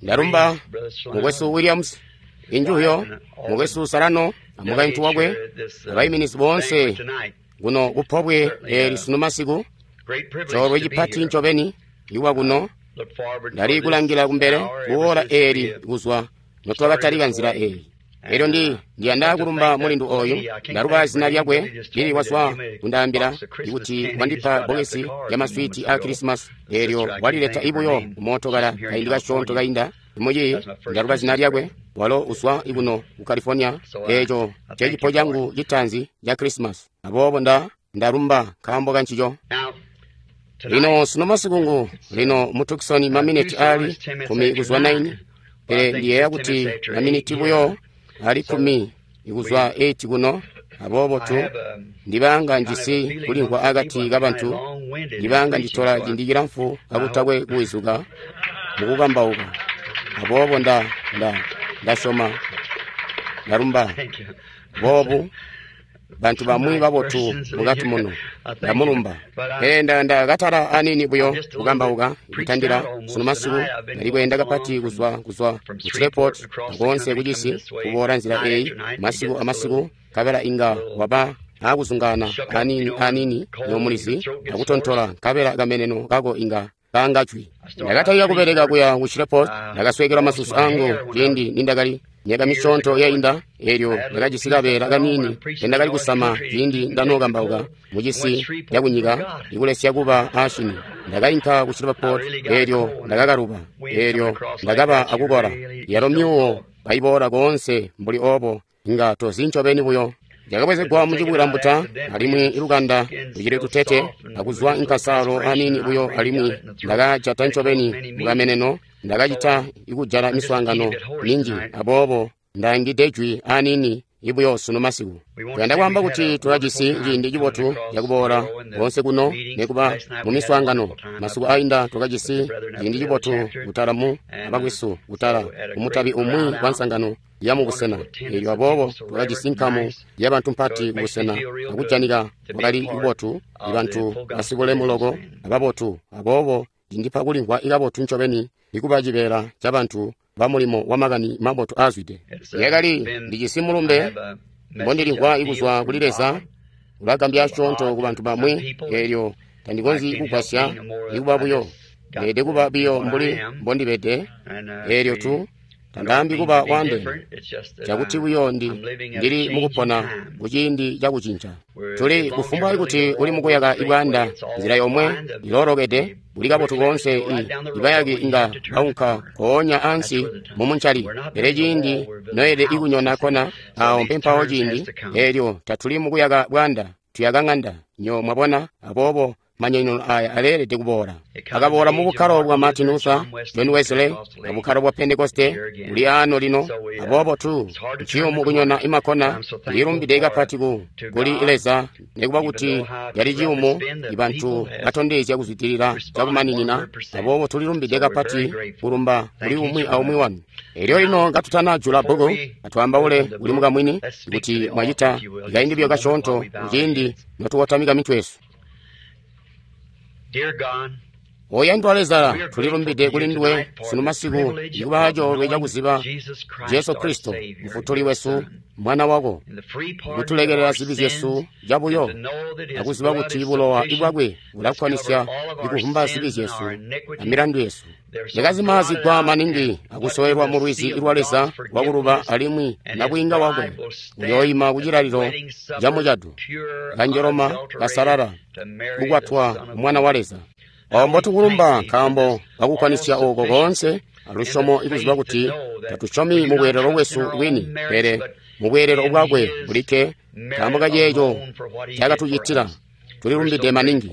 Ndalumba mukwesu Williams, injuhyo mukwesu Sarano amukaintu wakwe abaiminizi boonse kuno kupobwe eli sunu masiku. Coolwe cipati ncobeni ikuba kuno. Ndali kulangila kumbele kuola eli kuzwa notwakatalika nzila eyi. Elyo ndiyanda kulumba mulindu oyu. Ndaluba zina lyakwe lili wazwa kundaambila kuti wandipa bbokesi lya maswiti a Krisimasi, elyo walileta ibuyo kumootokala kaindi kasyoonto kainda. Imuyi ndaluba zina lyakwe, walo uzwa ikuno ku California. Eeco cecipo cangu citaanzi ca Krisimasi, aboobo ndalumba nkaambo kancico. Lino sunu masiku lino mu Tucson maminiti ali 10 kuzwa 9, pele ndiyeeya kuti maminiti buyo ali 10 kuzwa 8 kuno. Aboobo tu ndibanga njisi kulimvwa akati kabantu, ndibanga nditola ciindi cilamfu kakutakwe kuwizuka mukukambauka. Aboobo ndasyoma ndalumba boobu bantu bamwi babotu mukati muno, ndamulumba. Pele ndakatala anini buyo kukambauka kutandila sunu masiku. Ndali kweenda kapati kuzwa ku Shreveport akoonse kucisi kuboola nzila eyi masiku amasiku, nkabela inga waba akuzungaana anini anini nomulizi akutontola, nkabela kameneno kako inga kangajwi. Ndakatalika kubeleka kuya ku Shreveport, ndakasweekelwa masusu angu ciindi nindakali myaka misyoonto yainda. Elyo ndakajisi kabeela kaniini kendakali kusama ciindi ndanookambauka mucisi cakunyika ikulesya kuba aashini. Ndakainka ku Shreveport, elyo ndakakaluba, elyo ndakaba akukola. Yalo myuwo kaiboola koonse mbuli oobo, inga tozi ncobeni buyo. Ndakabwezegwa mucibwilambuta, alimwi ilukanda lucili tutete akuzwa inkasaalo aniini buyo, alimwi ndakajata ncobeni mukameneno. Ndakacita ikujala miswaangano minji, aboobo ndaangide jwi aniini ibuyo sunu masiku. Tuyanda kwaamba kuti tulajisi ciindi cibotu cakuboola koonse kuno nekuba mu miswaangano. Masiku ainda twakajisi ciindi cibotu kutala mu abakwesu kutala kumutabi umwi wa nsangano ya mubusena. Elyo aboobo twakajisi nkamu yabantu mpati kubusena, akujanika kwakali kubotu, ibantu basibulemu loko ababotu. Aboobo cindipa kulimvwa ikabotu ncobeni ikuba cibeela cabantu bamulimo wa makani mabotu aazwide. Yakali ndijisi mulumbe mbondilimvwa ikuzwa kuli Leza, ulagambya asyoonto kubantu bamwi. Elyo tandikonzyi kugwasya ikuba buyo, ndeelede kuba biyo mbuli mbondibede. Elyo tu tandaambi kuba waandeene, cakuti buyo ndili mukupona kuciindi cakucinca. Tuli kufumbwa kuti uli mukuyaka ibwaanda, nzila yomwe iloolokede buli kabotu koonse, ibayaki inga baunka koonya ansi mumuncali. Pele ciindi noyelede ikunyona kona, awo mpempawo ciindi. Elyo tatuli mukuyaka bwaanda, tuyaka ng'anda nyo mwabona. Aboobo manyonyono aya aleelede kuboola. Akaboola mu bukkalo bwa Martin Luther, John Wesley, na bukkalo bwa Pentekoste buli ano lino. Aboobo tu nciyumu kunyona imakona. Ndilumbide kapati kuli Leza, nekuba kuti yali ciyumu, ibantu batondezya kuzwidilila cakumaninina. Aboobo tulilumbide kapati kulumba kuli umwi aumwi wanu. Elyo lino katutanajula bbuku, atwaambaule kuli mukamwini kuti mwacita kaindi buyo kasyoonto kuciindi notukotamika mitwe yesu. Oyandwa Leza, tulilumbide kuli nduwe sunu masiku ikuba coolwe cakuziba Jesu Kristo mufutuli wesu, mwana wako, kutulekelela zibi zyesu cabuyo, akuziba kuti bulowa bwakwe bulakwanisya ikuvumba zibi zyesu amilandu yesu. Yakazimazigwa maningi akusowelwa mu lwizi lwa Leza lwakuluba, alimwi nabwiinga wakwe uyooima kucilalilo camucado, kanjoloma kasalala, kukwatwa mwana wa Leza. Ombo tukulumba nkaambo kakukwanisya ooko koonse alusyomo ikuziba kuti tatusyomi mubweelelo bwesu bwini, pele mubweelelo bwakwe bulikke. Nkaambo kaceeco cakatucitila, tulilumbide maningi.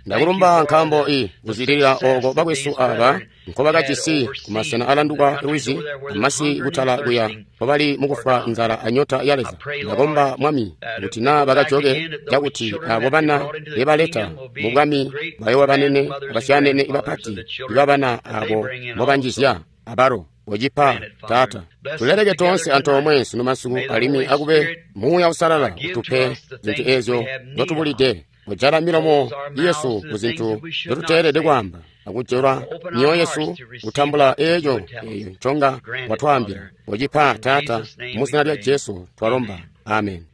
Ndakulumba nkaambo kuzwidilila ooko bakwesu aaba nkobakajisi kumasena alanduka lwizi amasi kutala kuya nkobali mukufwa nzala anyota ya Leza. Ndakomba Mwami kuti naa bakajoke, cakuti abo bana bebaleta mu bwami bayooba banene abasyaanene bapati ibabana abo mbobanjizya abalo. Wocipa Taata, tuleleke toonse antoomwe sunu masiku, alimwi akube Muuya Usalala utupe zintu eezyo nzotubulide. Kujala milomo yesu kuzintu nzotuteelede kwaamba. akujula myoyo yesu kutambula eeco eyo nconga watwaambila. Wocipa, Taata, mu zina lya Jesu twalomba. Amen.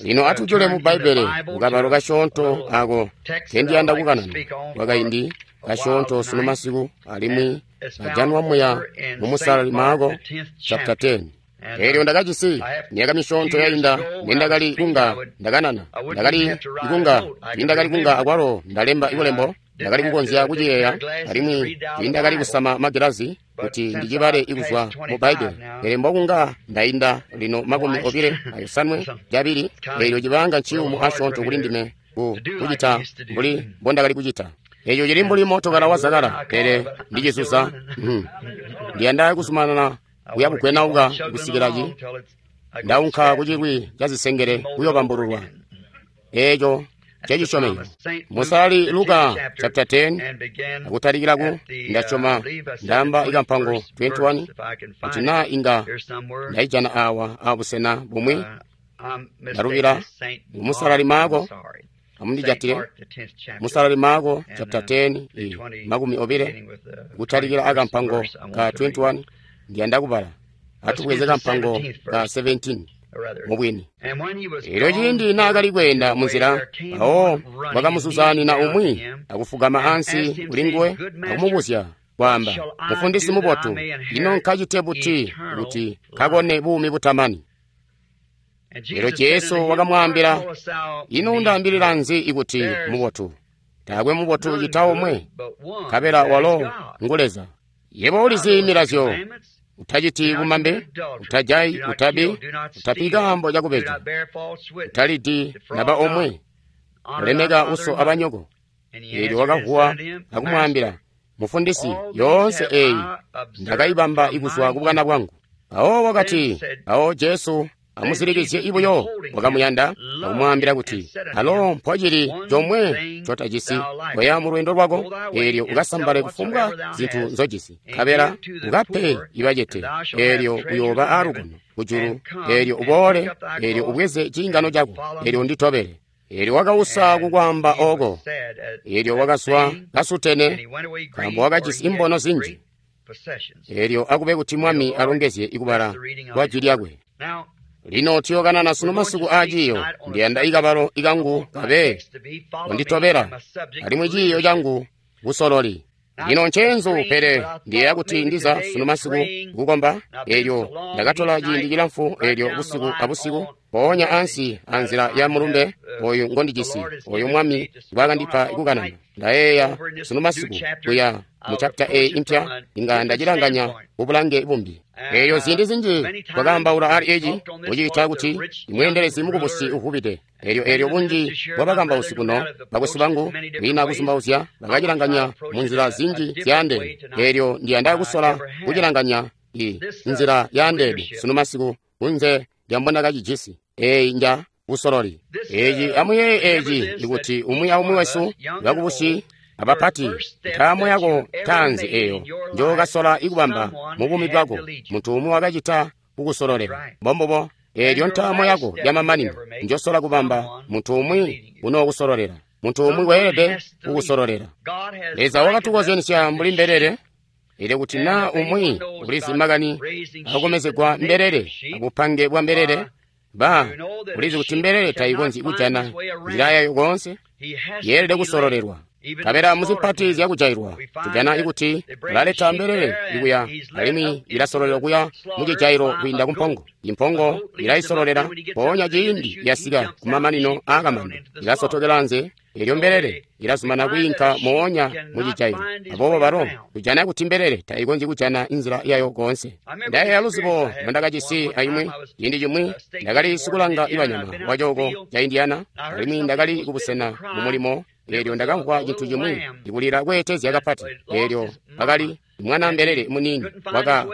Lino atujule mu Bbaibbele mukabalo kasyoonto ako kendiyanda kukanana kwakaindi kasyoonto sunu masiku, alimwi kajanwa muya mu Musalali Maako chapter 10. Eelyo ndakajisi myaka misyoonto yainda nendakali kunga ndakanana, ndakali kunga tiindakali kunga akwalo ndalemba ikulembo, ndakali kukonzya kuciyeeya, alimwi tiindakali kusama magilazi kuti ndicibale ikuzwa mu Bbaibbele. Pele mbokunga ndainda lino 25, eelyo cibanga nciyumu asyoonto kuli ndime kucita mbuli mbondakali kucita. Eeco cili mbuli mootokala wa zakala, pele ndicizuza. Ndiyanda kuzumanana kuya bugwenauka kusikila ndaunka kucilwi ca zisengele kuyobambululwa. Eeco cecisyomezyo. Musalali Luka chapter 10 akutalikila ku ndasyoma ndaamba ikampango 21 kuti naa inga ndaijana awa abusena bumwi ndalubila. Musalali Maako, amundijatile. Musalali Maako chapter 10 20 kutalikila akampango ka 21 ndiyanda kubala. Atubweze kampango ka 17 mubwini. Eelyo ciindi naakali kweenda munzila, mpawo wakamuzuzanina umwi akufugama ansi kulinguwe akumubuzya kwaamba, Mufundisi mubotu, ino nkacite buti kuti nkakone buumi butamani? Eelyo Jesu wakamwaambila, ino undaambilila nzi ikuti mubotu? Taakwe mubotu cita omwe, nkabela walo ngu Leza. Yebo ulizi milazyo: utaciti bumambe, utajayi, utabi, utapi kaambo cakubeja, utalidi naba omwe, ulemeka uso abanyoko. Eelyo wakavuwa akumwaambila, Mufundisi, yoonse eeyi ndakaibamba ikuzwa kubwana bwangu. Mpawo wakati, mpawo Jesu amusilikizye ibuyo wakamuyanda akumwaambila kuti, alo mpocili comwe ncotajisi, koya mu lweendo lwako, eelyo ukasambale kufumbwa zintu nzojisi, nkabela ukape ibacete, eelyo uyooba aalukono kujulu, eelyo uboole, eelyo ubweze ciingano cako, eelyo unditobele. Eelyo wakausa kukwaamba ooko, eelyo wakazwa kasutene, nkaambo wakajisi imbono zinji. Eelyo akube kuti Mwami alongezye ikubala kwa jwi lyakwe. Lino tuyokanana sunu masiku aaciiyo. Ndiyanda ikabalo ikangu kabe kunditobela, alimwi ciiyo cangu busololi. Lino nceenzu, pele ndiyeeya kuti ndiza sunu masiku kukomba. Eelyo ndakatola ciindi cilamfu, eelyo busiku abusiku, mpoonya ansi anzila ya mulumbe oyu ngondijisi, oyu Mwami ngwaakandipa kukanana. Ndayeeya sunu masiku kuya mu chapter A impya, inga ndacilanganya bubulange bumbi. Eelyo ziindi zinji twakaambaula ali eci, kuciita kuti imweendelezi mukubusi uvubide. Eelyo bunji bwabakambausi kuno, bakwesu bangu, kwiina kuzumbauzya, bakacilanganya munzila zinji zyaandeene. Eelyo ndiyanda kusola kucilanganya nzila yaandeene sunu masiku kunze lyambona kacijisi. Eeyi nja busololi. Eeci amuyeeye eeci ikuti umwi aumwi wesu, bakubusi abapati, ntaamo yako taanzi eeyo njookasola ikubamba mubuumi bwako, muntu umwi wakacita kukusololera. Mbombubo, eelyo ntaamo yako yamamanino njosola kubamba, muntu umwi unookusololera. Muntu umwi weelede kukusololera. Leza wakatukozyanisya mbuli mbelele. Eelyo kuti naa umwi ulizi makani akukomezegwa mbelele abupange bwa mbelele, ba ulizi kuti mbelele tayikonzyi kujana nzila yayo koonse, yeelede kusololelwa. Nkabela muzipati zyakujailwa tujana ikuti balaleta mbelele ikuya, alimwi ilasololelwa kuya mucijailo kwiinda kumpongo. Impongo ilaisololela, mpoonya ciindi yasika kumamanino aakamando ilasotokela anze, eelyo mbelele ilazumana kwiinka moonya mucijailo. Aboobo balo tujana kuti mbelele taikonzyi kujana inzila yayo koonse. Ndayeeya luzibo ndondakajisi aimwi ciindi cimwi ndakali sikulanga ibanyama wacooko ca Indiana, alimwi ndakali kubusena mumulimo. Eelyo ndakamvwa cintu cimwi ikulila kweetezya kapati. Eelyo bakali mwana mbelele muniini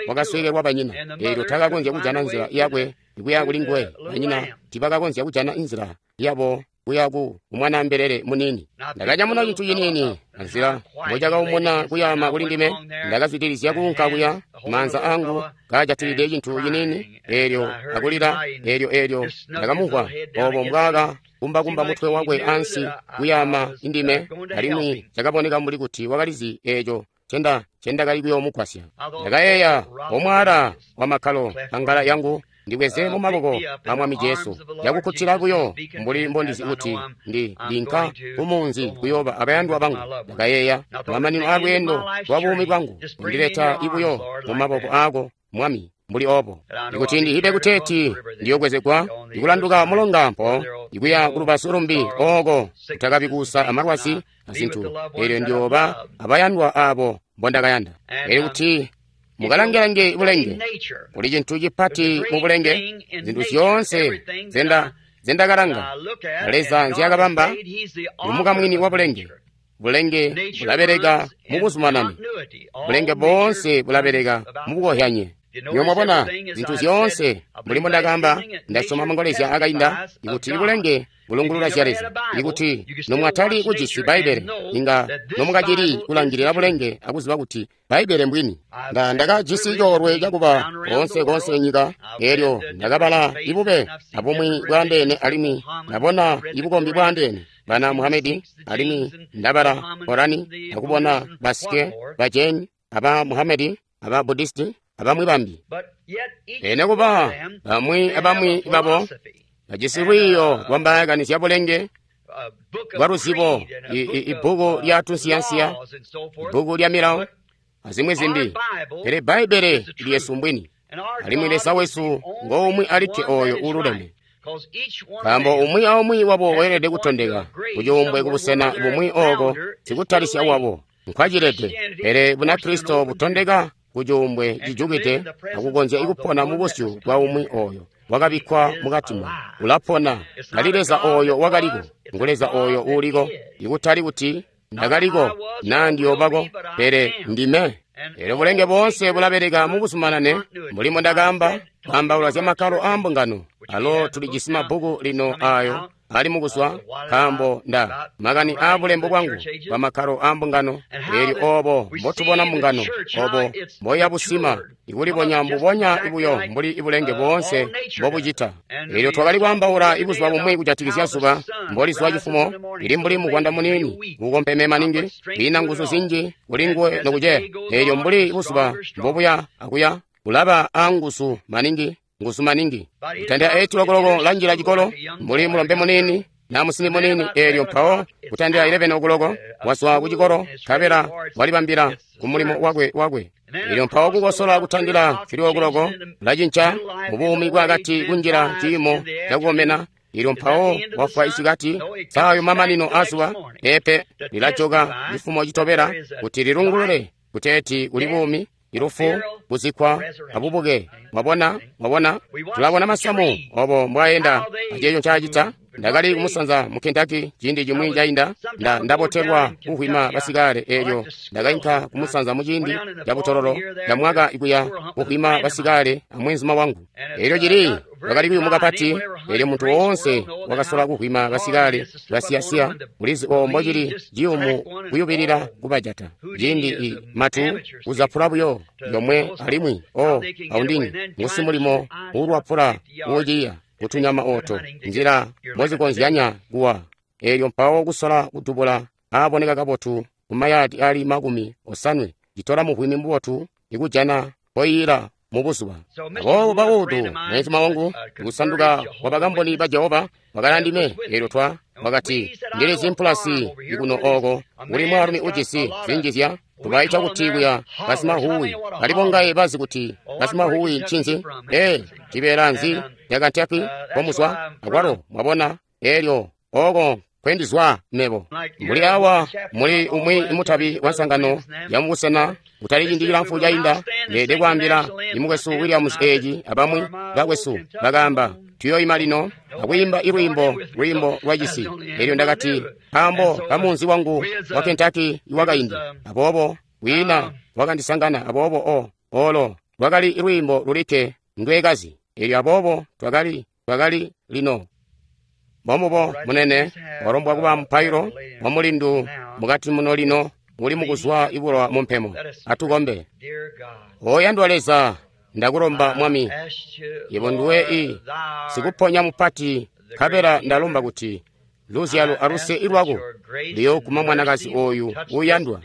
wakasweekelwa banyina. Eelyo takakonzya kujana nzila yakwe ikuya kuli nguwe. Banyina tiibakakonzya kujana nzila yabo kuya ku mwana mbelele muniini. Ndakanyamuna cintu ciniini anzila mbocakaumuna kuyaama kuli ndime. Ndakazwidilizya kuunka kuya, maanza angu kaajatilide cintu ciniini. Eelyo akulila, eelyo ndakamumvwa obo mbwaaka kumbakumba mutwe wakwe ansi kuyaama indime, alimwi cakaboneka mbuli kuti wakalizi eeco cendakali kuyoomugwasya. Ndakayeeya, omwaala wa makkalo angala yangu ndibweze mu maboko a Mwami Jesu, yakukkutila buyo mbuli mbondizi kuti ndinka kumunzi kuyooba abayandwa bangu. Ndakayeeya, mamanino a lweendo lwa buumi bwangu, undileta ibuyo mu maboko aako, Mwami, mbuli obo. Ikuti ndihibe kuteeti ndiyobwezegwa ikulanduka mulonga mpo ikuya kulubazu lumbi ooko kutakabi kuusa amalwazi azintu, eelyo ndiyooba abayandwa abo mbondakayanda. Elyo kuti mukalangelange bulenge, kuli cintu cipati mu bulenge, zintu zyoonse zendakalanga Leza nzyakabamba, ngumukamwini wa bulenge. Bulenge bulabeleka mu buzumanane, bulenge boonse bulabeleka mu bukohyanye. Niyo mwabona zintu zyoonse mbuli mbondakaamba, ndasyoma mangolezya akainda ikuti bulenge bulungulula zya Leza. Ikuti nomwatali kujisi Bbaibbele, inga nomukacili kulangilila bulenge akuziba kuti Bbaibbele mbwini. Ndakajisi coolwe cakuba koonse koonse nyika, eelyo ndakabala ibube abumwi bwaandeene alimwi ndabona ibukombi bwaandeene bana Muhamedi, alimwi ndabala Korani akubona basike ba Jain, aba Muhamedi, aba Buddhist, abamwi bambi. Pele kuba bamwi abamwi babo bajisi lwiiyo lwambaakani zya bulenge bwa luzibo, ibbuku lya tunsiyansiya, ibbuku lya milawo, azimwi zimbi. Pele Bbaibbele lyesu mbwini, alimwi Leza wesu ngoumwi alikke ooyo uululeme. Nkaambo umwi aumwi wabo weelede kutondeka kucuumbwe kubusena bumwi ooko sikutalisya wabo nkwacilede. Pele Bunakristo butondeka kucuumbwe cijukide akukonzya ikupona mu busyu bwa umwi ooyo wakabikkwa mukati ulapona. Tali Leza ooyo wakaliko, ngu Leza ooyo uuliko, ikutali kuti ndakaliko naa ndiyoobako, pele ndime. Eelyo bulenge boonse bulabeleka mu buzumanane mbuli mbondakaamba, kwaambaula zya makkalo aa mbungano. Alo tulijisi mabbuku lino aayo ali mukuzwa, nkaambo nda makani aa bulembo bwangu bwa makkalo aa mbungano. Eelyo oobo mbotubona mbungano, obo mboyabusima ikulibonya mbubonya buyo mbuli ibulenge boonse mbobucita. Eelyo twakali kwaambaula ibuzuba bumwi kujatikizya zuba mbolizwa cifumo, lili mbuli mugwanda muniini kukompeme maningi, liina nguzu zinji kuli nguwe nokuceya. Eelyo mbuli buzuba mbobuya akuya, bulaba aanguzu maningi, nguzu maningi. Kutandila 8 o'clock lanjila cikolo mbuli mulombe muniini na musimbi muniini. Eelyo mpawo kutandila 11 o'clock wazwa ku cikolo, nkabela walibambila ku mulimo wakwe. Eelyo mpawo kukosola kutandila 3 o'clock lacinca mubuumi bwakati kunjila ciimo cakukomena. Eelyo mpawo wafwa isikati, saayo mamanino azuba pepe lilajoka cifumo citobela kuti lilungulule kuteeti kuli buumi, ilufu, kuzikkwa, abubuke. Mwabona, mwabona, tulabona masamu obo mbwaenda aceeco ncaacita. Ndakali kumusanza mu Kentucky ciindi cimwi cainda, ndabotelwa kuhwima basikale. Eelyo ndakainka kumusanza mu ciindi cabutololo camwaka ikuya kuhwima basikale amweenzuma wangu. Eelyo cili lwakali kuyumu kapati, eelyo muntu woonse wakasola kuhwima basikale basiyasiya mulizi obo mbocili ciyumu kuyubilila kubajata. Ciindi i matu kuzapula buyo yomwe alimwi o aundini ngusi mulimo uulwapula uuciya kutunyama ooto nzila mbozikonzyanya kuwa. Eelyo mpawo kusola kudubula aaboneka kabotu kumayadi ali 80 citola muhwimi mubotu ikujana mpoiyila mubuzuba. Aboobo baudu mwenzuma wangu ikusanduka kwa Bakamboni ba Jehova wakali andime. Eelyo twa wakati, ndilizi mpulasi ikuno ooko kuli mwaalumi ujisi zinjizya tubaita kuti kuya basimahuwi. Balibongaye bazi kuti basimahuwi ncinzi? Ee, cibeela nzi ca Kentucky komuzwa? Akwalo mwabona, eelyo ooko nkwendizwa mebo. Mbuli awa muli umwi mutabi wa nsangano ya mubusena kutali ciindi cilamfu cainda, ndeede kwaambila imukwesu Williams eeci abamwi bakwesu bakaamba, tuyoima lino akwiimba ilwiimbo lwiimbo lwa cisi. Eelyo ndakati, nkaambo kamunzi wangu wa Kentucky iwakaindi. Aboobo wiina wakandisangana. Aboobo olo lwakali lwiimbo lulikke ndwekazi. Eelyo aboobo twakali lino mbomubo munene walombwa kuba mupailo wa mulindu mukati muno lino uli mukuzwa ibulwa mu mpemo. Atukombe. Oyandwa Leza, ndakulomba Mwami, yebo nduwe i sikuponya mupati Nkabela ndalomba kuti luzyalo aluse lwako liyooguma mwanakazi oyu uuyandwa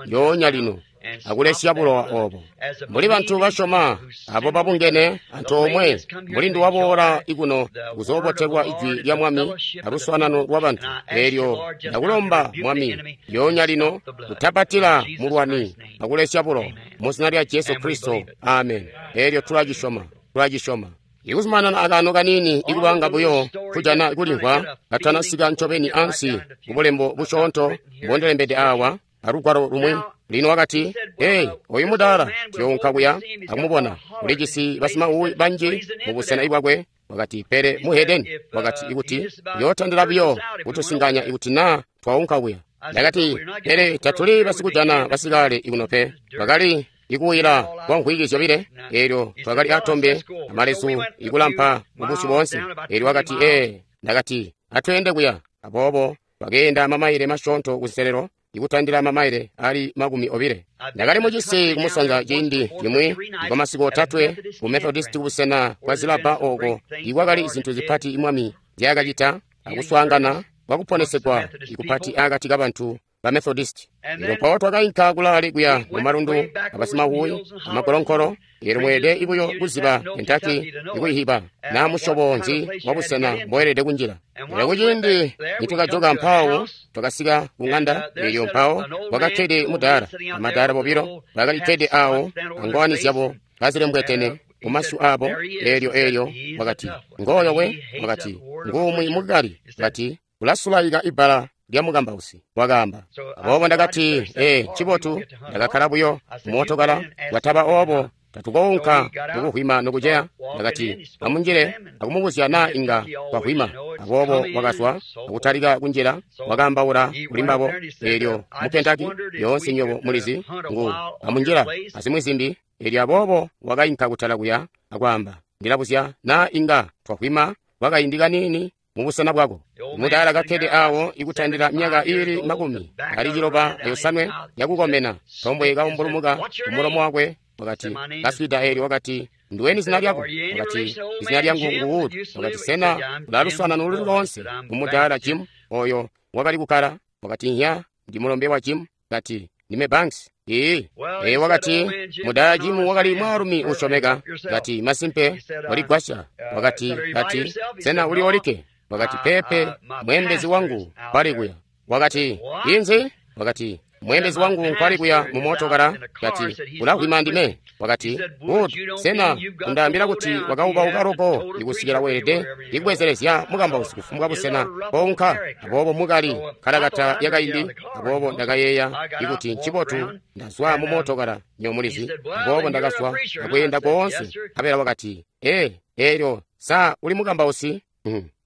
lyoonya lino akulesya bulowa obo. Mbuli bantu basyoma abo babungene antoomwe, mbuli nduwaboola ikuno kuzoobotelwa ijwi lya Mwami aluswaanano lwa bantu, eelyo ndakulomba Mwami lyoonya lino kutapatila mulwani akulesya bulowa mu zina lya Jesu Kristo, amen. Eelyo tulacisyoma, tulacisyoma. Ikuzumanana akaano kaniini ikubanga buyo kujana kulimvwa katanasika ncobeni ansi kubulembo busyoonto mbondilembede awa alugwalo lumwi. Lino wakati, hey, oyu mudaala tuyounka kuya akumubona, ulijisi basimauwi banji mu busena bwakwe. Wakati, pele muhedeni, wakati, ikuti uyootandila buyo kutusinganya ikuti naa twaunka kuya. Ndakati, pele tatuli basikujana basikale ikuno pe. Bakali ikuwila kwa nkhwiki zyobile, eelyo twakali atombe amalezu ikulampa mubusyu boonse. Eelyo wakati, ee, ndakati, atweende kuya. Aboobo twakeenda mamaile masyoonto kunselelo, ikutandila mamaile ali 20. Ndakali mucisi kumusanza ciindi cimwi kwa masiku otatwe ku Methodist kubusena bwa zilabba oko ikwakali zintu zipati Mwami zyaakacita akuswaangana kwakuponesegwa ikupati akati kabantu ba Methodist. Elyo mpawo twakainka kulaale kuya mu malundu abasimahuwi amagolonkolo. Eelyo mweelede ibuyo kuziba Kentucky ikuyihiba naa musyobo nzi wa busena mboelede kunjila. Elyo kuciindi nitwakajoka mpawo twakasika ku ng'anda, eelyo mpawo kwakakkede mudaala amadaala bobilo bakalikkede awo angowani zyabo kazilembwetene kumasyu abo. Eelyo wakati, ngooyo we, wakati, nguumwi mukali, wakati, ulasulaika ibbala lya mukambausi, wakaamba. Aboobo ndakati, ee, ncibotu, ndakakkala buyo mumootokala, kwataba oobo tatukounka mukuhwima nokuceya. Ndakati, amunjile akumubuzya naa inga twahwima. Aboobo wakazwa akutalika kunjila, wakaambaula kuli mbabo. Eelyo mu Kentucky yoonse nywebo mulizi ngu amunjila azimwi zimbi. Eelyo aboobo wakainka kutala kuya akwaamba, ndilabuzya naa inga twahwima kwakaindi kaniini mubusena bwako. Mudaala kakkede awo ikutandila myaka iili 97 yakukomena, tombwe kaumbulumuka kumulomo wakwe. Wakati, kaswida. Eelyo wakati, nduweni zina lyako? Wakati, izina lyangu ngu Wood. Wakati, sena ulaluswaanano luli loonse kumudaala Jim oyo wakali kukkala? Wakati, nya, ndi mulombe wa Jim. Kati, ndime Banks. Ee, wakati, mudaala Jim wakali mwaalumi usyomeka. Kati, masimpe waligwasya. Wakati, kati, sena uli olikke? Wakati, pepe, mweembezi wangu nkwali kuya. Wakati, inzi? Wakati, mweembezi wangu nkwali kuya mu mootokala. Kati, ulahwima ndime. Wakati, Wood, sena undaambila kuti wakaubauka loko ikusikila weelede ikubwezelezya mukambausi kufumbwa busena kounka? Aboobo mukali kalakata yakaindi. Aboobo ndakayeeya ikuti ncibotu ndazwa mu mootokala, nyo mulizi. Aboobo ndakazwa akweenda koonse. Nkabela wakati, ee, eelyo sa uli mukambausi?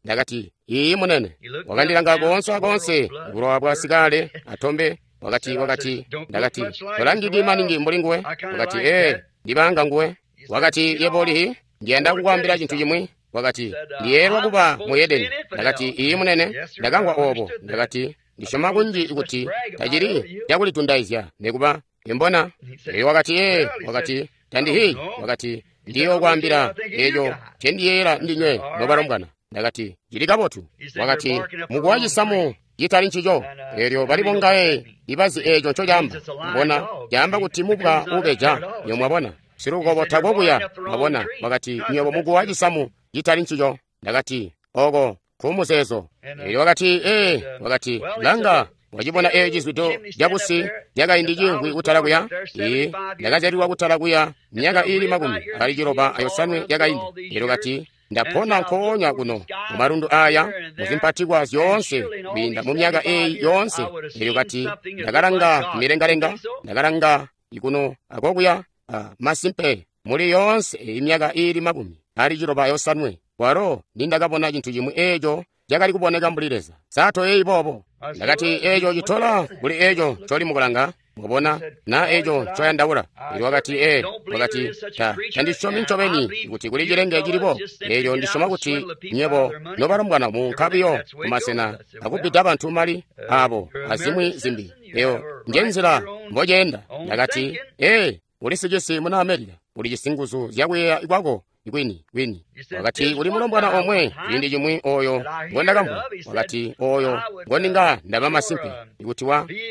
Ndakati, iiyi munene. Wakandilanga koonse akoonse, bulowa bwa sikale atombe. Wakati, wakati, ndakati, tolangiki maningi mbuli nguwe. Wakati, ee, ndibanga nguwe. Wakati, yebo ulihi, ndiyanda kukwaambila cintu cimwi. Wakati, ndiyeelwa kuba mu Edeni. Ndakati, iiyi munene, ndakamvwa obo. Ndakati, ndisyoma kunji kuti tacili cakulitundaizya nekuba imbona. Elyo wakati, ee, wakati, tandihi. Wakati, ndiyokwaambila eco ncendiyeeyela ndinywe nobalombwana. Ndakati, cili kabotu. Wakati, mukuwa cisamu citali ncico. Eelyo bali bongaye ibazi eco ncocaamba. Mbona caamba kuti mubwa ubeja, nyo mwabona. Silukobo tako kuya, mwabona. Wakati, nywebo mukuwa cisamu citali ncico. Ndakati, oko kumuzeezo. Eelyo wakati, ee, wakati, langa, wacibona eeco cizwido cabusi cakaindi cimvwi kutala kuya? Ee, ndakazyalilwa kutala kuya myaka iili 97 yakaindi. Eelyo kati, ndapona nkoonya kuno mumalundu aya muzimpatikwa zyoonse kwiinda mu myaka eeyi yoonse. Eelyo kati, ndakalanga kumilengalenga, ndakalanga ikuno akokuya, masimpe muli yoonse eyi myaka iili 97 kwalo nindakabona cintu cimwi eeco cakali kuboneka mbuli Leza. Sato eyi boobo. Ndakati, eeco citola kuli eeco ncoli mukulanga, mwabona, na eeco ncoyandaula. Eelyo wakati, ee, wakati, tandisyomi ncobeni kuti kuli cilenge cilibo. Eelyo ndisyoma kuti nywebo nobalombwana muunka buyo kumasena akubbida bantu mali abo azimwi zimbi. Eyo njenzila mboceenda. Ndakati, ee, uli sicisi muna Amerika, ulijisi nguzu zyakuyeeya kwako Kwini, kwini. Wakati kuli mulombwana omwe ciindi cimwi oyo ngondakamvwa. Wakati oyo ngoninga ndaba masimpe ikuti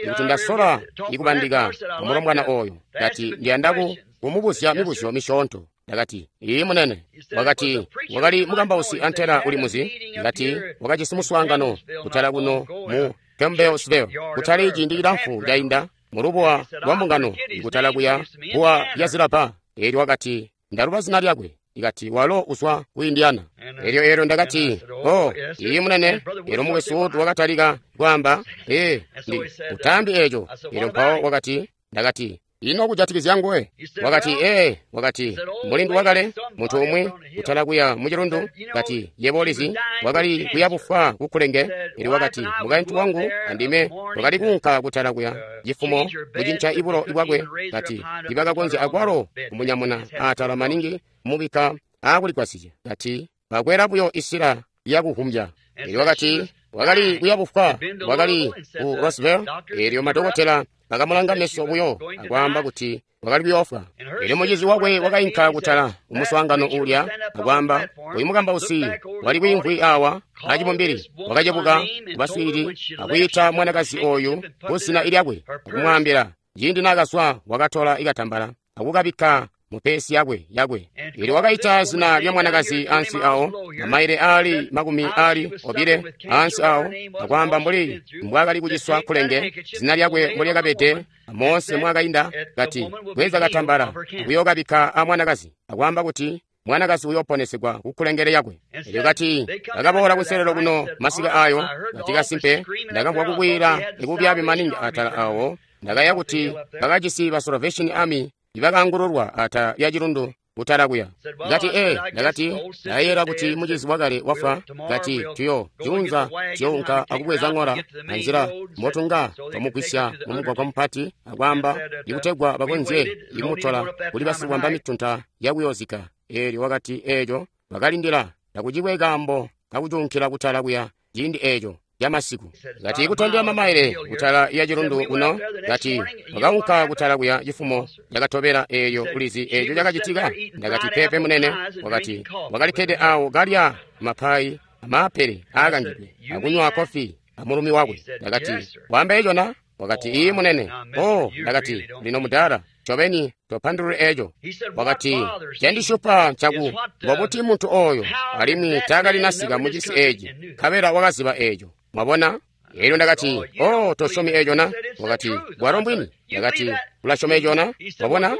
ikuti ndasola ikubandika mulombwana oyo. Ndati ndiyanda kumubuzya mibuzyo misyoonto. Ndakati, "Iyi munene." Wakati, wakali mukambausi antela uli muzi. Ndakati, wakajisi muswaangano kutala kuno mu Campbellsville, kutali ciindi cilamfu cainda, mulubuwa lwa mbungano, ikutala kuya buwa lya zilapa. Elyo wakati, ndaluba zina lyakwe. Ikati walo uzwa ku Indiana. Elyo ndakati, "Oh, iyi munene." Elyo mukwesu wakatalika kwaamba, "Ee, ndi utambi eco." Elyo mpawo wakati, ndakati, "Ino kujatikizya nguwe?" Wakati, "Ee," wakati, "mulindi wakale, muntu umwi kutala kuya mucilundu." Kati, "Yebo ulizi, wakali kuya bufwa kukulenge." Elyo wakati, "Mukaintu wangu andime twakali kuunka kutala kuya cifumo kucinca ibulo bwakwe." Kati, "Tibakakonzya akwalo kumunyamuna atala maningi mubika aakuligwasya." Kati, "Bakwela buyo isila yakuhumbya." Elyo wakati, wakali kuya bufwa, wakali ku Roswell. Elyo madokotela bakamulanga meso buyo akwaamba kuti wakali kuyoofwa. Elyo mucizi wakwe wakainka kutala umuswaangano uulya akwaamba, uyu mukambausi wali kwiimvwi awa acibumbili, wakacebuka kubaswiilili akwiita mwanakazi oyu kuzina lyakwe akumwaambila. Ciindi naakazwa wakatola ikatambala akukabikka mupesi yakwe. Elyo wakaita zina lya mwanakazi ansi awo, mamaile aali 200 ansi awo, akwaamba mbuli mbwakali kuciswa kulenge, zina lyakwe mbolyakabede, moonse mwakainda. Kati, "Bweza katambala akuyokabikka a mwanakazi," akwaamba kuti mwanakazi uyoponesegwa kukulengele yakwe. Elyo kati, bakaboola kunselelo kuno masika ayo. Kati, "Kasimpe ndakamvwa kukwila ikubyaabi maningi atala awo. Ndakaya kuti bakajisi ba Salvation Army ibakaangululwa ata ya cilundu kutala kuya." Ndakati, "Ee," ndakati, "ndayera kuti mucizi wakale wafwa." Kati, "Tuyo junza tuyounka akubweza ng'ola anzila mbotunga twamugwisya mumugwagwa mupati," akwaamba ikutegwa bakonzye ikumutola kuli basikwamba mitunta yakuyozika. Elyo wakati eeco bakalindila takucikwe kaambo kakucunkila kutala kuya ciindi eeco yamasiku. Kati, "Kutondela mamaile kutala ya cilundu kuno." Kati, "Wakaunka kutala kuya cifumo cakatobela. Eeyo ulizi eeco cakacitika?" Ndakati, "Pepe munene." Wakati, "Wakalikkede awo kalya mapayi amaapele aakangidwe akunywa kofi amulumi wakwe." Ndakati, "Waamba eco na?" Wakati, "Iyi munene." "Oh," ndakati, "lino mudala, ncobeni topandulule eco." Wakati, "Candishupa ncaku mbobuti muntu oyo alimwi taakalinasika mucisi eci, nkabela wakaziba eco." Mwabona? Elyo ndakati, "Oh, tosyomi eco na?" Wakati, "Bwalo mbwini." Ndakati, "Ulasyoma eco na?" Wabona?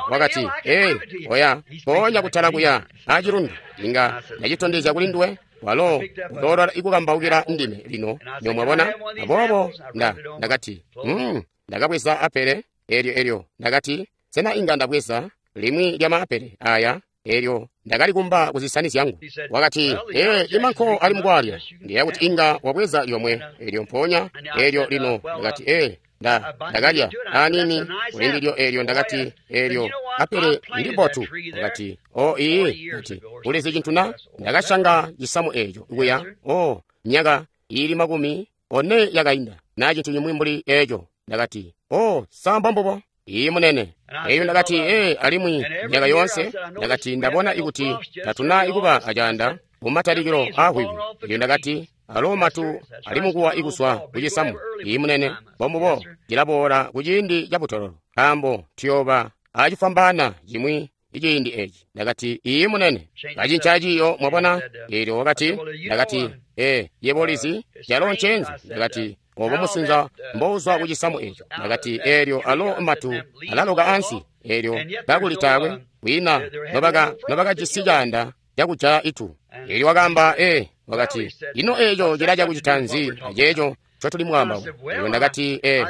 Wakati, "Ee, oya, mpoonya kutala kuya acilundu, inga ndacitondezya kuli nduwe. Walo uloolola ikukambaukila ndime lino, nyo mwabona." Aboobo ndakati, ndakabweza apele. Elyo ndakati, "Sena inga ndabweza limwi lya maapele aya?" Elyo ndakalikumba kuzisani zyangu. Wakati, "Ee, imanko ali mukwalya, ndiya kuti inga wabweza lyomwe." Elyo mpoonya, elyo lino ndakati, "Ee, ndakalya anini kulindilyo." Elyo ndakati, "Elyo apele ndi mbotu." Wakati, "O, iyi." Kati, "Ulizi cintu na? Ndakashanga cisamu eco kuya, o, myaka ili 40 yakainda, na cintu cimwi mbuli eco." Ndakati, "O, samba mbubo." "Iyi munene." Eyo ndakati, "Ee, alimwi myaka yoonse," ndakati, "ndabona ikuti tatuna ikuba acaanda mumatalikilo aahwiwi." Elyo ndakati, "Alo matu ali mukuwa ikuswa kucisamu." "Iyi munene, mbombubo, cilaboola kuciindi cabutololo, nkaambo tuyooba acifwambaana cimwi iciindi eci. Ndakati, "Iyi munene." Kacinca ciyo, mwabona. Elyo wakati, ndakati, "Ee, yebo ulizi, calo ncenzi." Ndakati, "Obo musinza mbouzwa kucisamu eco." Ndakati, "Elyo alo matu alaloka ansi, elyo kakuli taakwe kwina nobakajisi caanda cakujaya itu." Elyo wakaamba, "Ee," wakati, "ino eco cilaca kucita nzi aceeco ncotuli mwaamba?" Elyo ndakati, "Ee,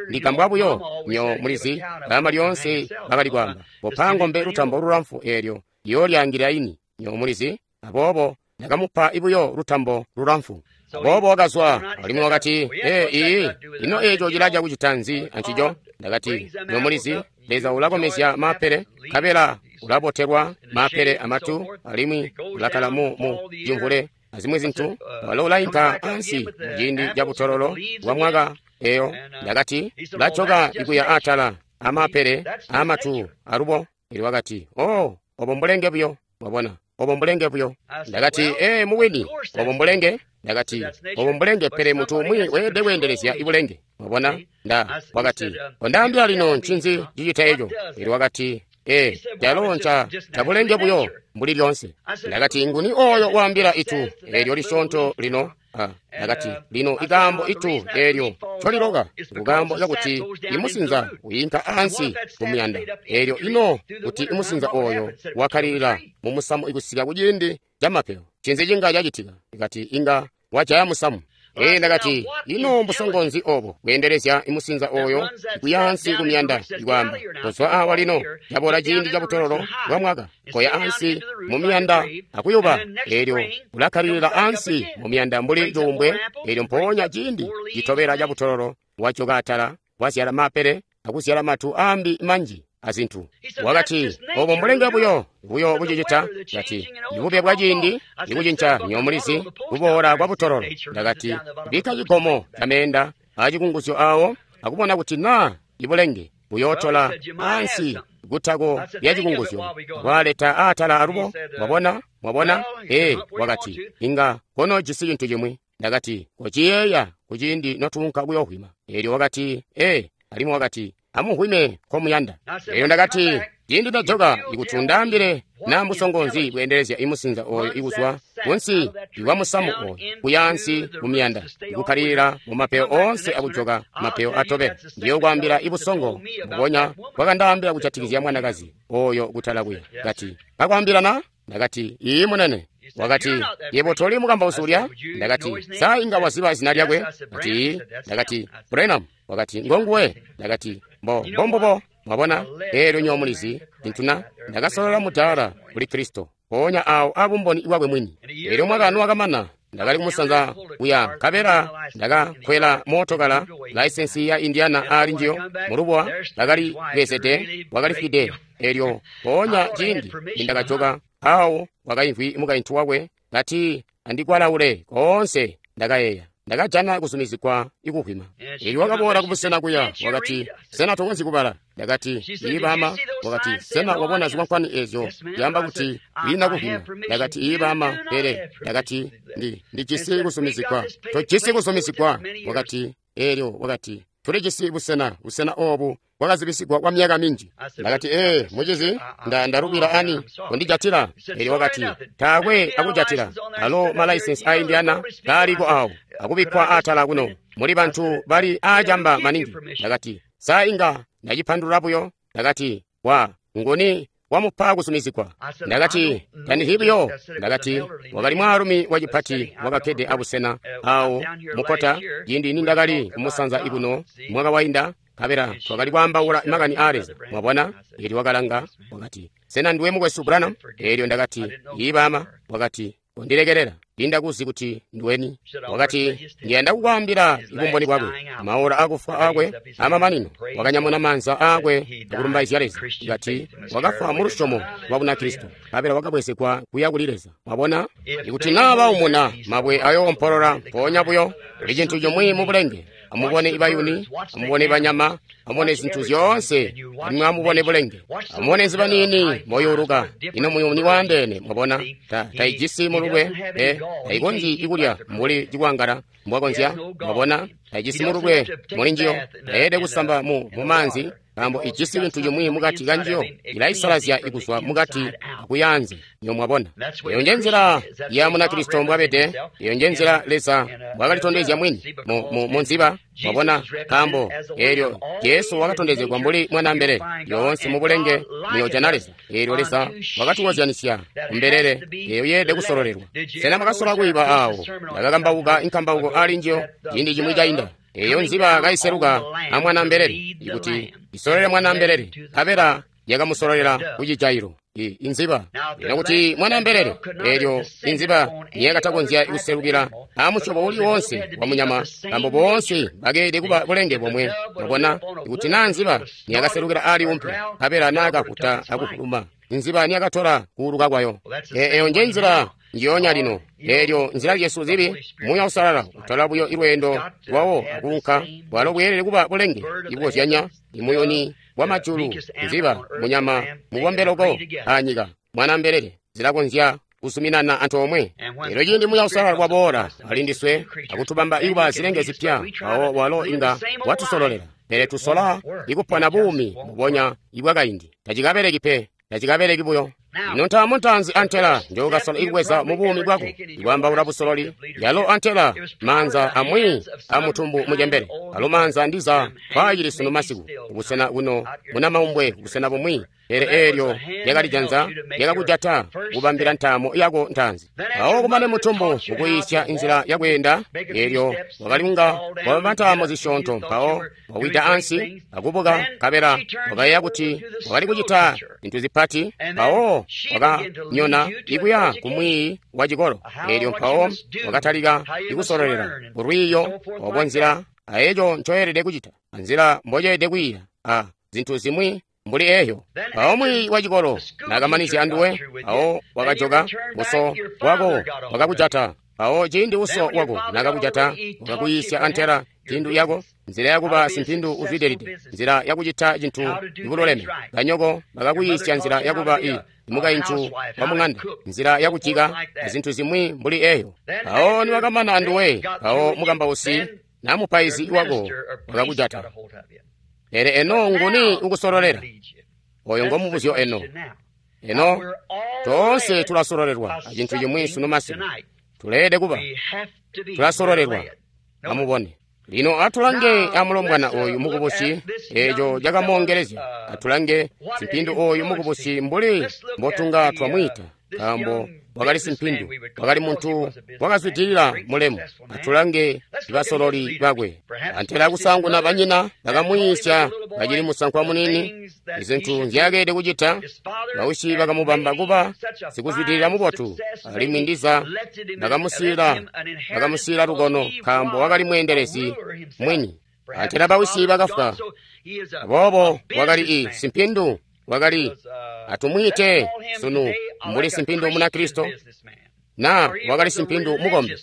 ndigambwa buyo, nyo mulizi, baama lyoonse bakali kwaamba, kopa ng'ombe lutambo lulamfu eelyo yoolyaangilira ini, nyo mulizi." Aboobo ndakamupa buyo lutambo lulamfu. Aboobo wakazwa, alimwi wakati, "Ee, iyi, ino eco cilaca kucita nzi ancico?" Ndakati, "Nyo mulizi, Leza ulakomezya maapele, nkabela ulabotelwa maapele amatu, alimwi ulakala mu cimvule azimwi zintu. Walo ulainka ansi muciindi cabutololo bwa mwaka eyo." Ndakati, "Ulajoka ikuya atala amaapele amatu alubo." Elyo wakati, "Oh, obo mbulenge buyo." Mwabona, obo mbulenge buyo. Ndakati, ee, mubwini, obo mbulenge. Ndakati, obo mbulenge, pele muntu umwi weelede kweendelezya ibulenge. Mwabona? Nda wakati, kondaambila lino ncinzi cicita eco. Elyo wakati, ee, calo nca cabulenge buyo mbuli lyonse. Ndakati, nguni oyo waambila itu eelyo lisyoonto lino? Ndakati, lino ikaambo itu eelyo ncoliloka nkukaambo kakuti imusinza wiinka ansi kumuyanda. Eelyo ino kuti imusinza oyo wakkalilila mumusamu ikusika kuciindi camapeyo, ncinzi cinga cacitika? Ndakati, inga wajaya musamu. Ee, ndakati, ino mbusongo nzi obo bweendelezya imusinza oyo kuya ansi kumyanda ikwaamba, kozwa awa lino, caboola ciindi cabutololo bwa mwaka, koya ansi mu miyanda akuyuba. Eelyo ulakkalilila ansi mu miyanda mbuli cuumbwe. Eelyo mpoonya ciindi citobela cabutololo wajoka atala, wazyala mapele akuzyala matu aambi manji azintu. Wakati, obo mbulenge buyo buyo bucicita. Kati, ibube bwa ciindi ikucinca nyomulizi kuboola kwa butololo. Ndakati, bikka cigomo cameenda acikunguzyo awo akubona kuti naa ibulenge buyootola ansi kutako lya cikunguzyo kwaleta atala alubo. Mwabona? Mwabona? Ee, wakati, inga kono jisi cintu cimwi. Ndakati, kociyeeya kuciindi notuunka kuyohwima. Eelyo wakati, ee, alimwi wakati, amuhwime komuyanda. Eelyo ndakati, ciindi ndajoka ikuti undaambile naa mbusongo nzi bweendelezya imusinza oyo ikuzwa kunsi ikwa musamu oyo kuya ansi kumiyanda ikukkalilila mu mapeyo oonse akujoka mapeyo atobela. Ndiyokwaambila ibusongo mbubonya bwakandaambila kujatikizya mwanakazi oyo kutala kuya. Kati, kakwaambila na? Ndakati, ii munene. Wakati, yebo toli mukambausi ulya? Ndakati, sa inga waziba zina lyakwe? Kati, ii. Ndakati, Branham. Wakati, ngonguwe. Ndakati, mbo mbombubo. Mwabona? Eelyo nyomulizi cintuna ndakasolola mudaala kuli Kristo mpoonya awo abumboni bwakwe mwini. Eelyo mwaka nuwakamana ndakali kumusanza kuya nkabela ndakakwela mootokala laisensi ya Indiana aali njiyo mulubuwa bakali bezede wakalifwide. Eelyo mpoonya ciindi nindakajoka awo wakaimvwi mukaintu wakwe kati andikwalaule koonse. Ndakayeeya ndakajana kuzumizigwa ikuhwima. Eelyo wakaboola kubusena kuya wakati, sena tokonzyi kubala? Ndakati, ii baama. Wakati, sena wabona zikwankwani ezyo zyaamba kuti kwiina kuhwima? Ndakati, ii baama, pele ndakati, ndijisi kuzumizigwa. Tojisi kuzumizigwa. Wakati, eelyo wakati, tulijisi busena, busena obu bwakazibisigwa kwa myaka minji. Ndakati, ee, mucizi, ndarubila ani kundijatila. Eelyo wakati, taakwe akujatila. Alo malaisensi a Indiana kaaliko awo akubikkwa atala kuno muli bantu bali aacamba maningi. Ndakati, sa inga ndacipandulula buyo? Ndakati, wa nguni wamupa kuzumizigwa? Ndakati, tandizyi buyo. Ndakati, wakali mwaalumi wacipati wakakkede abusena awo mukota ciindi nindakali kumusanza ikuno mwaka wainda, nkabela twakali kwaambaula makani aa Leza. Mwabona? Eelyo wakalanga wakati, sena ndiwe mukwesu Branham? Eelyo ndakati, ii baama. Wakati, kondilekelela, ndindakuzi kuti ndiweni. Wakati, ndiyanda kukwaambila ibumboni bwakwe. Maola akufwa akwe amamanino wakanyamuna maanza aakwe akulumbaizya Leza. Kati wakafwa mu lusyomo lwa Bunakristo, nkabela wakabwezegwa kuya kuli Leza. Mwabona? Ikuti naa baumuna, mabwe ayoompolola mpoonya buyo. Kuli cintu cimwi mu bulenge. Amubone ibayuni, amubone banyama, amubone zintu zyoonse, alimwi amubone bulenge. Amubone nziba niini moyuuluka. Ino muyuni waandeene, mwabona, taijisi mululwe, taikonzyi ikulya mbuli cikwangala mbwakonzya, mwabona, taijisi mululwe muli njiyo, tayeede kusamba mu maanzi, nkaambo ijisi cintu cimwi mukati kanjiyo, ilaisalazya ikuzwa mukati akuyaanze. Nyo mwabona, eyo nje nzila ya Munakristo mbwabede, eyo nje nzila Leza mbwakalitondezya mwini mu nziba. Mwabona, nkaambo eelyo Jesu wakatondezegwa mbuli mwanambelele. Yoonse mu bulenge muyojana Leza. Eelyo Leza wakatukozyanisya kumbelele eyo yeelede kusololelwa. Sena mwakasola kuiba awo ndakakambauka inkambauko ali njiyo ciindi cimwi cainda? Eyo nziba kaiseluka a mwanambelele ikuti isololele mwanambelele, nkabela yakamusololela kucijailo. Inziba ino kuti mwanambelele, eelyo inziba niyakatakonzya kuselukila amusyobo uli wonse wa munyama, nkaambo boonse bakeelede kuba bulenge bomwe. Mwabona, ikuti naa nziba niyakaselukila ali umpe, nkabela naakakuta akuvuluma, inziba niyakatola kuuluka kwayo. Eyo nje nzila njiyonya lino. Eelyo nzila zyesu zibi, Muuya Uusalala utola buyo ilweendo lwawo akuunka, bwalo bweelede kuba bulenge ibukozyanya imuyuni bwa majulu, nziba, munyama mubombeloko anyika, mwanambelele. zilakonzya kuzuminana antoomwe. Elyo ciindi Muuya Uusalala waboola ali ndiswe akutubamba ikuba zilenge zipya, mpawo walo inga watusololela. Pele tusola ikupona buumi mbubonya ibwakaindi. Tacikabeleki pe, tacikabeleki buyo. Ino ntaamo ntaanzi antela njokasola ikubweza mu buumi bwako, ikwaambaula busololi, yalo antela maanza amwi amutumbu mucembele, alo maanza ndiza kwaacili sunu masiku, kubusena kuno munamaumbwe kubusena bumwi. Pele eelyo lyakali janza lyakakujata kubambila ntaamo yako ntaanzi. Mpawo kumane mutumbu kukuyiisya inzila yakweenda, eelyo wakali kunga wabamba ntaamo zisyoonto, mpawo wawida ansi akubuka, nkabela wakayeeya kuti wakali kucita zintu zipati, mpawo wakanyona ikuya kumwiiyi wa cikolo. Eelyo mpawo wakatalika ikusololela kulwiiyo obo nzila aeco ncoyelede kucita, anzila mboceelede kwiiya, a zintu zimwi mbuli eyo. Mpawo mwiiyi wa cikolo naakamanizya anduwe, mpawo wakajoka, uso wako wakakujata. Mpawo ciindi uso wako naakakujata, wakakuyiisya antela mpindu yako, nzila yakuba simpindu uzwidilide, nzila yakucita cintu ibululeme. Banyoko bakakuyiisya nzila yakuba i mukaintu wa mung'anda, nzila yakujika, azintu zimwi mbuli eyo. Mpawo niwakamana anduwe, mpawo mukambausi na mupaizi wako wakakujata. Pele eno nguni ukusololela? Oyo ngomubuzyo eno. Eno toonse tulasololelwa acintu cimwi sunu masiku. Tuleelede kuba tulasololelwa. Amubone. Lino atulange amulombwana oyu mukubusi, eeco cakamoongelezya. Atulange simpindu oyu mukubusi mbuli mbotunga twamwiita, nkaambo wakali simpindu, wakali muntu wakazwidilila mulemu. Atulange basololi bakwe. Antela kusaanguna banyina bakamuyiisya kacili musankwa muniini izintu nzyakeelede kucita. Bausyi bakamubamba kuba sikuzwidilila mubotu, alimwi ndiza bakamusiila lukono nkaambo wakali mweendelezi mwini. Antela bausyi bakafwa, aboobo wakali i simpindu, wakali atumwiite sunu mbuli simpindu Munakristo, na wakali simpindu mukombi.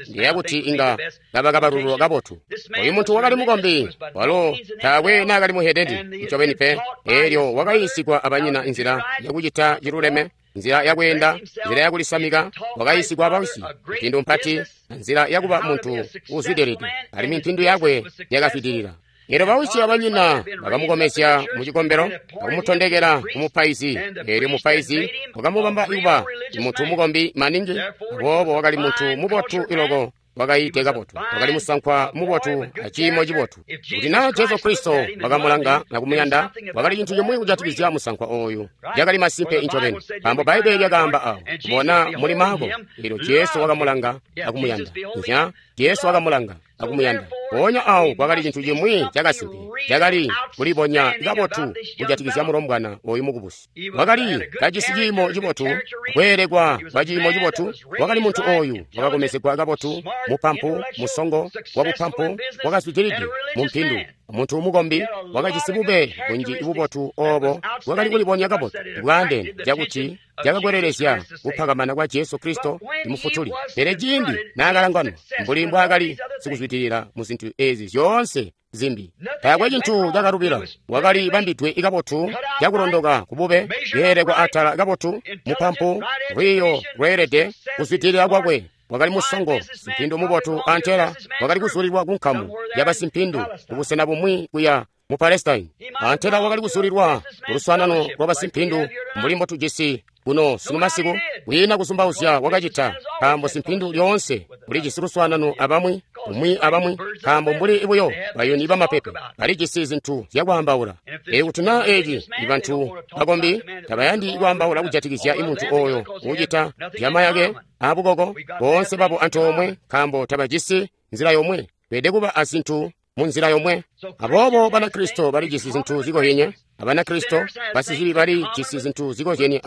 Ndiyeeya kuti inga kaba kabalulwa kabotu. Oyu muntu wakali mukombi, walo taakwe naakali muhedeni ncobeni pe. Eelyo wakayiisigwa abanyina inzila yakucita ciluleme, nzila yakweenda, nzila yakulisamika. Wakayiisigwa abawisi mpindu mpati, nzila yakuba muntu uuzwidilide, alimwi mpindu yakwe yakazwidilila. Eelyo bawisi abanyina bakamukomezya mu cikombelo akumutondekela kumupaizi. Eelyo mupaizi wakamubamba kuba muntu mukombi maningi, aboobo wakali muntu mubotu iloko, wakayiide kabotu, wakali musankwa mubotu aciimo cibotu. Kuti naa Jesu Kristo wakamulanga nakumuyanda, wakali cintu cimwi kujatikizya musankwa oyu cakali masimpe incobeni, nkaambo Bbaibbele lyakaamba awo, bona muli Maako. Eelyo Jesu wakamulanga akumuyanda. Nya, Jesu wakamulanga akumuyanda. Mpoonya awo kwakali cintu cimwi cakasimpe cakali kulibonya kabotu kujatikizya mulombwana oyu mukubusi. Wakali kajisi ciimo cibotu, kweelekwa kwa ciimo cibotu. Wakali muntu oyu wakakomezegwa kabotu, mupampu, musongo wabupampu, wakazwidilide mu mpindu, muntu mukombi, wakajisi bube bunji bubotu obo bwakali kulibonya kabotu bwaandeene cakuti cakakwelelezya kupakamana kwa Jesu Kristo Mufutuli. Pele ciindi naakalanganwa mbuli mbwaakali sikuzwidilila mu zintu ezi zyoonse zimbi, taakwe cintu cakalubila. Wakali bambidwe kabotu, cakulondoka kubube, yeelekwa atala kabotu, mupampu, lwiiyo lweelede, kuzwidilila kwakwe. Wakali musongo, simpindu mubotu, antela wakali kuzulilwa ku nkamu yabasimpindu kubusena bumwi kuya mu Palestine. Antela wakali kuzulilwa ku luswaanano lwa basimpindu mbuli mbotujisi kuno sunu masiku. Kwiina kuzumbauzya wakacita, nkaambo simpindu lyoonse ulijisi luswaanano abamwi, umwi abamwi, nkaambo mbuli buyo bayuni bamapepe balijisi zintu zyakwaambaula. Ee, kuti naa eci ibantu bakombi tabayandi kwaambaula kujatikizya imuntu oyo uucita zyamayake abukoko, boonse babo antoomwe, nkaambo tabajisi nzila yomwe. Beelede kuba azintu mu nzila yomwe. Aboobo Banakristo balijisi zintu zikozyenye Abanakristo, basizibi balijisi zintu zikozyenye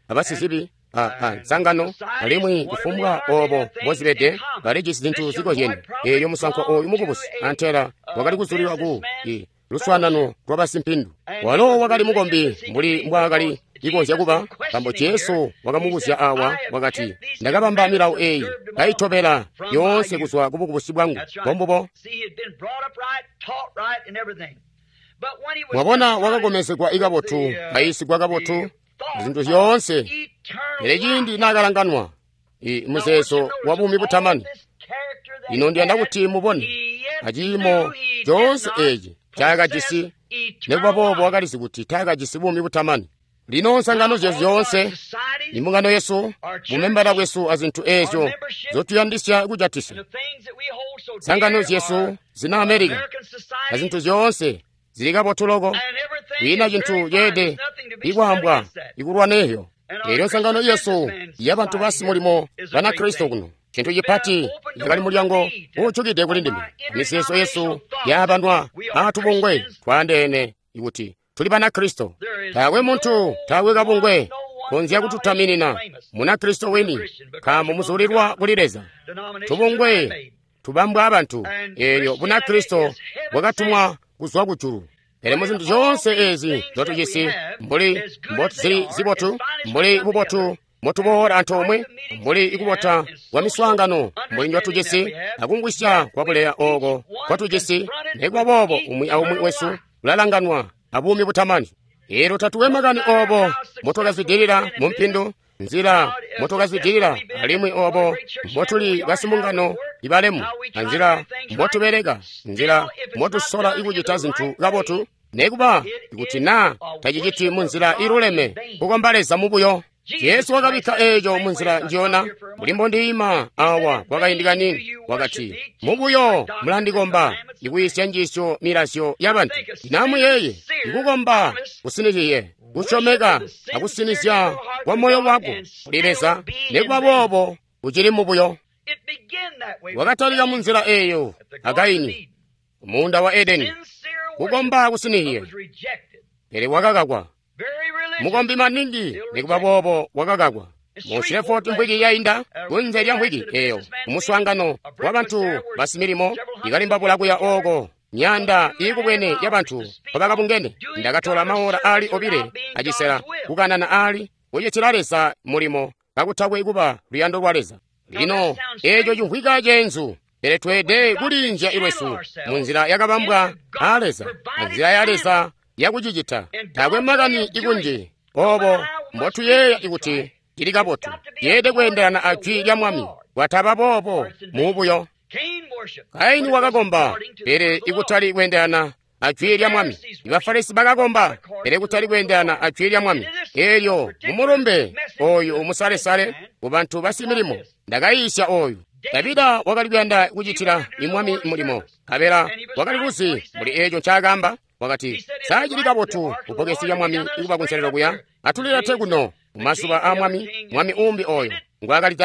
abasizibi nsangano, alimwi kufumbwa obo mbozibede balijisi zintu zikozyenye. Eelyo musankwa oyu mukubusi antela wakali kuzulilwa ku luswaanano lwa basimpindu. Walo wakali mukombi mbuli mbwaakali ikonzya kuba, nkaambo Jesu wakamubuzya awa, wakati, ndakabamba milawo eyi, kaitobela yoonse kuzwa kubukubusi bwangu. Mbombubo. Mwabona, wakakomezegwa ikabotu, kayiisigwa kabotu, zintu zyoonse. Pele ciindi naakalanganwa i muzeezo wa buumi butamani. Lino ndiyanda kuti mubone aciimo coonse eeci ncaakajisi, nikuba boobo wakalizi kuti taakajisi buumi butamani. Lino nsangano zyesu zyoonse, imbungano yesu, bumembala bwesu azintu eezyo nzyotuyandisya kujatisya, nsangano zyesu zina Amerika azintu zyoonse zili kabotu loko, kwiina cintu ceede ikwaambwa ikulwaneyo. Elyo nsangano yesu yabantu basimulimo Banakristo kuno, cintu cipati cakali mulyango uujukide kuli ndime. Mizeezo yesu yaabanwa aatubungwe twaandeene ikuti tuli Banakristo. Taakwe muntu, taakwe kabungwe konzya kututaminina Munakristo wini, nkaambo muzulilwa kuli Leza. Tubungwe tubambwa abantu, eelyo Bunakristo bwakatumwa kuzwa kujulu. Pele muzintu zyoonse ezi nzyotujisi, mbuli mbozili zibotu, mbuli bubotu mbotuboola antoomwe, mbuli ikubota kwa miswaangano mbuli njotujisi, akumvwisya kwabuleya ooko kwatujisi, nikuba boobo umwi aumwi wesu ulalanganwa abuumi butamani. Eelyo tatuwe makani oobo mbotwakazwidilila mumpindu, nzila mbotwakazwidilila, alimwi oobo mbotuli basimbungano ibalemu, anzila mbotubeleka, nzila mbotusola kucita zintu kabotu, nekuba kuti naa taciciti munzila iluleme, kukomba Leza mubuyo. Jesu wakabikka eeco munzila njiyona, mbuli mbondiima awa kwakaindi kaniini, wakati, mubuyo mulandikomba, ikuyisya njiisyo milazyo yabantu. Lino amuyeeye, ikukomba kusinizyiye, kusyomeka akusinizya kwa moyo wako kuli Leza, nikuba boobo ucili mubuyo. Wakatalika munzila eeyo a Kaini, muunda wa Edeni, kukomba kusinizyiye, pele wakakakwa. Mukombi maningi, nikuba boobo wakakakwa. Mu Shreveport mvwiki yainda, kunze lya mvwiki eeyo, kumuswaangano wa bantu basimilimo ikalimbabula kuya ooko, myaanda iikubwene yabantu nkobakabungene. Ndakatola maora aali 2 acisela kukanana aali kucitila Leza mulimo kakutakwe kuba luyando lwa Leza. Lino eeco cimvwika ceenzu, pele tweede kulinzya ilwesu munzila yakabambwa a Leza, anzila ya Leza yakucicita. Taakwe makani ikunji oobo mbotuyeeya ikuti cili kabotu, yeede kweendelana a jwi lya Mwami. Kwataba boobo muubuyo. Kaini wakakomba, pele ikutali kweendelana a jwi lya Mwami. Ibafarisi bakakomba, pele kutali kweendelana a jwi lya Mwami. Eelyo mumulumbe ooyu umusalesale kubantu basimilimo ndakayiisya ooyu. Davida wakali kuyanda kucitila imwami mulimo, nkabela wakali kuzi muli eeco ncaakaamba. Wakati, saa cili kabotu kubbokesi lya Mwami ikuba kunselelo kuya, atulilete kuno mumazuba a Mwami, mwami uumbi ooyo ngwaakali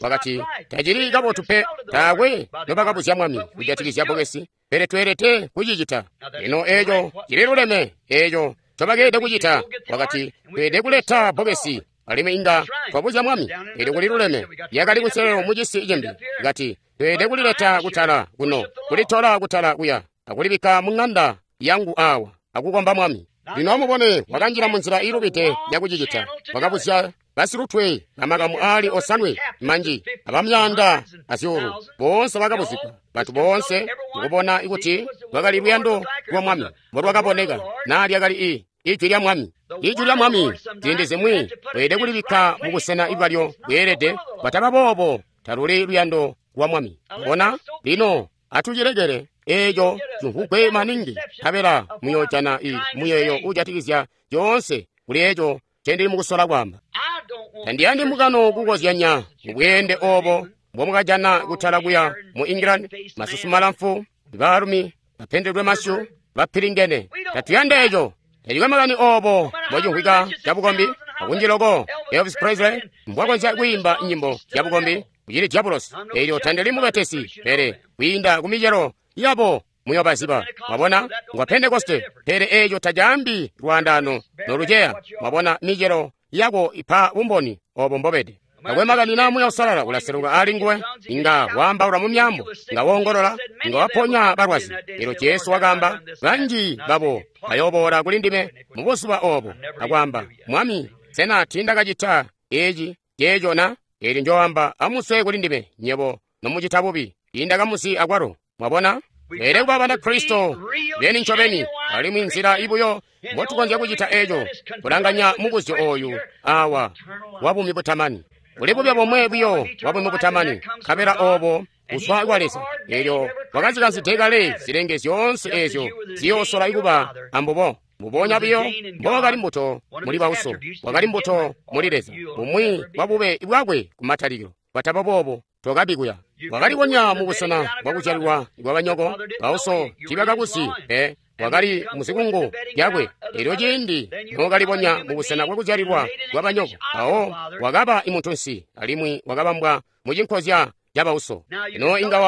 Wakati, tacili kabotu pe, taakwe nobakabuzya Mwami kujatikizya bbokesi, pele tweelede kucicita. Lino eeco cililuleme, eeco ncobakeelede kucita. Wakati, tweelede kuleta bbokesi, alimwi inga twabuzya Mwami, eelyo kuliluleme. Lyakali kunselelo mucisi cimbi. Kati, tweelede kulileta kutala kuno, kulitola kutala kuya, akulibikka muŋanda yangu awa, akukomba Mwami. Lino amubone, wakanjila munzila iilubide yakucicita. Wakabuzya basilutwe bamakamu aali 7 manji abamyaanda azyuulu, boonse bakabuzigwa. Bantu boonse mukubona kuti lwakali luyando lwa Mwami mbolwakaboneka, naa lyakali ijwi lya Mwami. Ijwi lya Mwami ziindi zimwi weelede kulibikka mubusena bwalyo bweelede, kwataba boobo taluli luyando lwa Mwami. Bona, lino atucilekele eeco cimvugwe maningi, nkabela muyoojana muyeeyo uujatikizya zyoonse kuli eeco ncendili mukusola kwaamba. Tandiyandi mbungano kukozyanya mubweende oobo mbomukajana kutala kuya mu England, masusu malamfu, baalumi bapendedwe masyu, bapilingene. Tatuyandi eeco. Tacikwe makani oobo mbocimvwika cabukombi, akunji loko Elvis Presley mbwakonzya kwiimba nyimbo zyabukombi kucili diabulosi. Eelyo tandili mubetesi, pele kwiinda kumicelo yabo muyobaziba. Mwabona, ngwa Pentekoste, pele eeco tacaambi lwaandaano noluceya. Mwabona, micelo yako ipa bumboni oobo mbobede. Takwe makani naa Muuya Uusalala ulaseluka aali nguwe, inga waambaula mu myaambo, inga woongolola, inga waponya balwazi. Eelyo Jesu wakaamba, banji babo bayooboola kuli ndime mubuzuba oobo akwaamba, Mwami, sena tiindakacita eeci ceeco na? Eelyo njooamba, amuswe kuli ndime nywebo nomucita bubi, tiindakamuzi akwalo. Mwabona? Tweelede kuba Banakristo beni ncobeni, alimwi nzila ibuyo mbotukonzya kucita eco kulanganya mubuzyo oyu awa wa buumi butamani. Kuli bube bomwe buyo bwa buumi butamani, nkabela obo kuzwa kwa Leza. Elyo wakazikanzide kale zilenge zyoonse ezyo ziyoosola kuba ambubo. Mbubonya buyo mbowakali mbuto muli bauso, wakali mbuto muli Leza, bumwi bwa bube bwakwe kumatalikilo. Bwataba boobo tokabi kuya. Wakalibonya mu busena bwakuzyalilwa bwa banyoko, bauso tiibakakuzi pe. Wakali muzikungu lyakwe. Elyo ciindi nookalibonya mu busena bwakuzyalilwa bwa banyoko, mpawo wakaba imuntunsi alimwi wakabambwa mu cinkozya ca bauso. Ino inga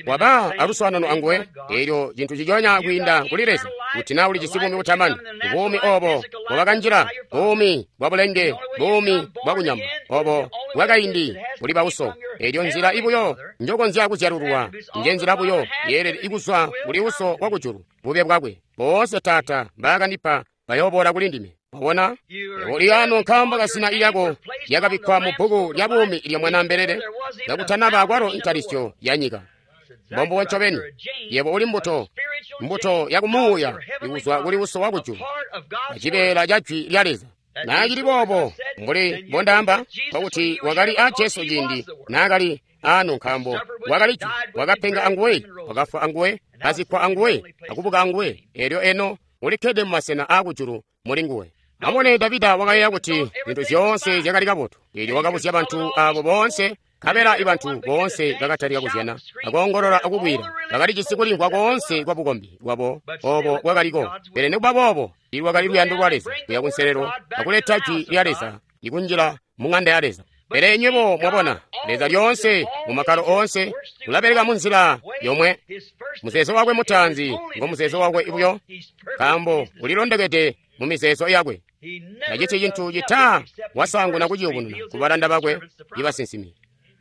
waba aluswaanano anguwe, elyo cintu ciconya kwiinda kuli Leza, kuti naa ulijisi buumi butamani, buumi obo bwabakanjila, buumi bwa bulenge, buumi bwa kunyama, obo bwakaindi kuli bauso. Elyo nzila ibuyo njokonzya kuzyalulwa, nje nzila buyo yeelede ikuzwa kuli uso wa kujulu, bube bwakwe. Boonse Taata mbaakandipa bayooboola kuli ndime. Wabona? Uli ano nkaambo kazina lyako lyakabikkwa mu bbuku lya buumi lya Mwanaambelele kakutanaba akwalo ntalisyo ya nyika. Mbombubo ncobeni. Yebo uli mbuto, mbuto ya kumuuya ikuzwa kuli Uso wa kujulu, acibeela ca Jwi lya Leza. Naacili boobo, mbuli mbondaamba, nkokuti wakali a Jesu ciindi naakali ano, nkaambo wakali Jwi, wakapenga anguwe, wakafwa anguwe, kazikkwa anguwe, akubuka anguwe, elyo eno ulikkede mu masena aakujulu muli nguwe. Amubone, Davida wakayeeya kuti zintu zyoonse zyakali kabotu. Elyo wakabuzya bantu abo boonse, nkabela ibantu boonse bakatalika kuzyana, akoongolola akubwila. Bakalijisi kulimvwa koonse kwa bukombi bwabo obo bwakaliko. Pele nikuba boobo, ilwakali luyando lwa Leza kuya kunselelo akuleta Jwi lya Leza ikunjila mu ŋanda ya Leza. Pele nywebo mwabona, Leza lyoonse mu makkalo oonse ulabeleka munzila yomwe. Muzeezo wakwe mutaanzi ngo muzeezo wakwe buyo, nkaambo ulilondokede mu mizeezo yakwe. Taciti cintu cita wasaanguna kuciyubununa ku balanda bakwe ibasinsimi.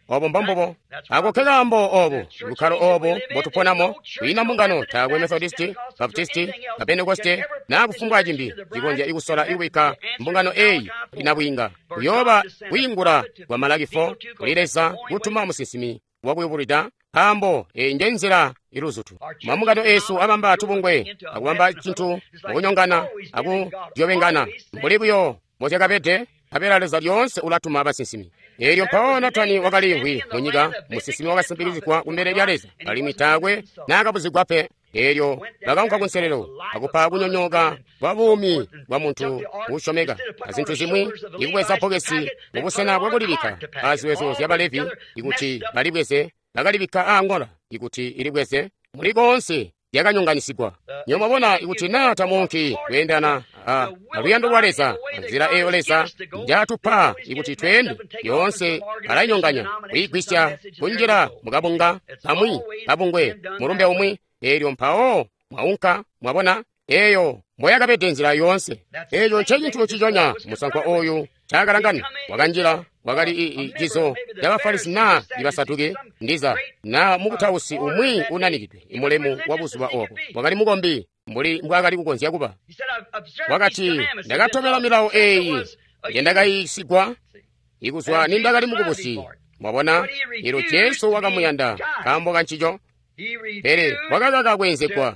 Obo mbombubo. Ako ke kaambo obo, bukkalo obo mbotuponamo, kwiina mbungano, taakwe Methodisti, Baptisti, na Pentekoste, na kufumbwa cimbi cikonzya ikusola ikubikka mbungano eyi inabwiinga. Kuyooba kwiingula kwa Malaki 4 kuli Leza kutuma musinsimi wakuyubulwida, nkaambo eyi nje nzila iluzutu. Mambungano esu abamba tubungwe, akubamba cintu akunyongana, akudyobengana, mbuli buyo mbozyakabede, nkabela Leza lyoonse ulatuma basinsimi. Elyo mpawo Natani wakaliimvwi mu nyika, musinsimi wakasimpikizigwa kumbele lya Leza, alimwi taakwe naakabuzigwa pe. Elyo bakaunka kunselelo akupa kunyonyooka kwa buumi bwa muntu uusyomeka azintu zimwi, ikubweza bbokesi mubusena bwakulibikka aziwezo zya Balevi ikuti balibweze, bakalibikka aangola ikuti ilibweze. Muli koonse lyakanyonganisigwa. Nywebo mwabona, ikuti naa tamuunki kweendana a luyando lwa Leza, nzila eyo Leza njaatupa ikuti tweende, yoonse alainyonganya, kuyigwisya kunjila mukabunga kamwi, kabungwe, mulumbe umwi, elyo mpawo mwaunka. Mwabona, eyo mboyakabede nzila yoonse. Eco ncecintu ciconya musankwa oyu caakalangana. Wakanjila, wakali cizo ca Bafarisi naa Ibasaduki, ndiza naa mukutausi umwi unanikidwe imulemu wa buzuba obo. Wakali mukombi mbuli mbwaakali kukonzya kuba. Wakati, ndakatobela milawo eyi njendakayiisigwa ikuzwa nindakali mukubusi. Mwabona, elyo Jesu wakamuyanda nkaambo kancico. Pele wakakaka kweenzegwa,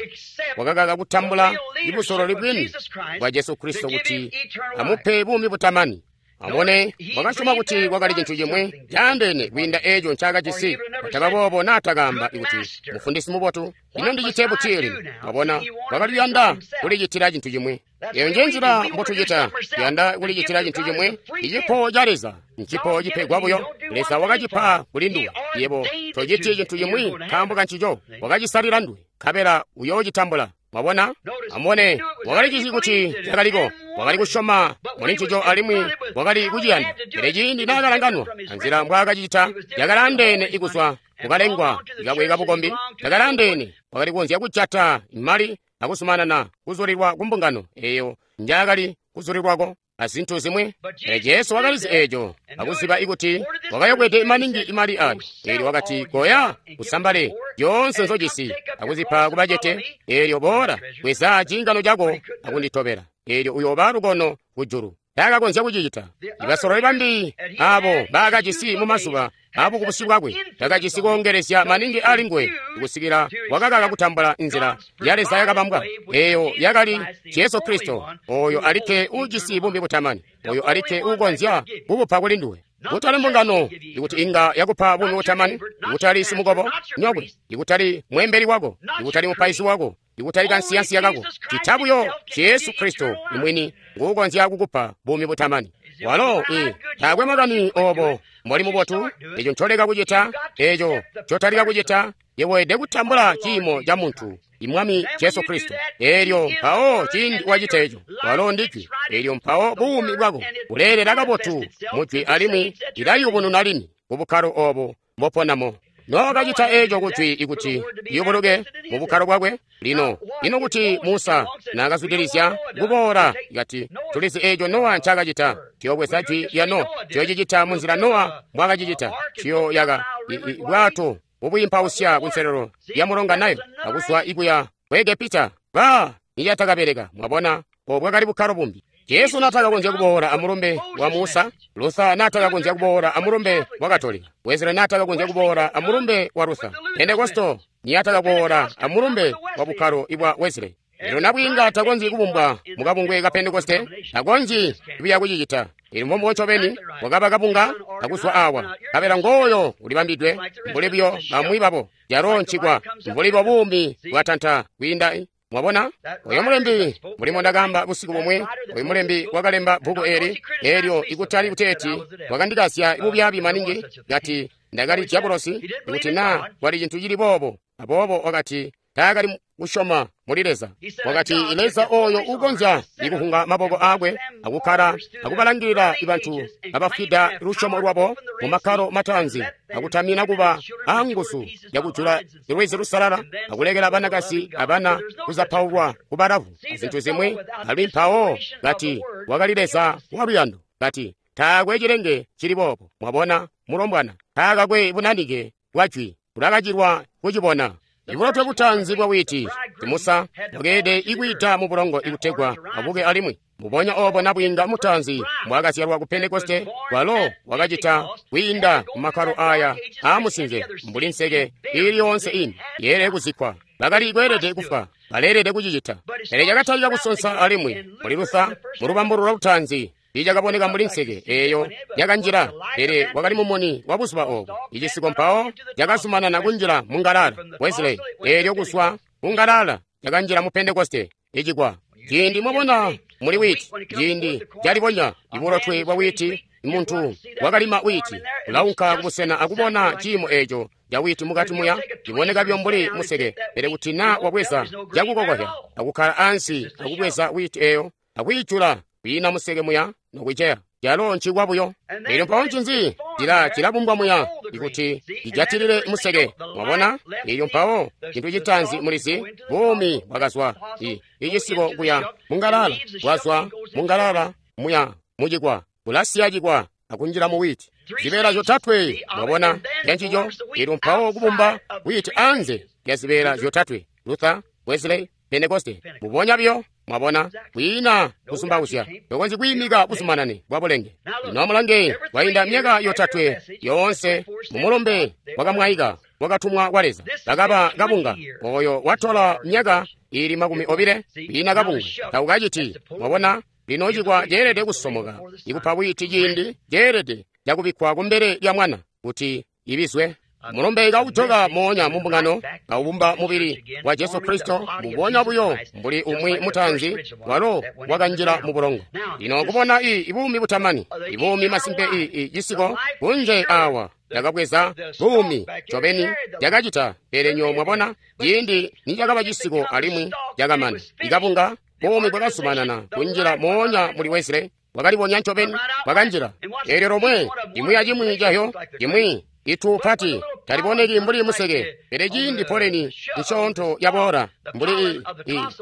wakakaka kutambula ibusololi bwini bwa Jesu Kristo kuti amupe buumi butamani. Amubone, wakasyoma kuti kwakali cintu cimwi caandeene kwiinda eeco ncaakajisi. Kwataba boobo naatakaamba kuti, mufundisi mubotu, ino ndicite buti lino? Mwabona, wakali kuyanda kulicitila cintu cimwi. Eyo nje nzila mbotucita, tuyanda kulicitila cintu cimwi. Icipo ca Leza ncipo cipegwa buyo. Leza wakacipa kuli nduwe. Yebo tociti cintu cimwi nkaambo kancico, wakacisalila nduwe, nkabela uyoocitambula. Mwabona? Amubone, wakalicizyi kuti cakaliko, wakali kusyoma muli ncico alimwi wakali kuciyanda. Pele ciindi naakalanganwa anzila mbwaakacicita, yakalaandeene ikuzwa kukalengwa kakwe kabukombi, yakalaandeene. Wakali kukonzya kujata mali akuzumanana kuzulilwa kumbungano eyo njaakali kuzulilwako azintu zimwi. Pele Jesu wakalizi eeco akuziba ikuti wakayokwede maningi imali ayo. Eelyo wakati, koya usambale zyoonse nzojisi akuzipa kubacete, eelyo boola bweza ciingano cako akunditobela, eelyo uyooba lukono kujulu. Taakakonzya kucicita. Ibasololi bambi abo baakajisi mu mazuba abukubusi bwakwe takajisi koongelezya maningi ali nguwe kusikila wakakaka kutambula nzila ya Leza yakabambwa eyo yakali Jesu Kristo, oyo alikke uujisi buumi butamani, oyo alikke uukonzya kubupa kuli nduwe. Kutali mbungano ikuti inga yakupa buumi butamani, ikutali simukobo nyokwe, ikutali mweembeli wako, ikutali mupaizi wako, ikutali kansiyansiya kako, cita buyo Jesu Kristo imwini nguukonzya kukupa buumi butamani. Walo taakwe makani obo mboli mubotu, eco ncoleka kucita, eco ncotalika kucita, yeweede kutambula ciimo ca muntu, Imwami Jesu Kristo. Elyo mpawo ciindi wacita eco, walo ndi Jwi. Elyo mpawo buumi bwako buleelela kabotu mu Jwi alimwi lilayubununa lini ku bukkalo obo mboponamo. Nookacita eco ku Jwi ikuti liyubuluke mu bukkalo bwakwe. Lino, ino kuti Musa naakazwidilizya kuboola, kati, tulizi eco Nowa ncakacita. Tuyobweza Jwi lya Nowa, tuyocicita munzila Nowa mbwaakacicita. Tuyoyaka bwato bubwiimpausya kunselelo lya mulonga Nile, akuzwa ikuya ku Egepita. Ba nicatakabeleka, mwabona, obo bwakali bukkalo bumbi. Jesu naatakakonzya kuboola amulumbe wa Musa, Luther naatakakonzya kuboola amulumbe wa Katolika, Wesley naatakakonzya kuboola amulumbe wa Luther, Pentekosto niyaatakaboola amulumbe wa bukkalo ibwa Wesley. Lino nabwiinga takonzyi kubumbwa mukabungwe ka Pentekoste, takonzyi buya kucicita. Ili mbombo ncobeni wakaba kabunga akuzwa awa, kabela ngooyo ulibambidwe mbuli buyo bamwi babo, calo ncikwa mbuli bwa buumi bwatanta kwiinda. Mwabona? Oyo mulembi, mulimo ndakaamba busiku bumwe, oyo mulembi wakalemba bbuku eli, elyo ikutali kuteeti wakandikasya bubyaabi maningi, kati ndakali dyabulosi, ikuti naa kwali cintu cili boobo. Aboobo wakati taakali kusyoma muli Leza. Wakati Leza oyo uukonzya ikuhunga maboko aakwe akukkala akubalangilila bantu abafwida lusyomo lwabo mu makkalo mataanzi, akutamina kuba anguzu yakujula lwizi lusalala, akulekela banakazi abana kuzapaulwa kubalavu azintu zimwi. Ali mpawo kati wakali Leza waluyando. Kati taakwe cilenge cili boobo. Mwabona, mulombwana taakakwe bunanike bwa Jwi, bulakacilwa kucibona. Ibulotwe butanzi bwa witi, Musa wakeelede ikwiita mu bulongo ikutegwa abuke alimwi. Mbubonya obo nabwiinga mutaanzi mbwaakazyalwa ku Pentekoste, walo wakacita kwiinda mu makkalo aya aamusinze mbuli nseke iili yoonse ini yeelede kuzikkwa. Bakali kweelede kufwa, baleelede kucicita. Pele cakatalika kusonsa alimwi muli Luther, mu lubambululo lutaanzi icakaboneka mbuli nseke eyo yakanjila, pele wakali mumuni wa buzuba obo. Icisiko mpawo cakazumanana kunjila mu ngalala Wesley, elyo kuzwa ku ngalala cakanjila mu Pentekoste icikwa. Ciindi mwabona muli witi, ciindi calibonya ibulotwe bwa witi, muntu wakalima witi ulaunka kubusena akubona ciimo eco ca witi mukati muya, ciboneka buyo mbuli museke. Pele kuti naa wabweza cakukokozya akukkala ansi akubweza witi eyo akwiijula, kwiina museke muya nokuceya, calo ncikwa buyo. Elyo mpawo ncinzi cilabumbwa muya ikuti cijatilile museke. Mwabona? Elyo mpawo cintu citaanzi mulizi, buumi bwakazwa icisiko kuya mungalala, bwazwa mungalala muya mucikwa, bulasiya cikwa akunjila mu witi. Zibeela zyotatwe, mwabona, lyancico. Elyo mpawo kubumba witi anze lya zibeela zyotatwe, Luther, Wesley, Pentekoste, mbubonya buyo. Mwabona, kwiina kuzumbauzya, tokonzyi kwiimika buzumanane bwa bulenge. Lino amulange, kwainda myaka yotatwe yoonse mumulumbe wakamwaika wakatumwa kwa Leza, bakaba kabunga. Oyo watola myaka ili 20 kwiina kabungwe takukaciti. Mwabona, lino cikwa ceelede kusomoka ikupa witi ciindi ceelede cakubikkwa kumbele lya mwana kuti ibizwe. Mulumbe kaujoka moonya mumbungano, kaubumba mubili wa Jesu Kristo, mbubonya buyo mbuli umwi mutaanzi walo wakanjila mu bulongo. Lino kubona ibuumi butamani, ibuumi masimpe cisiko kunje awa yakabweza buumi ncobeni yakacita. Pele nyo mwabona, ciindi nicakaba cisiko alimwi cakamana, ikabunga buumi bwakazumanana kunjila moonya muli Wesley, bwakalibonya ncobeni bwakanjila. Eelyo lomwe cimwi acimwi cahyo cimwi itu pati taliboneki mbuli museke, pele ciindi poleni nsyoonto yaboola mbuli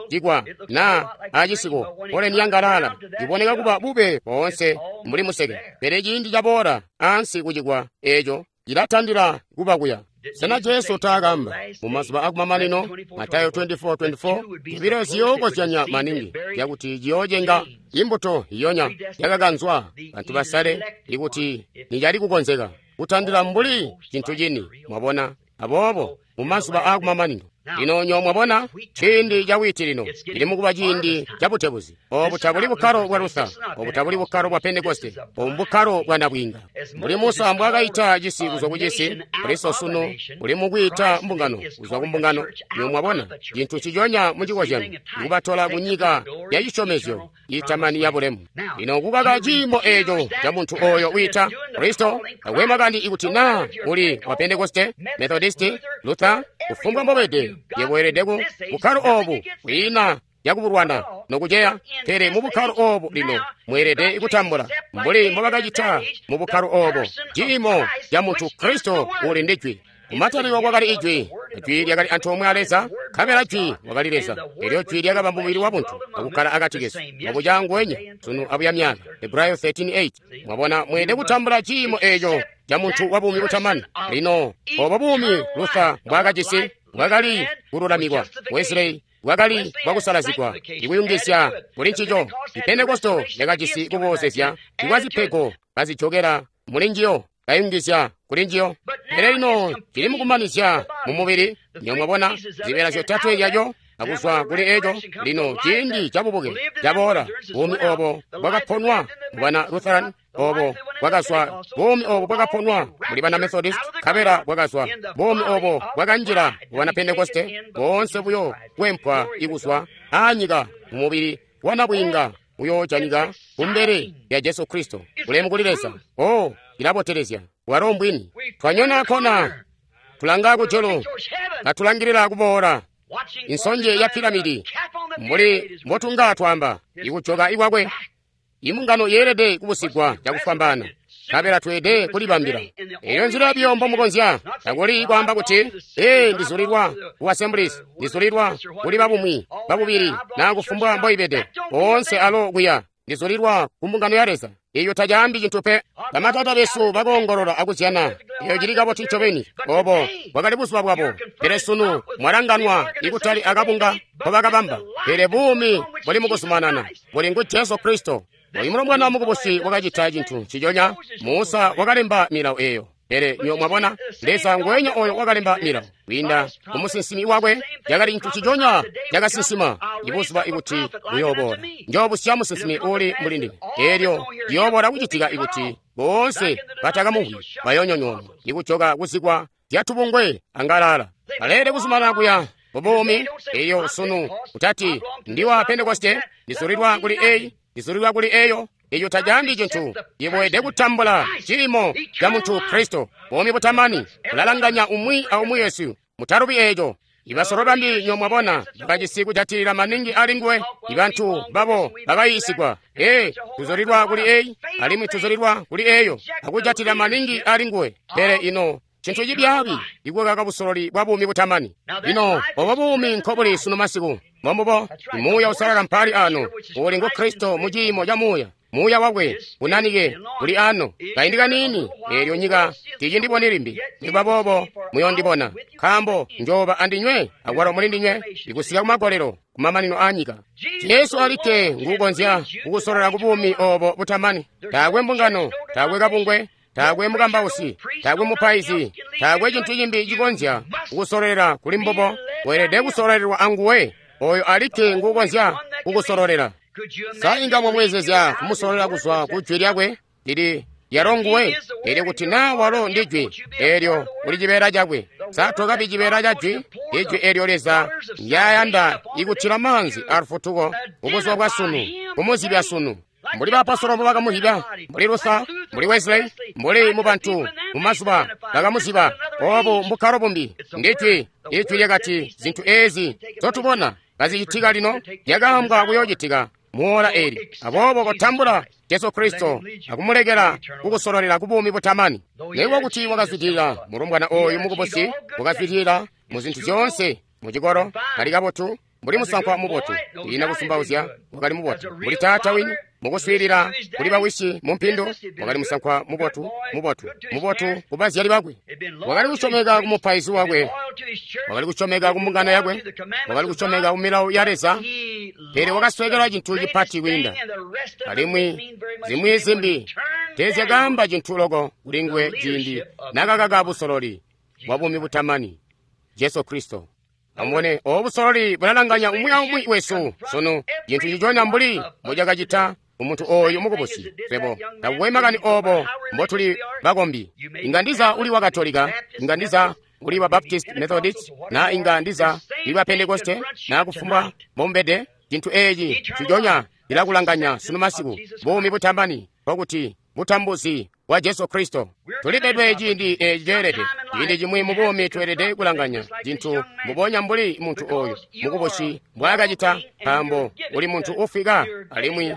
cikwa naa acisiko, poleni yangalala iboneka kuba bube boonse mbuli museke, pele ciindi caboola ansi kucikwa eco cilatandila kuba kuya. Sena Jesu taakamba mu mazuba akumamanino, Matayo 24:24, zibilo ziyookozyanya maningi zyakuti ciyoocenga imbuto iyonya yakakanzwa bantu basale ikuti nicali kukonzeka kutandila mbuli cintu cini, mwabona. Aboobo mu mazuba akumamanino lino nyo mwabona ciindi ca wiiti lino cili mukuba ciindi ca butebuzi. Obu tabuli bukkalo bwa Luther, obu tabuli bukkalo bwa Pentekoste, obu mbukkalo bwa nabwiinga. Mbuli Musa mbwaakaita cisi kuzwa ku cisi, Kristo sunu uli mukwiita mbungano kuzwa ku mbungano. Nyo mwabona cintu nciconya mu cikozyanyo, ikubatola ku nyika ya cisyomezyo itamani ya bulemu. Lino kukaka ciimo eeco ca muntu oyo wiita Kristo, takwe makani ikuti naa uli wa Pentekoste, Methodisti, Luther, kufumbwa mbobede, yebo weelede ku bukkalo obu kwiina yakubulwana nokuceya. Pele mu bukkalo obu lino mweelede kutambula mbuli mbobakacita mu bukkalo obo ciimo ca muntu Kristo uli ndi Jwi. Kumatalikilo kwakali Ijwi, Jwi lyakali antoomwe a Leza, nkabela Jwi wakali Leza. Elyo Jwi lyakaba mubili wa buntu akukkala akati kesu, mwabuca nguwenya sunu abuya myaka. Hebrayo 13:8. Mwabona, mweelede kutambula ciimo eeco ca muntu wa buumi butamani. Lino obo buumi Luther mbwaakajisi bwakali kululamikwa, Wesley bwakali bwakusalazigwa, ikuyungizya kuli ncico. Pentekoste yakajisi kuboozezya ikwa zipego kazijokela muli njiyo, kayungizya kuli njiyo. Pele lino cili mukumanizya mu mubili, nyo mwabona zibeela zyotatwe zyaco akuzwa kuli eco. Lino ciindi cabubuke caboola, buumi obo bwakaponwa mubana Lutheran, obo bwakazwa buumi obo bwakaponwa muli bana Methodist, nkabela bwakazwa buumi obo bwakanjila mubana Pentekoste, boonse buyo kwempwa ikuzwa aanyika mu mubili wa nabwiinga uyoojanika kumbele lya Jesu Kristo. Bulemu kuli Leza. Oh, ilabotelezya. Bwalo mbwini. Twanyona kona, tulanga kujulu, katulangilila kuboola insonje ya piramidi, mbuli mbotunga twamba ikujoka ikwakwe. Imbungano yeelede kubusigwa cakufwambaana, nkabela tweede kulibambila. Eyo nzila biyo mbomukonzya. Takuli kwaamba kuti, ee, ndizulilwa ku Assemblies, ndizulilwa kuli babumwi, babubili, naa kufumbwa mboibede, boonse alo kuya, ndizulilwa ku mbungano ya Leza. Eyo tacaambi cintu pe. Bamatata besu bakoongolola akuzyana. Eyo cili kabotu ncobeni. Obo bwakali buzuba bwabo. Pele sunu mwalanganwa ikutali akabunga nkobakabamba, pele buumi buli mukuzumanana, buli ngu Jesu Kristo. Oyu mulombwana mukubusi wakacita cintu nciconya. Musa wakalemba milawo eyo. Pele nyo mwabona, Leza ngwenya oyo wakalemba milawo kwiinda ku musinsimi wakwe, cakali cintu nciconya cakasinsima ibuzuba ikuti buyooboola. Njoobusya musinsimi uuli mbuli ndime. Eelyo liyooboola kucitika ikuti boonse batakamumvwi bayoonyonyoonwa, ikujoka kuzikwa zyatubungwe angalala. Baleelede kuzumanana kuya mubuumi. Eyo sunu kutati ndiwa Pentekoste, ndizulilwa kuli eyi, ndizulilwa kuli eyo. Eyo tacaambi cintu. Yebo weelede kutambula ciimo ca muntu Kristo, buumi butamani bulalanganya umwi aumwi wesu. Mutalubi eeco. Ibasolo bambi nyo mwabona bakajisi kujatilila maningi ali nguwe. Ibantu babo bakayiisigwa, ee, tuzulilwa kuli eyi alimwi tuzulilwa kuli eyo, akujatilila maningi ali nguwe. Pele ino cintu cibyaabi ikukaka busololi bwa buumi butamani. Lino obo buumi nkobuli sunu masiku. Mbombubo Muuya Uusalala mpali ano, uli ngu Kristo mu ciimo ca Muuya. Muuya wakwe unanike uli ano kaindi kaniini, eelyo nyika tiicindiboni limbi. Nikuba boobo muyondibona, nkaambo njooba andinywe akwalo muli ndinywe ikusika kumagolelo, kumamanino a nyika. Jesu alikke nguukonzya kukusolola ku buumi obo butamani. Taakwe mbungano, taakwe kabungwe, taakwe mukambausi, taakwe mupaizi, taakwe cintu cimbi cikonzya kukusololela kuli mbubo. Weelede kusololelwa anguwe, oyo alikke nguukonzya kukusololela. Sa inga mwamweezezya kumusololela kuzwa ku Jwi lyakwe lili lyalo nguwe? Elyo kuti naa walo ndi Jwi, eelyo uli cibeela cakwe. Sa tokabi cibeela ca Jwi? Ijwi eelyo Leza ndyayanda ikutila maanzi alufutuko mubuzuba bwa sunu, kumuzibya sunu. Mbuli baapostolo mbobakamuziba, mbuli Luther, mbuli Wesley, mbuli mubantu mumazuba bakamuziba. Obu mbukkalo bumbi. Ndi Jwi. Ijwi lyakati zintu eezi nzotubona kazicitika lino lyakaambwa kuyoocitika muola eli. Aboobo kotambula Jesu Kristo akumulekela kukusololela ku buumi butamani. Nikuba kuti wakazwidilila mulombwana oyu mukubusi, wakazwidilila mu zintu zyoonse mucikolo, kali kabotu. Mbuli musankwa mubotu, ina kusumbauzya, wakali mubotu. Mbuli taata wini, mukuswiilila kuli bawisi mu mpindu, wakali musankwa mubotu, mubotu, mubotu ku bazyali bakwe. Wakali kusyomeka ku mupaizi wakwe, wakali kusyomeka ku mbungano yakwe, wakali kusyomeka ku milawo ya Leza, pele wakasweekelwa cintu cipati kwiinda. Alimwi zimwi zimbi teezyakaamba cintu loko kuli nguwe ciindi nakakaka busololi bwa buumi butamani, Jesu Kristo. Amubone, obu busololi bulalanganya umwi aumwi wesu sunu, cintu nciconya mbuli mbucakacita umuntu oyu mukubusi. Swebo takukwe makani obo mbotuli bakombi. Inga ndiza uli wa Katolika, inga ndiza uli wa Baptist, Methodist, na inga ndiza uli wa Pentekoste, na kufumbwa mbombede. Cintu eeci nciconya cilakulanganya sunu masiku, buumi butamani, nkokuti butambuzi bwa Jesu Kristo. Tulipedwe ciindi eeci ceelede. Ciindi cimwi mu buumi tweelede kulanganya cintu mbubonya mbuli muntu oyu mukubusi mbwaakacita, nkaambo uli muntu ufwika alimwi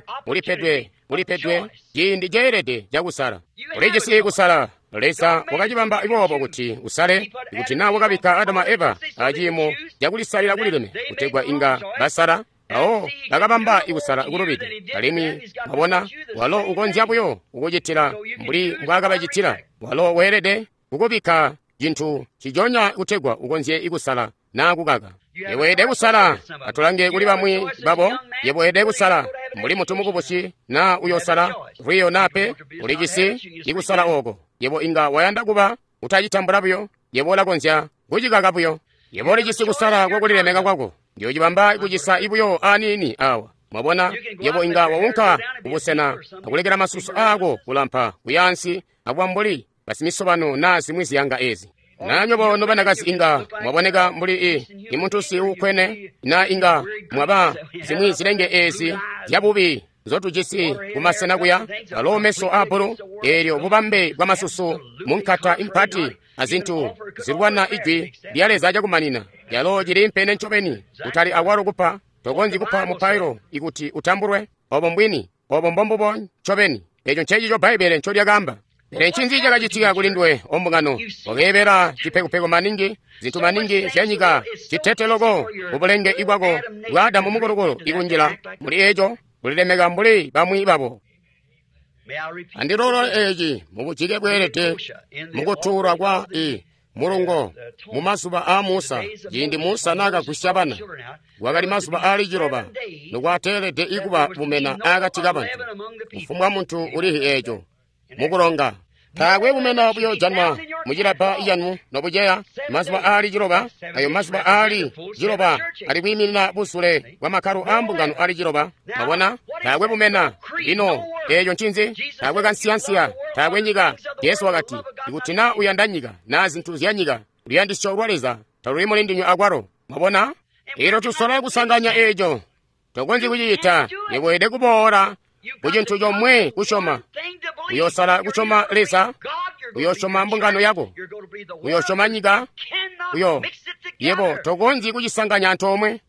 ulipedwe ciindi ceelede cakusala. Ulijisi kusala. Leza wakacibamba boobo kuti usale, kuti naa wakabikka Adamu a Eva aciimo cakulisalila kulileme kutegwa inga basala. Mpawo bakabamba ikusala kulubide, alimwi mwabona walo ukonzya buyo kukucitila mbuli mbwaakabacitila. Walo weelede kukubikka cintu ciconya kutegwa ukonzye ikusala naa kukaka. Yebo weelede kusala. Atulange kuli bamwi babo. Yebo weelede kusala mbuli muntu mukubusi naa uyosala lwiyo naa pe. Ulijisi ikusala ooko. Yebo inga wayanda kuba utacitambula buyo. Yebo ulakonzya kucikaka buyo. Yebo ulijisi kusala kwakulilemeka kwako. Ndiyocibamba kucisa ibuyo aniini awa. Mwabona, yebo inga waunka kubusena akulekela masusu aako kulampa kuyaansi akuba mbuli basimisobano naa zimwi ziyanga ezi. Na nywebo nobanakazi inga mwaboneka mbuli imuntusi uukkwene, na inga mwaba zimwi zilenge ezi zyabubi nzotujisi kumasena kuya, alo meso aabbulu, eelyo bubambe bwa masusu munkata impati azintu zilwana ijwi lya Leza cakumanina. Yalo cili mpene ncobeni, kutali akwalo kupa. Tokonzyi kupa mupailo ikuti utambulwe. Obo mbwini, obo mbombubo ncobeni. Eco ncecico Bbaibbele ncolyakaamba. Pele ncinzi cakacitika kuli nduwe, ombungano? Wakeebela cipekupeku maningi, zintu maningi zyanyika, citete loko kubulenge ibwako bwa Adamu mukulukulu ikunjila muli eco, kulilemeka mbuli bamwi babo. Andilolo eeci mubujike bweelede mukutuulwa kwa mulungo mu mazuba aa Musa, ciindi Musa naakagwisya bana. Kwakali mazuba aali 7 nokwateelede ikuba bumena akati kabantu. Kufumbwa muntu ulihi eeco mukulonga. Taakwe bumena buyojanwa mucilabba canu nobuceya. Mazuba aali 7, ayo mazuba aali 7 ali kwiiminina busule bwa makkalo aa mbungano aali 7. Mwabona, taakwe bumena. Lino eeco ncinzi? Taakwe kansiyansiya, taakwe nyika. Jesu wakati, ikuti naa uyanda nyika naa zintu zya nyika, luyandisyo lwa Leza taluli muli ndinywe akwalo. Mwabona, elo tusola kusanganya eeco. Tokonzyi kucicita. Yebo weelede kuboola ku cintu comwe kusyoma. Uyosala kusyoma Leza, uyosyoma mbungano yako, uyosyoma nyika, yebo tokonzyi kucisanganya antoomwe.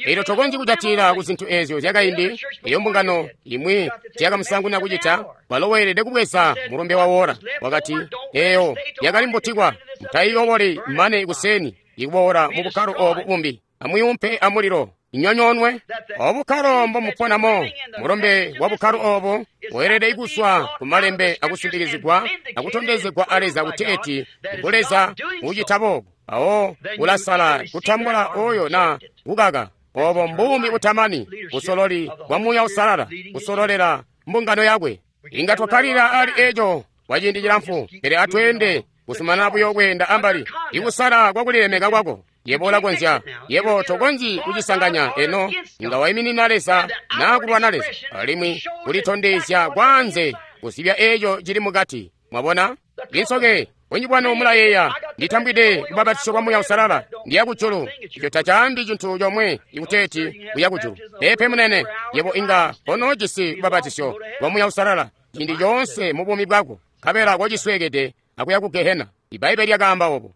Elyo tokonzyi kujatilila ku zintu ezyo zyakaindi. Eyo mbungano imwi zyakamusanguna kucita, walo weelede kubweza mulumbe wa wora. Wakati, eyo yakali mbutikwa, mutayiyoboli mane kuseni ikuboola mu bukkalo obu bumbi. Amuyumpe amulilo inyonyoonwe. Obukkalo mbomuponamo, mulumbe wa bukkalo obo weelede kuswa ku malembe akusindikizigwa akutondezegwa a Leza kuti eti ngu Leza ucita boobo. Awo ulasala kutambula oyo na kukaka. Obo mbuumi butamani, busololi bwa Muuya Uusalala kusololela mbungano yakwe. Inga twakkalila ali eco kwa ciindi cilamfu, pele atweende kusumana buyo kweenda ambali. Ikusala kwakulilemeka kwako. Yebo ulakonzya, yebo tokonzyi kucisanganya eno. Inga waiminina Leza naa kulwana Leza, alimwi kulitondezya kwanze kuzibya eco cili mukati. Mwabona? Insoke bunji bwanu mulayeeya, nditambwide kubabatisyo kwa Muuya Uusalala, ndiya kujulu. Ico tacaambi cintu comwe ikuteeti uya kujulu. Peepe munene, yebo inga konoojisi kubabatisyo kwa Muuya Uusalala ciindi coonse mu buumi bwako, nkabela kocisweekede akuya ku Gehena. Ibbaibbele lyakaamba obo.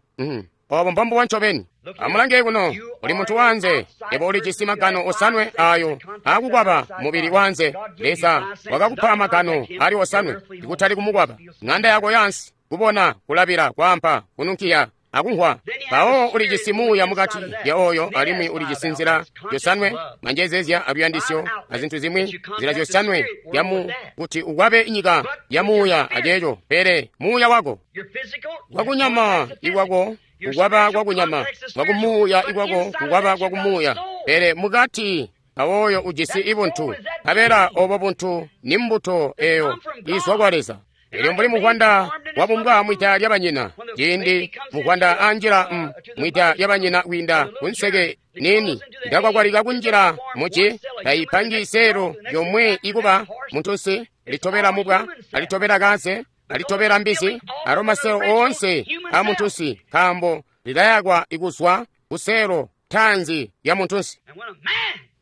Obo mbombubo ncobeni. Amulange kuno, uli muntu wanze. Yebo ulijisi magano 7 ayo akukwaba mubili wanze. Leza wakakupa magano ali 7 ikutali kumukwaba. Ng'anda yako yansi, kubona, kulabila, kwaampa, kununkiya, akumvwa. Mpawo ulijisi muuya mukati lya oyo, alimwi ulijisi nzila zyosanwe, manjezezya aluyandisyo azintu zimwi, nzila zyosanwe yamu kuti ukwabe nyika ya muuya aceeco. Pele muuya wako wakunyama ikwako kukwaba kwakunyama, kwakumuuya ikwako kukwaba kwakumuuya. Pele mukati awoyo ujisi ibuntu, nkabela obo buntu ni mbuto eyo izwa kwa Leza. Elyo mbuli muvwanda wabumbwa mwida lya banyina, ciindi muvwanda anjila mwida lya banyina kwiinda kunseke nini, ndakwakwalika kunjila muci, taipangi seelo yomwe ikuba muntunsi, litobela mubwa, alitobela kaze, alitobela mbizi, alo maseelo oonse a muntunsi, nkaambo lilayakwa ikuzwa kuseelo tanzi ya muntunsi.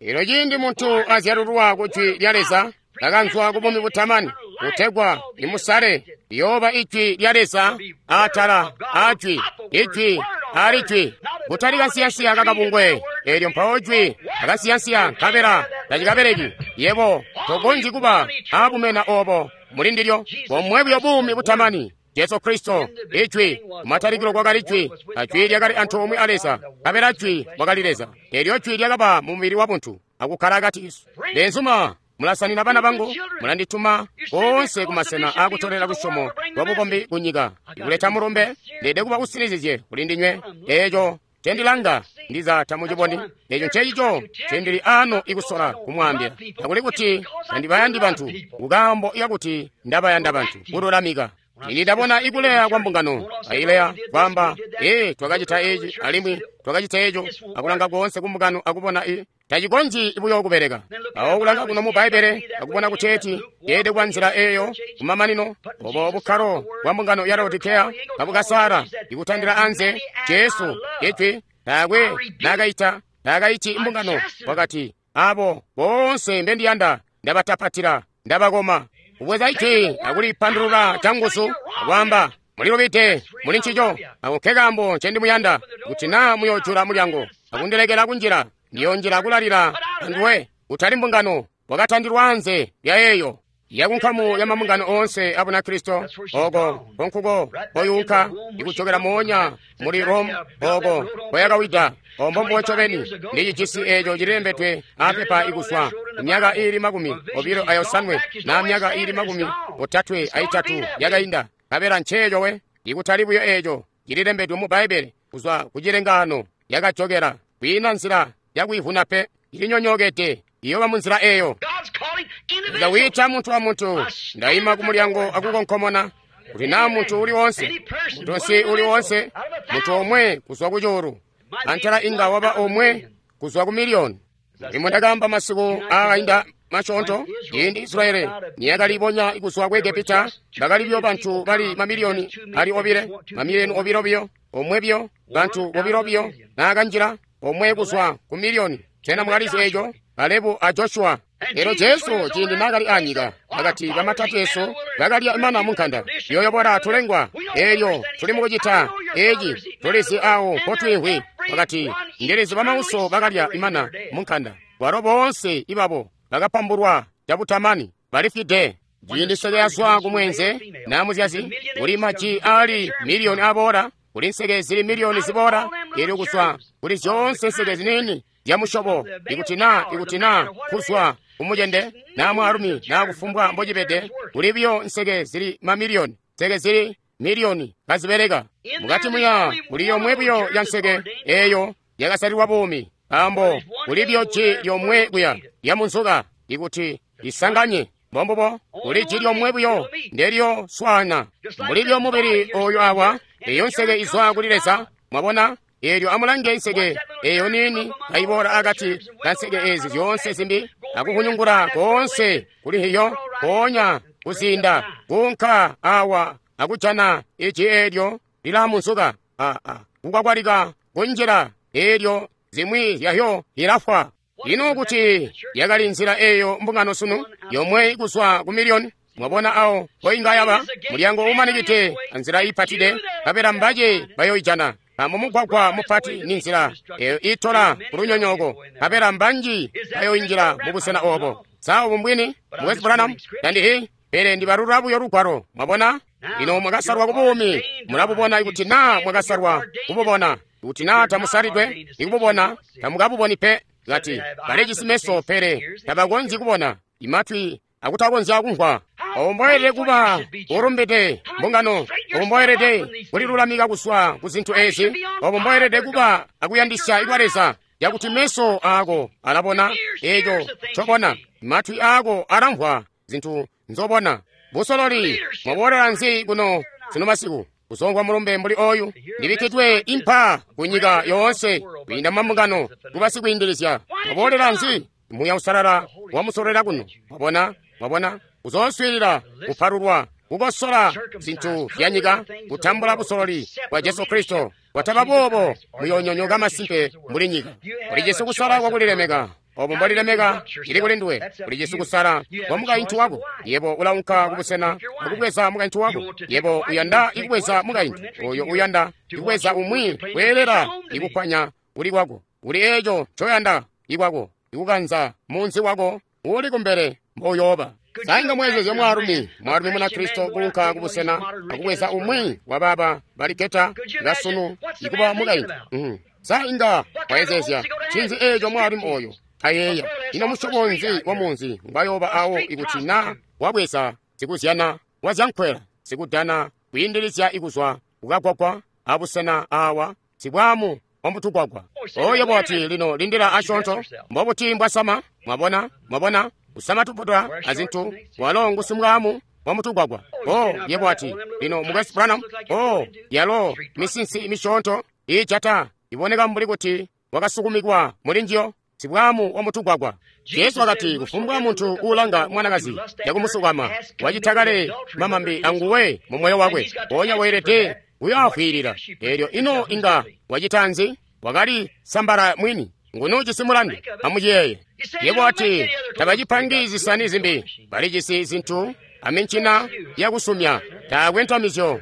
Elyo ciindi muntu azyalulwa ku jwi lya Leza, lakanzwa ku buumi butamani, kutegwa limusale, liyooba ijwi lya Leza atala a jwi, ijwi ali jwi, kutali kansiyansiya kakabungwe. Elyo mpawo jwi akansiyansiya nkabela tacikabeleki. Yebo tokonzyi kuba abumena obo muli ndilyo, bomwe buyo buumi butamani. Jesu Kristo, Ijwi, kumatalikilo kwakali Jwi, a Jwi lyakali antoomwe a Leza, nkabela Jwi wakali Leza. Elyo Jwi lyakaba mu mubili wabuntu, akukkala akati kesu. Beenzuma, mulasanina bana bangu, mulandituma koonse kumasena aakutolela lusyomo lwa bukombi kunyika. Ikuleta mulumbe, ndeede kuba usinizizye kuli ndinywe. Eeco ncendilanga ndiza tamuciboni. Eeco ncecico ncendili ano ikusola kumwaambila. Takuli kuti tandibayandi bantu, kukaambo kakuti ndabayanda bantu, kululamika. Ini ndabona ikuleya kwa mbungano, aileya kwamba, ee, twakacita eci, alimwi twakacita eco, akulanga koonse ku mbungano akubona i, tacikonzyi buyo kubeleka. Awo kulanga kuno mu Bbaibbele, akubona kuti eci, yeede kuba nzila eyo, kumamanino, obo bukkalo bwa mbungano ya Laodikeya, kabukasala, ikutandila anze, Jesu, Ijwi, taakwe naakaita, taakaiti mbungano, wakati, abo boonse mbendiyanda, ndabatapatila, ndabakoma. Kubweza ijwi akulipandulula canguzu akwaamba, mulilubide muli ncico, ako nkekaambo ncendimuyanda, kuti naa muyoojula mulyango akundilekela kunjila, ndiyonjila kulalila anduwe. Kutali mbungano, wakatandilwa anze lya eyo yakunkamu ya mambungano oonse a Bunakristo. Oko konkuko koyunka ikujokela moonya muli Rome, oko koyakawida. Ombo mbubo ncobeni ndicijisi eeco cililembedwe apepa ikuzwa myaka iili 27 na myaka iili 33 yakainda. Nkabela nceeco we, ikutali buyo eeco cililembedwe mu Bbaibbele kuzwa kucilengano yakajokela. Kwiina nzila yakuivuna pe, ilinyonyokede, iyoba munzila eyo. Leza wiita muntu amuntu, ndaima ku mulyango akukonkomona, kuti naa muntu uli woonse, muntunsi uli woonse, muntu omwe kuzwa ku cuulu, antela inga waba omwe kuzwa ku miliyoni. Limwe ndakaamba masiku aakainda masyoonto, ciindi Israeli niyakalibonya kuzwa ku Egepita, bakali buyo bantu bali mamiliyoni ali obile, mamiliyoni obilo biyo, omwe biyo, bantu bobilo biyo, naakanjila omwe kuzwa ku miliyoni. Sena mwakalizi eco? Kalebu a Joshua. Elyo Jesu ciindi naakali anyika, akati kamatateesu bakalya mana munkanda, yoyobola tulengwa. Elyo tuli mukucita eci, tulizi awo mpotwiimvwi. Wakati, ndilizi bamauso bakalya imana munkanda, bwalo boonse ibabo bakapambulwa cabutamani, balifwide. Ciindi nseke yazwa kumwenze na muzyazi, kuli maji ali miliyoni aboola, kuli nseke zili miliyoni ziboola. Elyo kuzwa kuli zyoonse nseke ziniini zyamusyobo, ikuti naa kuzwa kumujende naa mwaalumi naa kufumbwa mbocibede, kuli buyo nseke zili mamiliyoni, nseke zili miliyoni kazibeleka. Mukati muya kuli yomwe buyo ya nseke eyo yakasalilwa buumi, nkaambo kuli buyo ji lyomwe kuya lya munzuka ikuti isanganye. Mbombubo, kuli ji lyomwe buyo ndelyo swana mbuli lyo mubili oyu awa, eyo nseke izwa kuli Leza. Mwabona? Elyo amulange nseke eyo nini kaiboola akati ka nseke ezi zyoonse zimbi, akukunyungula koonse kuli hiyo, mpoonya kuzinda kuunka awa akujana iji elyo lilamunzuka, kukwakwalika kunjila, elyo zimwi zyahyo lilafwa. Ino kuti yakali nzila eyo mbungano sunu, yomwe kuzwa ku miliyoni. Mwabona awo mpoinga yaba mulyango umanikide anzila ipatide, nkabela mbace bayoijana. Nkaambo mugwagwa mupati ni nzila eyo itola kulunyonyooko, nkabela mbanji bayoinjila mubusena obo. Sa obu mbwini, Mukwesu Branham? Tandihi, pele ndibalula buyo lugwalo. Mwabona? Lino mwakasalwa ku buumi, mulabubona ikuti naa mwakasalwa kububona. Ikuti naa tamusalidwe ikububona, tamukabuboni pe. Kati, balijisi meso pele tabakonzyi kubona, imatwi akutakonzya kumvwa. Obo mboelede kuba ulumbide mbungano, obo mboelede kulilulamika kuzwa ku zintu ezi, obo mboelede kuba akuyandisya kwa Leza, yakuti meso aako alabona eco ncobona, matwi aako alamvwa zintu nzobona. Busololi, mwaboolela nzi kuno sino masiku kuzomvwa mulumbe mbuli oyu? Ndibikkidwe impa ku nyika yoonse kwiinda mambungano kuba sikwiindilizya. Mwaboolela nzi? Muuya Uusalala wamusololera kuno. Mwabona? Mwabona? Kuzooswiilila, kupalulwa, kukosola zintu zya nyika, kutambula busololi bwa Jesu Kristo. Kwataba boobo muyoonyonyoka masimpe mbuli nyika. Ulijisi kusala kwakulilemeka. Obo mbolilemeka ili kuli nduwe. Ulijisi kusala kwa mukaintu wako. Yebo ulaunka kubusena akubweza mukaintu wako. Yebo uyanda ikubweza mukaintu oyo uyanda ikubweza umwi kweelela ikukwanya kuli kwako. Uli eco ncoyanda ikwako, ikukanza munzi wako uli kumbele mbouyooba. Sainga mwezezya mwaalumi, mwaalumi Munakristo kuunka kubusena akubweza umwi wabaaba baliketa ngasunu ikuba mukaintu. Sainga mwezezya ncinzi eco mwaalumi oyo ayeeya? Ino musyobo nzi wa munzi ngwayooba awo ikuti na wabweza sikuzyana wazyankwela, sikudana kwiindilizya ikuzwa kukagwagwa abusena awa sibwamu wamutugwagwa? Oyo bwati lino lindila asyoonto, mbobuti mbwasama? Mwabona? Mwabona? Kusama tuputula azintu, walo ngusimwamu wamutugwagwa. Oh, yebo ati lino Mukwesu Branham, oh, yalo misinsi misyoonto iijata iboneka mbuli kuti wakasukumikwa muli njiyo, sibwamu wamutugwagwa. Jesu wakati kufumbwa muntu uulanga mwanakazi yakumusukama wacita kale mamambi anguwe mu moyo wakwe, mpoonya weelede kuyoafwiilila. Eelyo ino inga wacita nzi? Wakali sambala mwini. Nguni ujisi mulandu? Amuciyeeye. Yebo ati tabacipangi zisani zimbi, balijisi zintu amincina yakusumya, taakwe ntamizyo.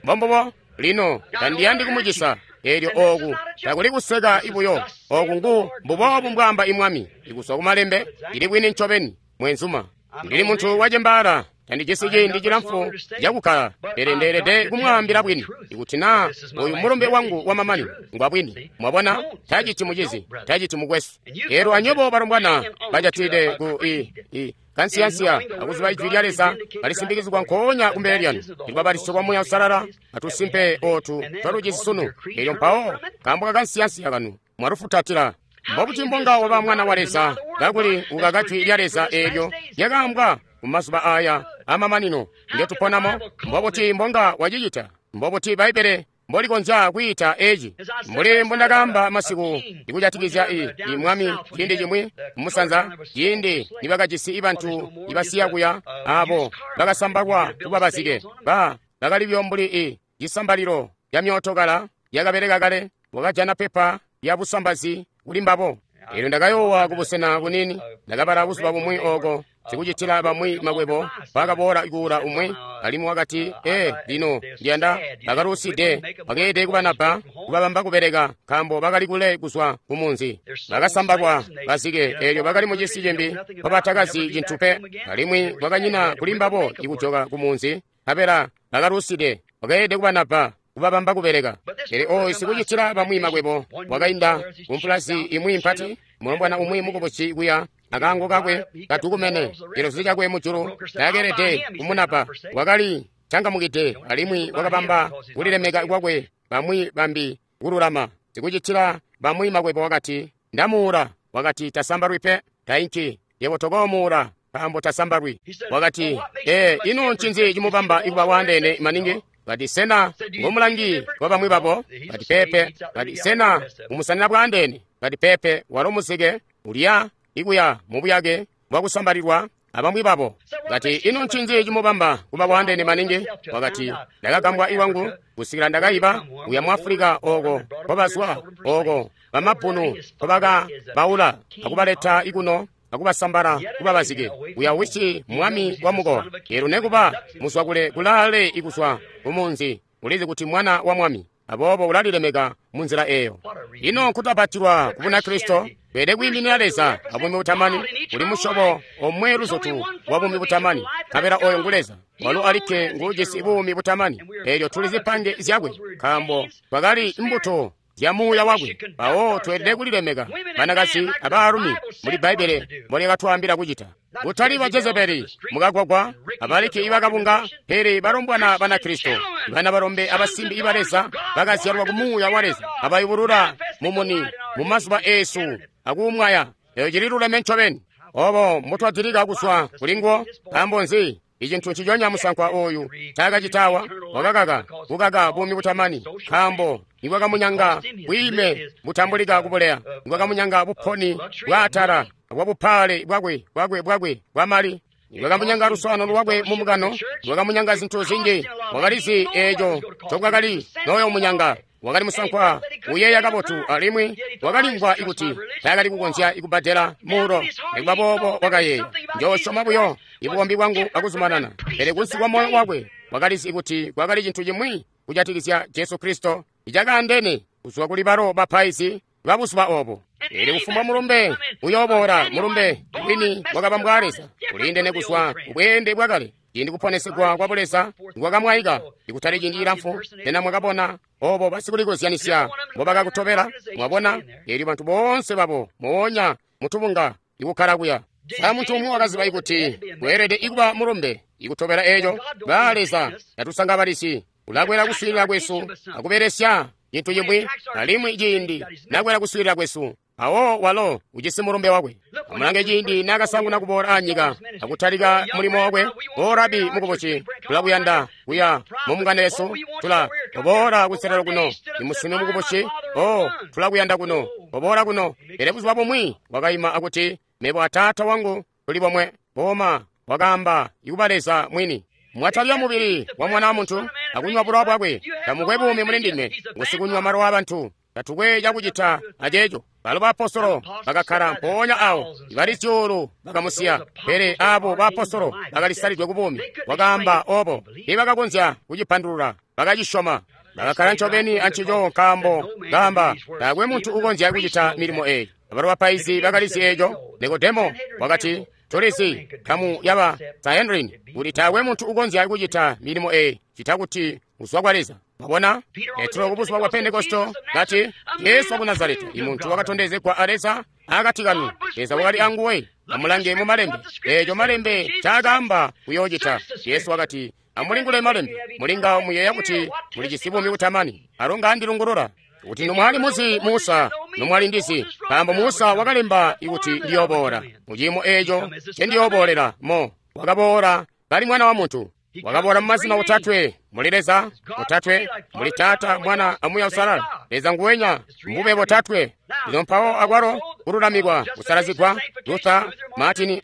Mbombubo. Lino tandiyandi kumucisa. Eelyo ooku takuli kuseka ibuyo, ooku ngu mbuboobu mbwaamba imwami, ikuzwa kumalembe. Ili bwini ncobeni, mwenzuma. Ndili muntu wacembaala, tandijisi ciindi cilamfu cakukkala, pele ndeelede kumwaambila bwini. Ikuti naa oyu mulumbe wangu wamamanino ngwa bwini, mwabona, taciti mucizi, taciti mukwesu. Eelyo anywebo balombwana bajatide ku i kansiyansiya akuziba ijwi lya Leza balisimbikizigwa nkoonya kumbele lyanu. Ilubabatiso kwa Muuya Uusalala atusimpe ootu twalujisi sunu. Eelyo mpawo nkaambo kakansiyansiya kanu mwalufutatila. Mbobuti mbonga waba mwana wa Leza kakuli ukaka jwi lya Leza eelyo lyakaambwa mumazuba aya amamanino ngetuponamo? Mbobuti mbonga wacicita? Mbobuti Bbaibbele mbolikonzya kwiita eci? Mbuli mbundakaamba masiku ikujatikizya i mwami ciindi cimwi mumusanza, ciindi nibakajisi ibantu ibasiya kuya abo bakasambakwa kuba bazike, bakali buyo mbuli i cisambalilo lya myootokala yakabeleka kale, wakajana pepa lya busambazi kuli mbabo. Eelyo ndakayoowa kubusena bunini, ndakabala buzuba bumwi ooko sikucitila bamwi makwebo bakaboola kuula umwi, alimwi wakati, lino ndiyanda bakaluuside, bakeelede kubanabba kubabamba kubeleka, nkaambo bakali kule kuzwa ku munzi. Bakasambakwa bazike, eelyo bakali mucisi cimbi mpobatakazi cintu pe, alimwi kwakanyina kuli mbabo ikujoka ku munzi, nkabela bakaluuside, bakeelede kubanabba kubabamba kubeleka. Pele oyu sikucitila bamwi makwebo wakainda kumpulazi imwi mpati, mulombwana umwi mukubusi kuya akaango kakwe katukumene, cilozi cakwe mujulu taakeelede kumunapa. Wakali cangamukide alimwi wakabamba kulilemeka kwakwe bamwi bambi kululama. Sikucitila bamwi makwebo wakati, ndamuula. Wakati tasambalwi pe, tainki. Yebo tokoomuula nkaambo tasambalwi. Wakati, ino ncinzi cimubamba ikuba waandeene maningi? Kati sena ngomulangi wa bamwi babo? Kati pepe. Kati sena mumusanina bwaandeene? Kati pepe, walo muzike ulya ikuya mubuyake bwakusambalilwa abamwi babo. Kati ino ncinzi cimubamba kuba bwaandeene maningi? Wakati ndakagambwa iwangu kusikila ndakayiba kuya mu Afulika ooko nkobazwa, ooko bamabbunu nkobakabaula akubaleta ikuno akubasambala kuba bazike. Uya wisi mwami wa mukowa. Eelyo nekuba muzwakule kulaale ikuzwa kumunzi, ulizi kuti mwana wa mwami, aboobo ulalilemeka munzila eyo. Ino nkutapatilwa ku Bunakristo, Tweelede kwiiminina Leza abuumi butamani. Kuli musyobo omwe luzutu wa buumi butamani, nkabela oyo ngu Leza. Walo alikke nguujisi buumi butamani. Eelyo tuli zipange zyakwe, nkaambo twakali mbuto zya muuya wakwe. Mpawo tweelede kulilemeka, banakazi abaalumi, muli Bbaibbele mbolyakatwaambila kucita. Kutali ba Jezebeli mukagwagwa abaliki ibakabunga, pele balombwana Banakristo, bana balombe abasimbi iba Leza bakazyalwa ku muuya wa Leza, abayubulula mumuni mu mazuba eesu akuumwaya. Eyo cililuleme ncobeni. Obo mbotwadilika kuzwa kulinguwo. Nkaambo nzi? Icintu nciconya musankwa oyu ncaakacitawa, wakakaka kukaka buumi butamani, nkaambo nibwakamunyanga bwiime butambulika kubuleya, nibwakamunyanga buponi bwaatala bwabupaale bwakwe bwakwe bwakwe bwamali, nibwakamunyanga luswaanano lwakwe mu mbungano, nibwakamunyanga zintu zinji. Wakalizi eeco ncobwakali noyomunyanga. Wakali musankwa uyeeya kabotu, alimwi wakalimvwa kuti taakali kukonzya kubbadela muulo. Nikuba boobo wakayeeya, njoosyoma buyo ibukombi bwangu akuzumanana. Pele kunsi kwa moyo wakwe wakalizi kuti kwakali cintu cimwi kujatikizya Jesu Kristo icakaandene kuzwa kuli balo bapaizi babuzuba obo. Eelyo kufumbwa mulumbe uyooboola, mulumbe wini wakabambwa Leza, uliindene kuzwa kubweende bwakale. Ciindi kuponesegwa kwa buleza nikwakamwaika, ikutali ciindi cilamfu, sena mwakabona obo basikulikozyanisya mbobakakutobela? Mwabona, eelyo bantu boonse babo moonya mutubunga ikukkala kuya. Sa muntu umwi wakaziba ikuti kweelede ikuba mulumbe ikutobela eeco? Ba Leza tatusangabalisi, ulakwela kuswiilila kwesu akubelesya cintu cimwi, alimwi ciindi nakwela kuswiilila kwesu, awo walo ujisi mulumbe wakwe. Amulange ciindi naakasanguna kuboola anyika akutalika mulimo wakwe. O Rabi mukubusi, tulakuyanda kuya mumbungano yesu. Tula oboola kuselelo kuno. Imusune mukubusi, o tulakuyanda kuno, oboola kuno. Pele buzuba bumwi wakaima akuti, mebo a Taata wangu tuli bomwe. Booma wakaamba ikuba Leza mwini. Mwatalya mubili wa Mwana wa Muntu akunywa bulowa bwakwe, tamukwe buumi muli ndinywe. Ngusikunywa malowa abantu, tatukwe cakucita aceeco. Balo baapostolo bakakkala mpoonya awo, ibali zyuulu bakamusiya. Pele abo baapostolo bakalisalidwe ku buumi. Wakaamba obo, tiibakakonzya kucipandulula, bakacisyoma. Bakakkala ncobeni ancico, nkaambo kaamba taakwe muntu ukonzya kucita milimo eyi. Abalo bapaizi bakalizi eeco. Nikodemo wakati, tulizi nkamu yaba Sanhedrin kuti taakwe muntu ukonzya kucita milimo eyi cita kuti uzwa kwa Leza. Mwabona, Petro ku buzuba bwa Pentekosto kati, Yesu waku Nazareta, imuntu wakatondezegwa a Leza akati kanu, Leza wakali anguwe. Amulange mu malembe, eeco malembe ncaakaamba kuyoocita. Yesu wakati, amulingule malembe, mulinga muyeeya kuti mulijisi buumi butamani, alo ngaandilungulula. Kuti nomwali muzi Musa, nomwali ndizi, nkaambo Musa wakalemba kuti ndiyooboola. Muciimo eeco ncendiyoobolela mo, wakaboola kali Mwana wa Muntu. Wakaboola mu mazina otatwe, muli Leza otatwe, muli Taata, Mwana, a Muuya Uusalala. Leza nguwenya, mbube botatwe. Lino mpawo akwalo kululamikwa, kusalazigwa, Luther, Martin,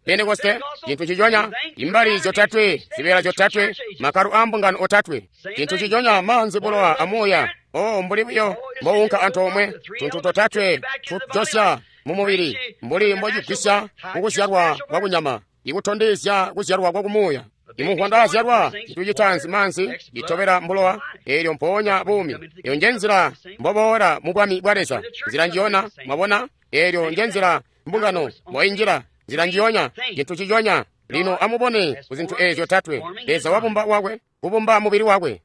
Pentekoste, cintu nciconya, imbali zyotatwe, zibeela zyotatwe, makalu a mbungano otatwe, cintu nciconya, maanzi, bulowa, a Muuya. Oh, mbuli buyo mbounka antoomwe, tuntu totatwe tujosya mu mubili, mbuli mbocigwisya kukuzyalwa kwa kunyama, ikutondezya kuzyalwa kwa kumuuya. Imuvwanda azyalwa, cintu citaanzi maanzi, citobela mbulowa, eelyo mpoonya buumi. Eyo nje nzila mboboola mu bwami bwa Leza. Nzila njiyona, mwabona, eelyo nje nzila mbungano mboinjila. Nzila njiyonya, cintu nciconya. Lino amubone ku zintu eezyo zyotatwe. Leza wabumba wakwe, kubumba mubili wakwe.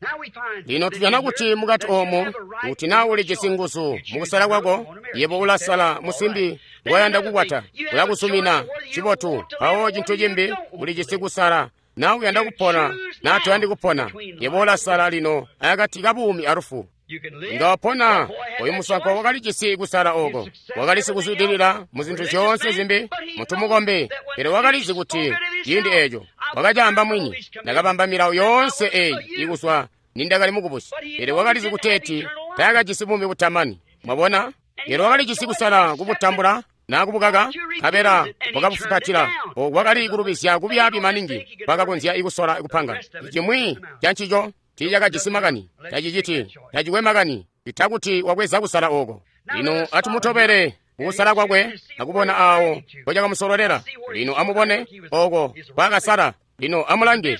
Lino tujana kuti mukati oomo, kuti naa ulijisi nguzu mukusala kwako, yebo ulasala musimbi ngoyanda kukwata, ulakuzumina cibotu. Mpawo cintu cimbi, ulijisi kusala naa uyanda kupona naa toyandi kupona. Yebo ulasala lino akati kabuumi alufu. Inga wapona. Oyu musankwa wakalijisi kusala oko, wakali sikuzwidilila mu zintu zyoonse zimbi, muntu mukombi, pele wakalizi kuti ciindi eeco wakacaamba mwini, ndakabamba milawo yoonse eyi ikuzwa nindakali mukubusi. Pele wakalizi kuteeti taakajisi buumi butamani. Mwabona, pele wakalijisi kusala kubutambula naa kubukaka, nkabela wakabufukatila. Oku kwakali kulubizya kubyaabi maningi kwakakonzya kusola kupanga cimwi cancico. Tiicakajisi makani, taciciti, tacikwe makani, ita kuti wabweza kusala oko. Lino atumutobele kukusala kwakwe akubona aawo mpocakamusololela. Lino amubone oko kwakasala. Lino amulange,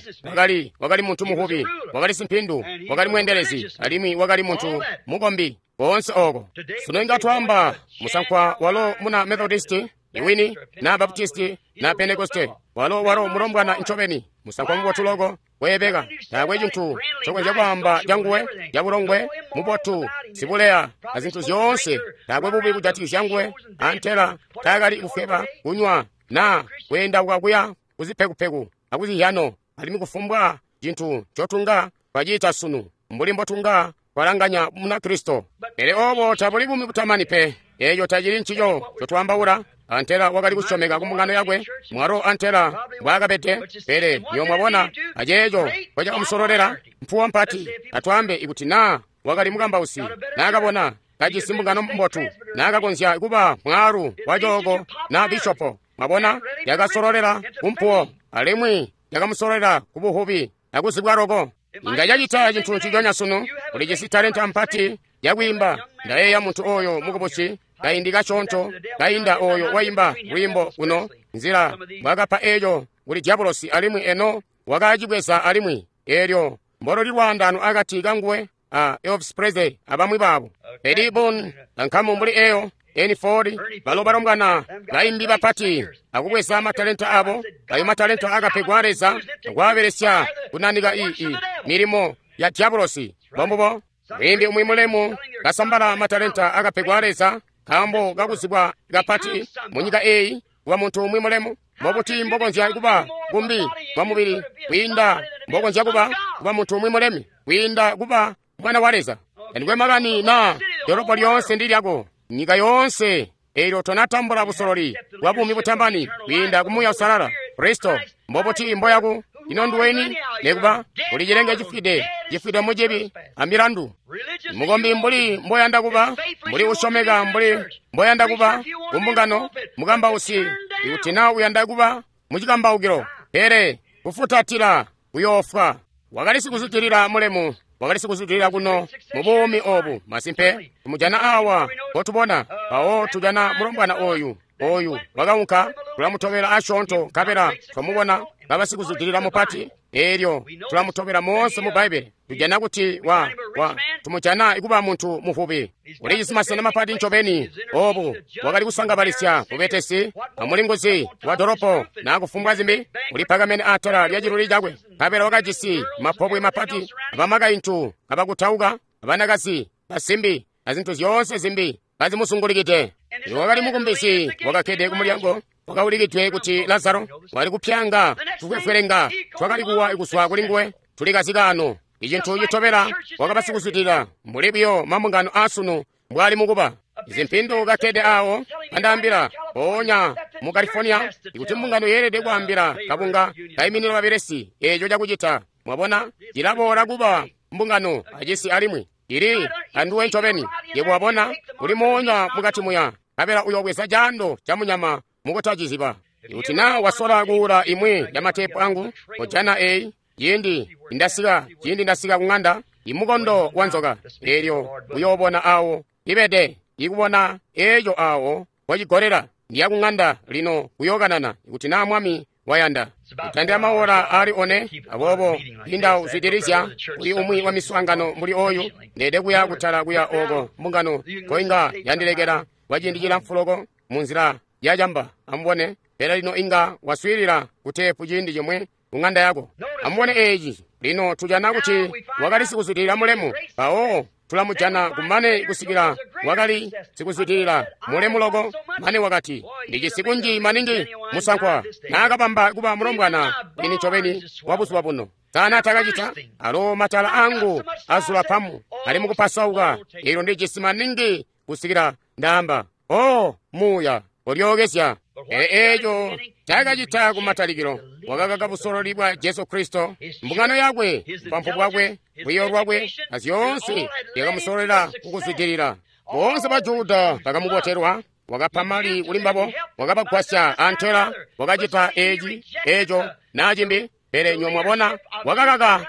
wakali muntu muvubi, wakali simpindu, wakali mweendelezi, alimwi wakali muntu mukombi. Koonse oko. Sunu inga twaamba musankwa walo muna Methodisti, iwini, na Baptisti, na Pentekoste. Walo mulombwana ncobeni, musankwa mubotu loko, weebeka. Taakwe cintu ncokonzya kwaamba canguwe, cabulongwe, mubotu, sibuleya, a zintu zyoonse. Taakwe bubi kujatikizya nguwe, antela taakali kufweba, kunywa, na kweendauka kuya kuzipekupeku akuzihyano, alimwi kufumbwa cintu ncotunga twacita sunu, mbuli mbotunga twalanganya Munakristo. Pele obo tabuli buumi butamani pe. Eeco tacili ncico ncotwaambaula. Antela wakali kusyomeka ku mbungano yakwe, mwalo antela mbwaakabede. Pele nyo mwabona aceeco ncocakamusololela, mpuwo mpati. Atwaambe ikuti naa wakali mukambausi, naakabona kajisi mbungano mbotu, naakakonzya kuba mwaalu wa cooko na bishopo. Mwabona, yakasololela kumpuwo, alimwi yakamusololela kubuhubi akuzibwa loko. Inga cacita cintu nciconya sunu. Ulijisi talenta mpati yakwiimba. Ndayeeya muntu oyo mukubusi kaindi kasyoonto kainda oyo waimba lwiimbo kuno, nzila mbwaakapa eeco kuli diabolosi, alimwi eno wakacibweza alimwi. Eelyo mbololi lwaandaano akati kanguwe a Elvis Presley abamwi babo. Eddie Boone, ankamu mbuli eyo, Ernie Ford, balo balombwana baimbi bapati akubweza matalenta abo. Ayo matalenta akapegwa Leza akwaabelesya kunanika ii milimo ya diabolosi. Bombubo mwimbi umwi mulemu kasambala matalenta akapegwa Leza nkaambo kakuzibwa kapati munyika eyi kuba muntu umwi mulemu. Mbobuti mbokonzya kuba kumbi kwa mubili kwiinda mbokonzya kuba muntu umwi mulemi kwiinda kuba mwana wa Leza? Tandikwe makani na dolopo lyoonse ndi lyako, nyika yoonse. Eelyo tonatambula busololi bwa buumi butamani kwiinda ku Muuya Uusalala Kristo. Mbobuti mboyaku ino nduweni? Nekuba uli cilenge cifwide, cifwide mucibi amilandu. Mukombi mbuli mboyanda kuba, mbuli usyomeka mbuli mboyanda kuba kumbungano, mukambausi ikuti na uyanda kuba mucikambaukilo, pele kufutatila kuyoofwa. Wakali sikuzwidilila mulemu, wakali sikuzwidilila kuno mu buumi obu. Masimpe tumujana awa kotubona mpawo tujana mulombwana oyu wakaunka, tulamutobela asyoonto nkabela twamubona kaba sikuzwidilila mupati. Eelyo tulamutobela moonse mu Bbaibbele, tujana kuti tumujana kuba muntu muvubi, ulijisi masena mapati ncobeni. Obu wakali kusangabalisya bubetesi amulinguzi wa dolopo na kufumbwa zimbi, ulipakamene atala lya ciluli cakwe, nkabela wakajisi mapobwe mapati, abamakaintu abakutauka, abanakazi, basimbi, azintu zyoonse zimbi bazimusungulikide. Wakali mukumbisi wakakkede kumulyango wakaulikidwe kuti Lazaro, wali kupyanga tufwefwelenga twakali kuwa kuzwa kuli nguwe tulikazikaano. Icintu citobela wakaba sikuzwidilila mbuli buyo mambungano aasunu mbwali mukuba. Izi mpindu kakkede awo andaambila mpoonya mu California ikuti mbungano yeelede kwaambila kabunga kaiminina babelesi eeco cakucita. Mwabona, cilaboola kuba mbungano acisi alimwi ili anduwe ncobeni. Yebo wabona, uli moonya mukati muya, nkabela uyobweza caando ca munyama mukutaciziba. Ikuti na wasola kuula imwi ya matepu angu, kojana eyi, ciindi ndasika kung'anda, imukondo wa nzoka, eelyo uyoobona awo ibede, ikubona eeco awo wacigolera. Ndiya kung'anda lino kuyookanana ikuti na Mwami wayanda. Kutandila maora ali one, aboobo inda uzwidilizya kuli umwi wa miswaangano mbuli oyu, ndeede kuya kutala kuya oko mbungano koinga yandilekela kwa ciindi cilamfu loko munzila yacamba. Amubone, pele lino inga waswiilila kuteepu ciindi cimwe kung'anda yako. Amubone eeci lino tujana kuti wakali sikuzwidilila mulemu, mpawo tulamujana kumane kusikila wakali sikuzwidilila mulemu loko, mane wakati ndijisi kunji maningi musankwa naakabamba kuba mulombwana ini ncobeni wa buzuba buno. Sana takacita alo matala angu azula pamu ali mukupasauka, eelyo ndijisi maningi kusikila ndaamba o muuya olyookezya. Pele eeco takacita kumatalikilo, wakakaka busololi bwa Jesu Kristo, mbungano yakwe, bupampu bwakwe, lwiiyo lwakwe, na zyoonse yakamusololela kukuzwidilila. Boonse ba Juda bakamubotelwa, wakapa mali kuli mbabo, wakabagwasya antela, wakacita eeci, eeco, na cimbi. Pele nywe mwabona, wakakaka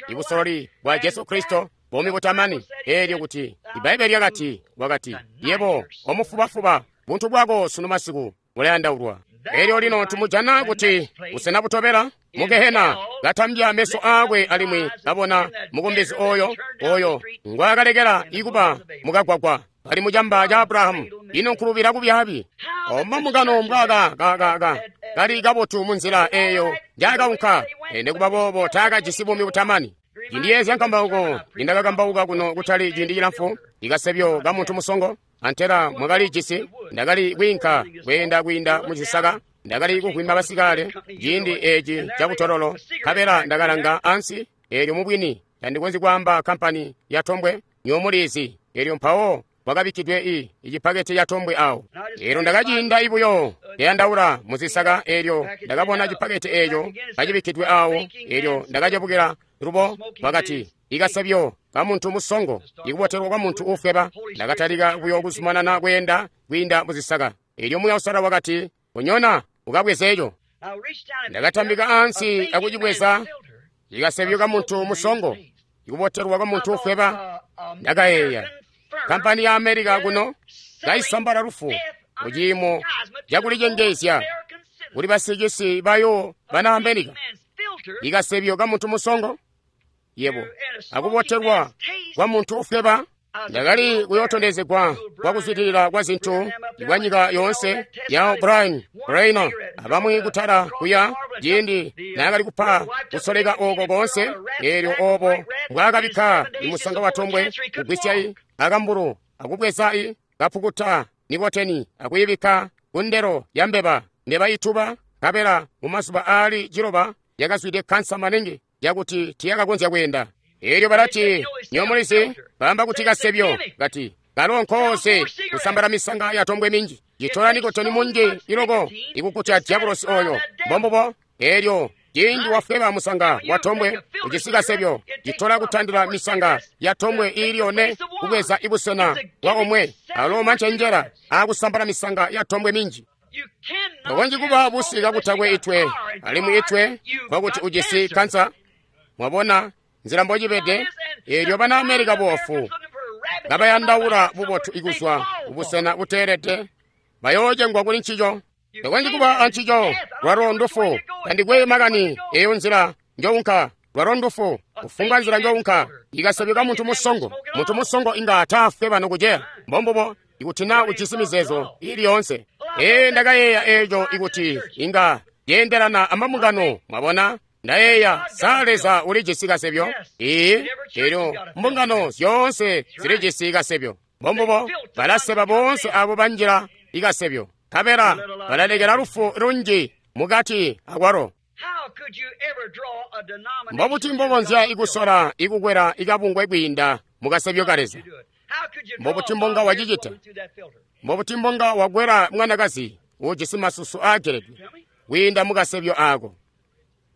ibusololi bwa Jesu Kristo, buumi butamani. Eelyo kuti Ibbaibbele lyakati, wakati, yebo omufubafuba, buntu bwako sunu masiku bulayandaulwa. Elyo lino tumujana kuti busena butobela mu gehena, katambya meso aakwe alimwi kabona mukumbizi oyo, oyo ngwaakalekela ikuba mukagwagwa kali mucamba ca Abrahamu. Ino nkulubila kubyaabi! Oma mukano mbwaka kali kabotu munzila eyo njaakaunka, nekuba boobo taakajisi buumi butamani. Cindiyeezya nkambauko nindakakambauka kuno kutali ciindi cilamfu, ikasebyo ka muntu musongo, antela mwakali jisi. Ndakali kwiinka kweenda kwiinda mucisaka, ndakali kuvwima basikale ciindi eci cabutololo, nkabela ndakalanga ansi. Eelyo mubwini tandikonzyi kwaamba kampani ya tombwe, nyomulizi. Eelyo mpawo kwakabikkidwe icipakete ca tombwe awo. Eelyo ndakaciinda ibuyo ndeyandaula muzisaka, eelyo ndakabona cipakete eeco kacibikkidwe awo. Eelyo ndakacebukila lubo, wakati, ikasebyo ka muntu musongo, ikubotelwa kwa muntu uufweba. Ndakatalika buyo kuzumanana kweenda kwiinda muzisaka. Eelyo Muuya Uusalala wakati, unyona ukabweze eco. Ndakatambika ansi akucibweza, ikasebyo ka muntu musongo, ikubotelwa kwa muntu uufweba. Ndakayeeya, kampani ya Amerika kuno kaisambala lufu muciimo cakulicengeezya kuli basicisi bayo bana Amerika. Ikasebyo ka muntu musongo, yebo, akubotelwa kwa muntu ufweba. Ndakali kuyootondezegwa kwa kuzwidilila kwa zintu kwa nyika yoonse ya Brian Reiner abamwi kutala kuya ciindi naakali kupa kusoleka oko koonse. Eelyo obo mbwaakabikka imusanga wa tombwe kugwisya akambulu akubweza kapukuta nikoteni akuyibikka kundelo ya mbeba, mbeba ituba, nkabela mumazuba aali 9 yakazwide kansa maningi yakuti tiyakakonzya kweenda. Eelyo balati, nyomulizi, baamba kuti kasebyo, kati kalo nkoose kusambala misanga ya tombwe minji, citola nikotoni munji iloko ikukutya diabulosi oyo. Mbombubo. Eelyo ciindi wafweba musanga wa tombwe ujisi kasebyo, citola kutandila misanga ya tombwe iili yone kubweza ibusena bwa omwe, alo mancenjera aakusambala misanga ya tombwe minji. Tokonzyi kuba busi kakutakwe itwe, alimwi itwe kwakuti ujisi kansa. Mwabona nzila mbocibede? Eelyo bana Amerika boofu kabayandaula bubotu ikuzwa kubusena buteelede, bayoocengwa kuli ncico. Tokonzyi kuba ancico, lwalo ndufu. Tandikwe makani eyo nzila njounka, lwalo ndufu. Kufumbwa nzila njounka, ikasebyo ka muntu musongo. Muntu musongo inga taafweba nokuceya. Mbombubo, ikuti naa ujisi mizeezo ili yoonse. Ndakayeeya eeco ikuti inga yeendelana amambungano, mwabona. Ndayeeya, sa Leza ulijisi kasebyo? Ee, eelyo mbungano zyoonse zilijisi kasebyo. Mbombubo, balaseba boonse abo banjila ikasebyo, nkabela balalekela lufu lunji mukati akwalo. Mbobuti mbokonzya ikusola ikukwela ikabungwe kwiinda mukasebyo ka Leza? Mbobuti mbonga wacicita? Mbobuti mbonga wakwela mwanakazi uujisi masusu aageledwe kwiinda mukasebyo aako?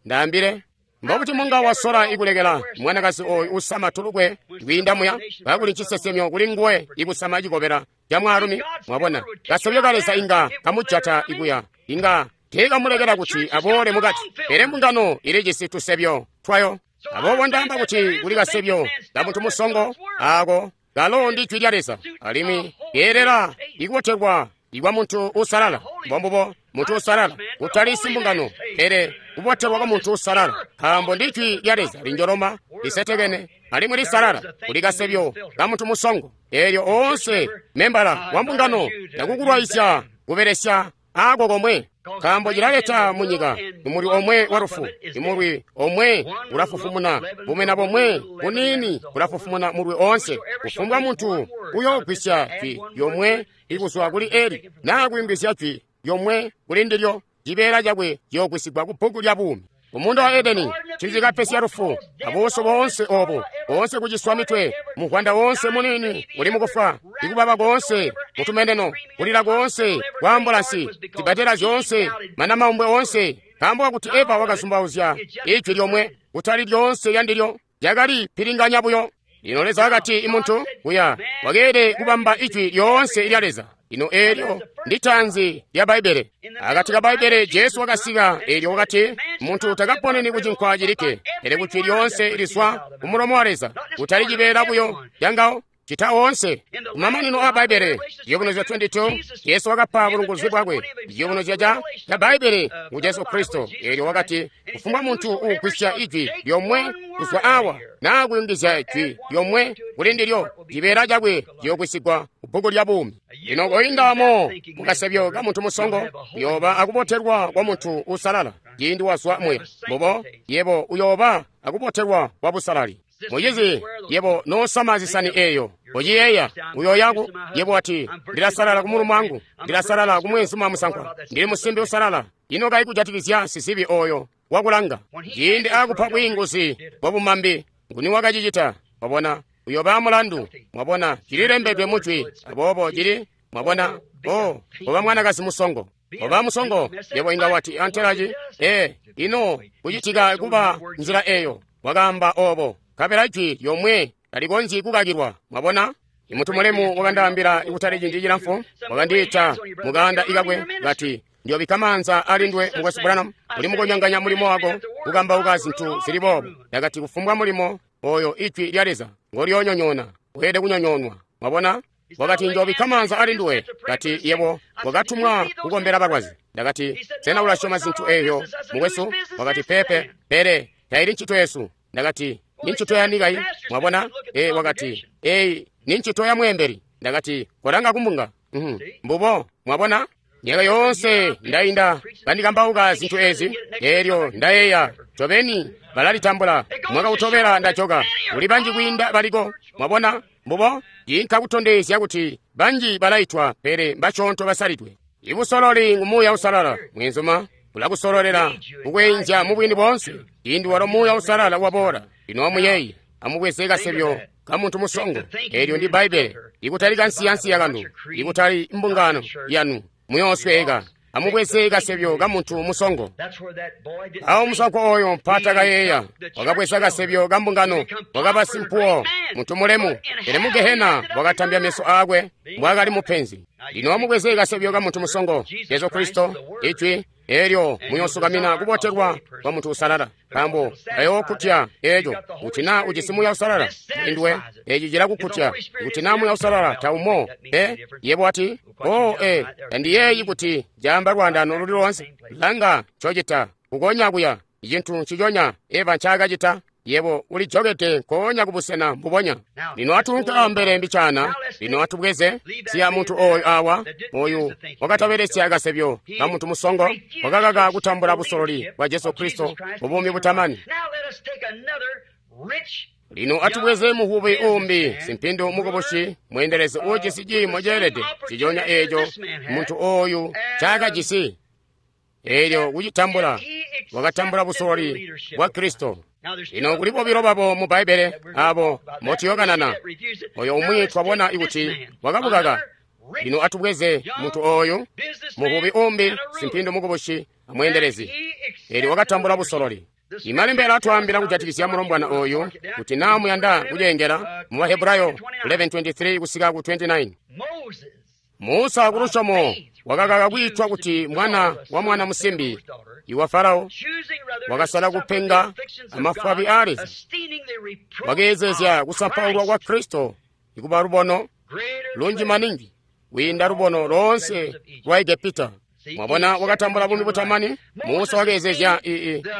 Ndaambile, mbobuti mbonga wasola ikulekela mwanakazi oyu usama tulukwe kwiinda muya, kakuli ncisesemyo kuli nguwe ikusama cikobela ca mwaalumi? Mwabona, kasebyo ka Leza inga kamujata ikuya, inga teekamulekela kuti aboole mukati. Pele mbungano ilijisi tusebyo twayo. Aboobo ndaamba kuti kuli kasebyo ka muntu musongo, aako kalo ndi jwi lya Leza, alimwi keelela ikubotelwa ikwa muntu uusalala. Mbombubo, muntu uusalala, kutali simbungano, pele kubotelwa kwa muntu uusalala, nkaambo ndi jwi lya Leza linjoloma, lisetekene, alimwi lisalala. Kuli kasebyo ka muntu musongo. Eelyo oonse membala wa mbungano ndakukulwaizya kubelesya aako komwe, nkaambo cilaleta munyika imulwi omwe wa lufu. Imulwi omwe ulafufumuna bumena bomwe buniini bulafufumuna mulwi oonse. Kufumbwa muntu uyoogwisya jwi lyomwe ikuzwa kuli eli, naa kuyungizya jwi lyomwe kuli ndilyo, cibeela cakwe ciyoogwisigwa ku bbuku lya buumi. Mumuunda wa Edeni ncicikapesya lufu, abuusu boonse obu, boonse kuciswa mitwe, muvwanda woonse muniini uli mukufwa, ikubaba koonse mutumeneno, kulila koonse kwa ambulansi, zibatela zyoonse, manamaumbwe oonse, nkaambo kakuti Eva wakazumbauzya ijwi lyomwe, kutali lyoonse lyandilyo, lyakali pilinganya buyo. Lino Leza wakati imuntu kuya wakeelede kubamba ijwi lyoonse lya Leza. Lino eelyo ndi tanzi lya Bbaibbele. Akati ka Bbaibbele Jesu wakasika, eelyo wakati, muntu takaponeni ku cinkwa cilikke, pele ku jwi lyoonse lizwa ku mulomo wa Leza, kutali cibeela buyo cangawo. Cita oonse. Kumamanino aa Bbaibbele, Ciyubunuzyo 22, Jesu wakapa bulunguzi bwakwe. Ciyubunuzyo ca Bbaibbele ngu Jesu Kristo. Eelyo wakati, kufumbwa muntu uugwisya ijwi lyomwe kuzwa awa, naa kuyungizya jwi lyomwe kuli ndilyo, cibeela cakwe ciyoogwisigwa kubbuku lya buumi. Lino koindamo mukasebyo ka muntu musongo, uyooba akubotelwa kwa muntu uusalala. Ciindi wazwa muya, mbubo, yebo uyooba akubotelwa kwa busalali. Mucizi, yebo noosama zisani eeyo, uciyeeya, uyooyaku, yebo wati, ndilasalala ku mulumi wangu, ndilasalala ku mweenzuma musankwa, ndili musimbi usalala. Ino kayi kujatikizya sizibi oyo wakulanga? Ciindi akupa bwiinguzi bwa bumambi, nguni wakacicita? Mwabona, uyooba mulandu. Mwabona, cililembedwe mujwi, aboobo cili, mwabona, oh, oba mwanakazi musongo. Oba musongo, yebo inga wati antelaci, ino kucitika kuba nzila eyo, wakaamba obo. Kabela jwi lyomwe talikonzyi kukakilwa. Mwabona? Imuntu mulemu wakandaambila kutali ciindi cilamfu, wakandiita mukaanda ikakwe kati, ndiyobikka maanza ali ndwe mukwesu Branham, uli mukonyanganya mulimo wako kukambauka zintu zili boobo. Ndakati kufumbwa mulimo oyo ijwi lya Leza ngolyoonyonyoona, weelede kunyonyoonwa. Mwabona? Wakati njobikka maanza ali nduwe. Kati yebo wakatumwa kukombela balwazi. Ndakati sena ulasyoma zintu eyo mukwesu? Wakati pepe, pele taili ncito yesu. Ndakati ni ncito ya nikai. Mwabona? Wakati eyi ni ncito ya mweembeli. Ndakati kolanga kumbunga. Mbubo. Mwabona? Myaka yoonse ndainda kandikambauka zintu ezi, eelyo ndayeeya ncobeni balalitambula. Mwaka utobela ndajoka, kuli banji kwiinda baliko. Mwabona? Mbubo. Inka kutondezya kuti banji balaitwa pele mbasyoonto basalidwe. Ibusololi ngu Muuya Uusalala. Mwenzuma bulakusololela kukwenzya mubwini boonse. Ciindi walo Muuya Uusalala waboola, lino amuyeeye, amubweze kasebyo ka muntu musongo. Eelyo ndi Bbaibbele, ikutali kansiyansiya kanu, ikutali mbungano yanu, muyoosweeka. Amubweze kasebyo ka muntu musongo. Awo musongo oyo mpata kayeeya, wakabweza kasebyo ka mbungano, wakaba simpuwo, muntu mulemu, pele mu Gehena wakatambya meso aakwe mbwaakali mupenzi. Lino amubweze kasebyo ka muntu musongo, Jesu Kristo, ijwi, eelyo muyoosukamina kubotelwa kwa muntu usalala, nkaambo bayookutya eeco. Kuti naa ujisi Muuya Uusalala induwe, eeci cilakukutya. Kuti naa Muuya Uusalala taumo, yebo wati, tandiyeeyi kuti caamba lwaandaano luli loonse. Langa ncocita, kukonya kuya, icintu nciconya Eva ncaakacita. Yebo ulijokede nkoonya kubusena mbubonya. Lino atuunke ambele mbicaana. Lino atubweze siya muntu oyu awa, oyu wakatabelesya kasebyo ka muntu musongo, wakakaka kutambula busololi bwa Jesu Kristo mubuumi butamani. Lino atubweze muvubi uumbi, simpindu mukubusi, mweendelezi uujisi ciimo ceelede ciconya eeco muntu oyu ncaakajisi. Eelyo kucitambula, wakatambula busololi bwa Kristo. Lino kuli bobilo babo mu Bbaibbele abo motuyokanana. Oyo umwi twabona kuti wakabukaka. Lino atubweze muntu oyu, muvubi umbi, simpindu mukubusi, amweendelezi. Eelyo wakatambula busololi. Imalembe alatwaambila kujatikizya mulombwana oyu kuti naa muyanda kuceengela mu Bahebrayo 11:23 kusika ku 29. Musa kulusyomo wakakaka kwiitwa kuti mwana wa mwana musimbi iwa Farao, wakasala kupenga amafwabi a Leza, wakeezezya kusampaulwa kwa Kristo ikuba lubono lunji maningi kwiinda lubono loonse lwa Egepita. Mwabona, wakatambula buumi butamani. Musa wakeezezya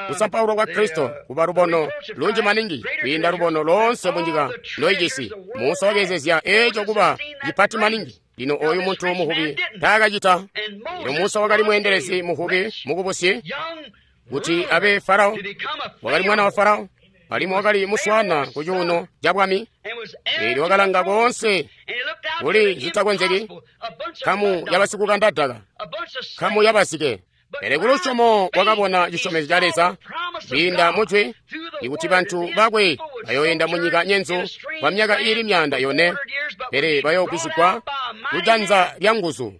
kusampaulwa kwa Kristo kuba lubono lunji maningi kwiinda lubono loonse munyika loijisi. Musa wakeezezya eeco kuba cipati maningi. Lino oyu muntu muvubi taakacita. Lino Musa wakali mweendelezi muvubi mukubusi kuti abe Farao, wakali mwana wa Farao, alimwi wakali muswana ku cuuno ca bwami. Eelyo wakalanga koonse kuli zitakonzeki, nkamu yabasikukanda daka, nkamu yabasike. Pele kulusyomo wakabona cisyomezyo ca Leza kwiinda mujwi ikuti bantu bakwe bayooyenda munyika nyenzu kwa myaka iili 400, pele bayoogwisigwa kujanza lya nguzu.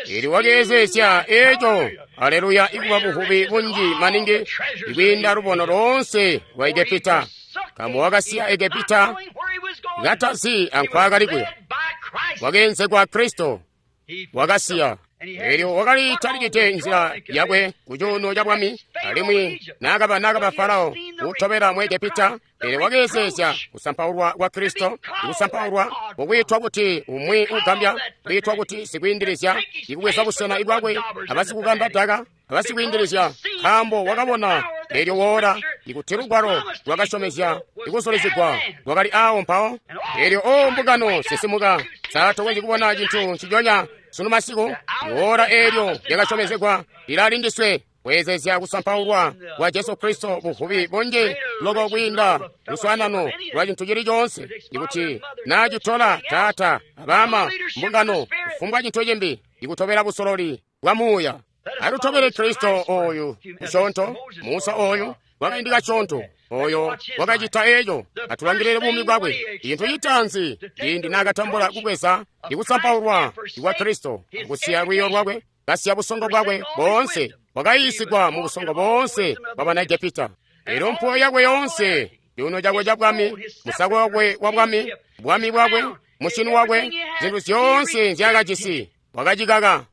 Eelyo wakeezezya eeco, aleluya, ikuba buvubi bunji maningi ikwiinda lubono loonse lwa Egepita, nkaambo wakasiya Egepita katazi ankwaakali kuya. Wakeenzegwa Kristo, wakasiya. Eelyo wakali talikite nzila yakwe ku cuuno ca bwami, alimwi naakaba Farao kutobela mu Egepita, Pele wakeezeezya kusampaulwa kwa Kristo, ikusampaulwa kukwiitwa kuti umwi ugambya, kwiitwa kuti sikwiindilizya, ikubweza busena bwakwe abasikukanda daka, abasikwiindilizya, nkaambo wakabona eelyo woora ikuti lugwalo lwakasyomezya ikusulizigwa lwakali awo mpawo. Eelyo o mbungano sisimuka, sa tokonzyi kubona cintu nciconya sunu masiku? Woora eelyo lyakasyomezegwa lilali ndiswe. Kweezezya kusampaulwa kwa Jesu Kristo buvubi bunji loko kwiinda luswaanano lwa cintu cili coonse, ikuti naacitola taata abama mbungano kufumbwa cintu cimbi ikutobela busololi bwa muuya. Atutobele Kristo oyu musyoonto, Musa oyu kwakaindi kasyoonto, oyo wakacita eco. Atulangilile buumi bwakwe. Cintu citaanzi ciindi naakatambula kubweza ikusampaulwa kwa Kristo, kusiya lwiiyo lwakwe, kasiya busongo bwakwe boonse, wakayiisigwa mu busongo boonse bwa bana Egepita. Elyo mpuwo yakwe yoonse, cuuno cakwe ca bwami, musako wakwe wa bwami, bwami bwakwe, mushini wakwe, zintu zyoonse nzyaakajisi, wakacikaka.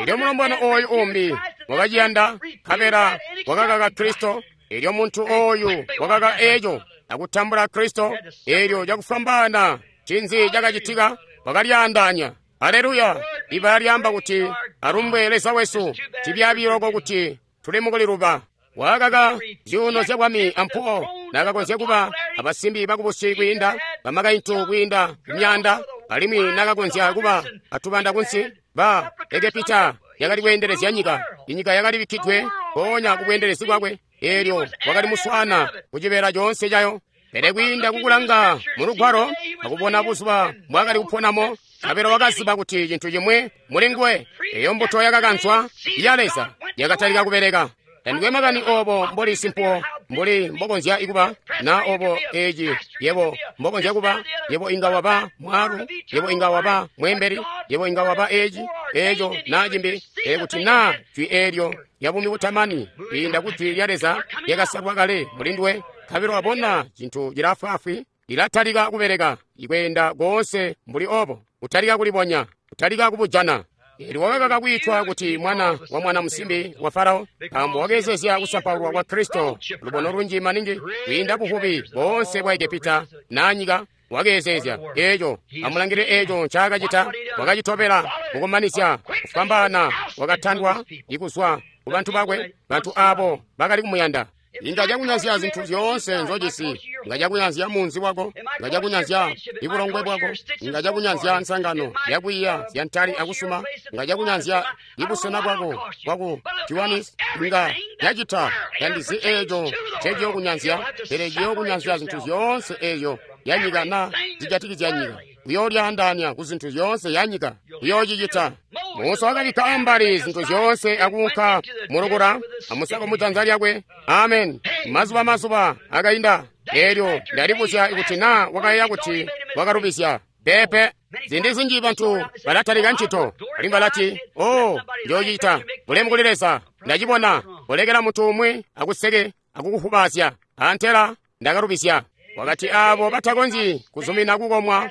Elyo mulombwana oyu umbi wakaciyanda, nkabela wakakaka Kristo. Elyo muntu oyu wakakaka eco akutambula Kristo. Elyo cakufwambaana ncinzi cakacitika? Wakalyaandaanya. Aleluya! Ibala lyaamba kuti alumbwe Leza wesu, cibyaabi loko kuti tuli mukuliluba. Wakakaka zyuuno zya bwami ampuwo, naakakonzya kuba abasimbi bakubusi kwiinda bamakaintu kwiinda myaanda, alimwi naakakonzya kuba atubanda kunsi. Ba Egepita yakali kweendelezya nyika, inyika yakali bikkidwe mpoonya kubweendelezi bwakwe. Eelyo wakali muswaana kucibeela coonse cayo. Pele kwiinda kukulanga mu lugwalo akubona buzuba mbwaakali kuponamo, nkabela wakaziba kuti cintu cimwi muli nguwe, eyo mbuto yakakanzwa ya Leza yakatalika kubeleka. Tandikwe makani obo mboli simpuwo mbuli mbokonzya kuba, na obo eci yebo mbokonzya kuba, yebo inga waba mwaalu, yebo inga waba mweembeli, yebo inga waba eci, eco, na cimbi, pele kuti na jwi eelyo lya buumi butamani kwiinda ku jwi lya Leza lyakasalwa kale muli nduwe, nkabela wabona cintu cilaafwaafwi, lilatalika kubeleka, ikweenda koonse mbuli obo, kutalika kulibonya, kutalika kubujana. Eelyo wakakaka kwiitwa kuti mwana wa mwana musimbi wa Farao, nkaambo wakeezezya kusampaulwa kwa Kristo lubono lunji maningi kwiinda buvubi boonse bwa Egepita na nyika. Wakeezezya eco. Amulangile eco ncaakacita. Wakacitobela kukumanizya kufwambaana, wakatandwa ikuzwa ku bantu bakwe, bantu aabo bakali kumuyanda. Inga cakunyanzya zintu zyoonse nzojisi, inga cakunyanzya munzi wako, inga cakunyanzya ibulongwe bwako, inga cakunyanzya nsangano yakwiiya zyantali akusuma, inga cakunyanzya ibusena bwako bwaku Kiwanis, inga cacita. Tandizi eeco nceciyokunyanzya, pele ciyokunyanzya zintu zyoonse eezyo yanyika na zijatikizya nyika. Uyoolyaandaanya ku zintu zyoonse yanyika. Uyoocicita. Musa wakabikka ambali zintu zyoonse akuunka mulukula amusako mujanza lyakwe. Amen. Mazuba mazuba akainda. Eelyo ndalibuzya kuti naa wakayeeya kuti wakalubizya. Peepe. Ziindi zinji bantu balatalika ncito, alimwi balati, "Oh, njoocita. Bulemu kuli Leza. Ndacibona." Kolekela muntu umwi akuseke akukufubaazya. Antela ndakalubizya. Wakati aabo batakonzyi kuzumina kukomwa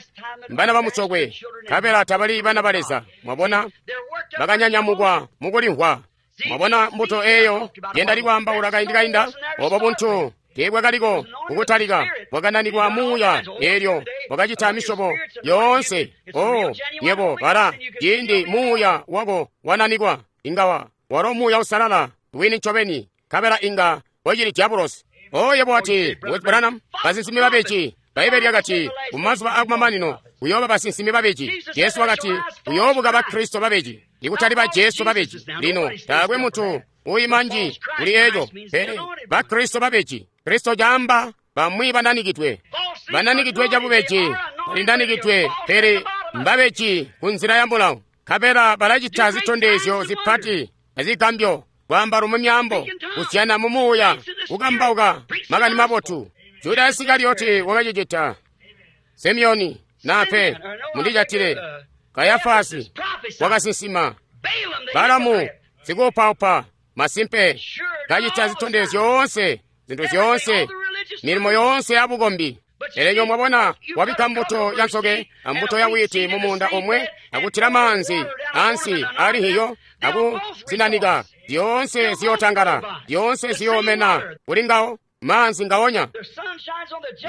mbana bamucokwe, nkabela tabali bana ba Leza. Mwabona, bakanyanyamukwa mukulimvwa. Mwabona mbuto eeyo yendali kwaambaula kaindi kainda? Obo buntu teebwakaliko kukutalika, bwakananikwa muuya, eelyo bwakacita misyobo yoonse. Oh, yebo bala, ciindi muuya wako wananikwa, inga walo muuya usalala wini ncobeni, nkabela inga wacili diabulosi. Oh, yebo wati, Mukwesu Branham, basinsimi babeji. Bbaibbele lyakati, kumazuba akumamanino kuyooba basinsimi babeji. Jesu wakati, kuyoobuka Bakristo babeji, ikutali ba Jesu babeji. Lino, taakwe muntu uima nji kuli eco, pele Bakristo babeji. Kristo caamba bamwi bananikidwe. Bananikidwe cabubeji, balinanikidwe, pele mbabeji ku nzila ya mulawo. Nkabela balacita zitondezyo zipati azigambyo, kwaamba lumwi myaambo, kuzyana mu muuya, kukambauka makani mabotu. Juda Isikarioti wakacicita. Simeoni nape mundijatile. Kayafasi wakasinsima. Balamu sikuupaupa masimpe kacita zitondezyo zyoonse, zintu zyoonse, milimo yoonse ya bukombi. Pele mwabona, wabikka mbuto ya nsoke ambuto ya wiiti mumuunda omwe, akutila maanzi ansi ali hiyo, akuzinanika. Zyoonse ziyootangala, zyoonse ziyoomena kuli ngawo. Maanzi ngaonya.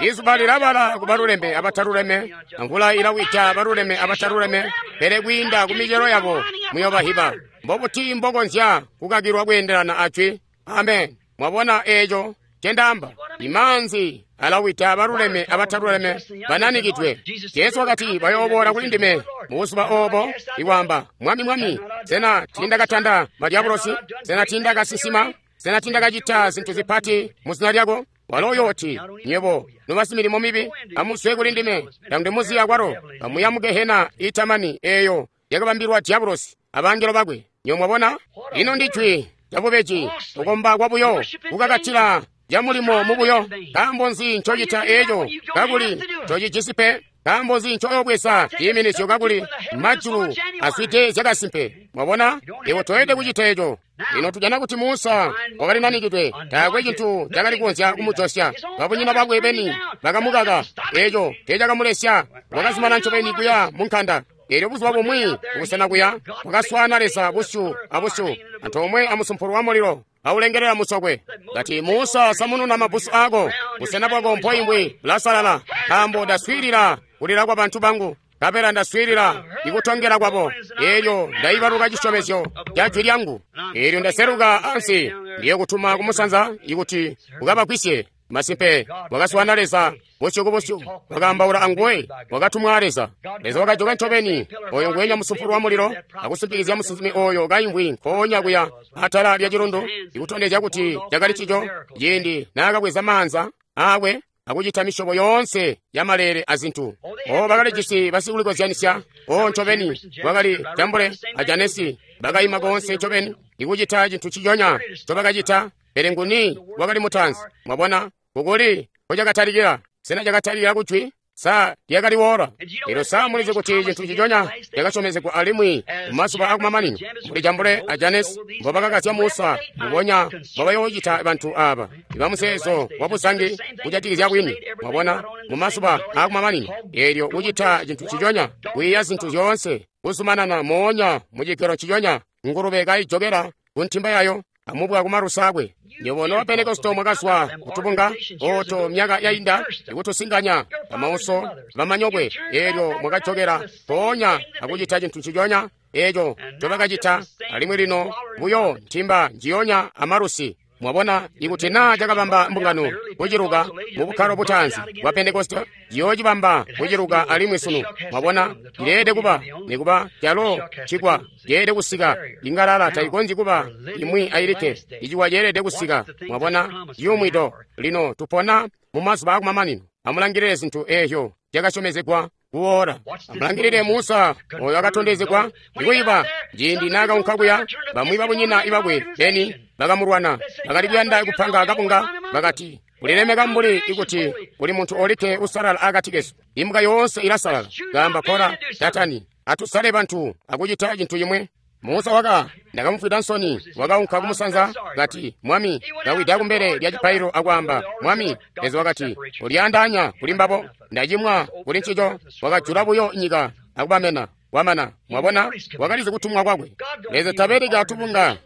Izuba lilabala ku baluleme abataluleme, amvula ilawida baluleme abataluleme, pele kwiinda ku micelo yabo muyobahiba. Mbobuti mbokonzya kukakilwa kweendelana ajwi? Amen. Mwabona eeco ncendaamba? Imaanzi alawida baluleme abataluleme bananikidwe. Jesu wakati bayooboola kuli ndime mubuzuba oobo ikwaamba, Mwami, Mwami, sena tiindakatanda madyabulosi? Sena tiindakasinsima? Sena tiindakacita zintu zipati muzina lyako? Walo uyooti, nywebo nobasimilimo mibi, amuzwe kuli ndime, tandimuzi akwalo, kamuya mu gehena iitamani eeyo yakabambilwa dyabulosi abangelo bakwe. Nywebo mwabona? Ino ndijwi lyabubeji, kukomba kwabuyo, kukakatila camulimo mubuyo. Nkaambo nzi ncocita eeco kakuli tocijisi pe? Nkaambo nzi ncoyobweza ciiminizyo kakuli majulu azwide zyakasimpe? Mwabona, iwe toyelede kucita eeco. Lino tujana kuti Musa wakali nanikidwe, taakwe cintu cakali kukonzya kumujosya. Babunyina bakwe beni bakamukaka, eeco teecakamulesya. Wakazumana ncobeni kuya mu nkanda. Eelyo buzuba bumwi kubusena kuya wakaswaana Leza busyu abusyu, antoomwe amusumpulo wa mulilo aulengelela musokwe. Kati, Musa, samununa mabbusu aako, busena bwako mpoimvwi bulasalala, nkaambo ndaswiilila kulila kwa bantu bangu, nkabela ndaswiilila ikutongela kwabo. Eelyo ndaibaluka cisyomezyo ca jwi lyangu. Eelyo ndaseluka ansi, ndiyokutuma kumusanza ikuti ukabagwisye. Masimpe, wakaswaana Leza busyu ku busyu, wakaambaula anguwe, wakatumwa Leza. Leza wakajoka ncobeni, oyo nguwenya musumpulo wa mulilo, akusimpikizya musinsimi oyo kaimvwi nkoonya kuya atala lya cilundu, ikutondezya kuti cakali cico, ciindi naakabweza maanza aakwe akucita misyobo yoonse ya maleele azintu. O, bakalijisi basikulikozyanisya. O, ncobeni, wakali Jambule a Janesi, bakaima koonse ncobeni, ikucita cintu ciconya ncobakacita. Pele nguni wakali mutaanzi? Mwabona, kukuli nkocakatalikila? Sena cakatalikila kujwi? Sa lyakali woola? Elyo sa mulizi kuti cintu ciconya cakasyomezegwa alimwi mumazuba akumamanino, mbuli Jambule a Janesi mbobakakazya Musa, mbubonya mbobayoocita bantu aaba ibamuzeezo wabuzangi kujatikizya bwini. Mwabona, mumazuba akumamanino, eelyo kucita cintu ciconya, kwiiya zintu zyoonse, kuzumanana moonya mucigero ciconya, ngulube kaijokela kuntimba yayo, amubwa kumalusa akwe. Nywebo noba Pentekoste mwakazwa kutubunga ooto myaka yainda ikutusinganya bamauso bamanyokwe, eelyo mwakajokela mpoonya akucita cintu nciconya eeco ncobakacita, alimwi lino buyo ntimba njiyonya amalusi. Mwabona, ikuti naa cakabamba mbungano kuciluka mu bukkalo butaanzi bwa Pentekoste, ciyoocibamba kuciluka alimwi sunu. Mwabona, cileelede kuba, nikuba calo cikwa ceelede kusika. Ingalala taikonzyi kuba imwi ayilikke, iciwa ceelede kusika. Mwabona, ciyumwido. Lino tupona mu mazuba akumamanino. Amulangilile zintu eezyo zyakasyomezegwa kuwoola. Amulangilile Musa oyo akatondezegwa ikuyiba ciindi naakaunka kuya, bamwi babunyina ibakwe beni bakamulwana, bakali kuyanda kupanga kabunga, bakati, ulilemeka mbuli ikuti kuli muntu olikke usalala akati kesu. Imbwa yoonse ilasalala. Kaamba Kora, Datani, atusale bantu akucita cintu cimwe. Musa waka ndakamufwida nsoni, wakaunka kumusanza kati, Mwami, kawida kumbele lya cipaililo akwaamba, Mwami. Leza wakati, ulyaandaanya kuli mbabo, ndacimwa kuli ncico. Wakajula buyo nyika akubamena. Wamana. Mwabona, wakalizi kutumwa kwakwe. Leza tabeleki atubunga,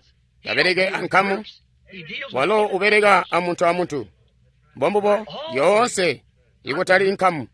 tabeleke ankamu, walo ubeleka amuntu amuntu. Mbombubo yoonse ikutali inkamu,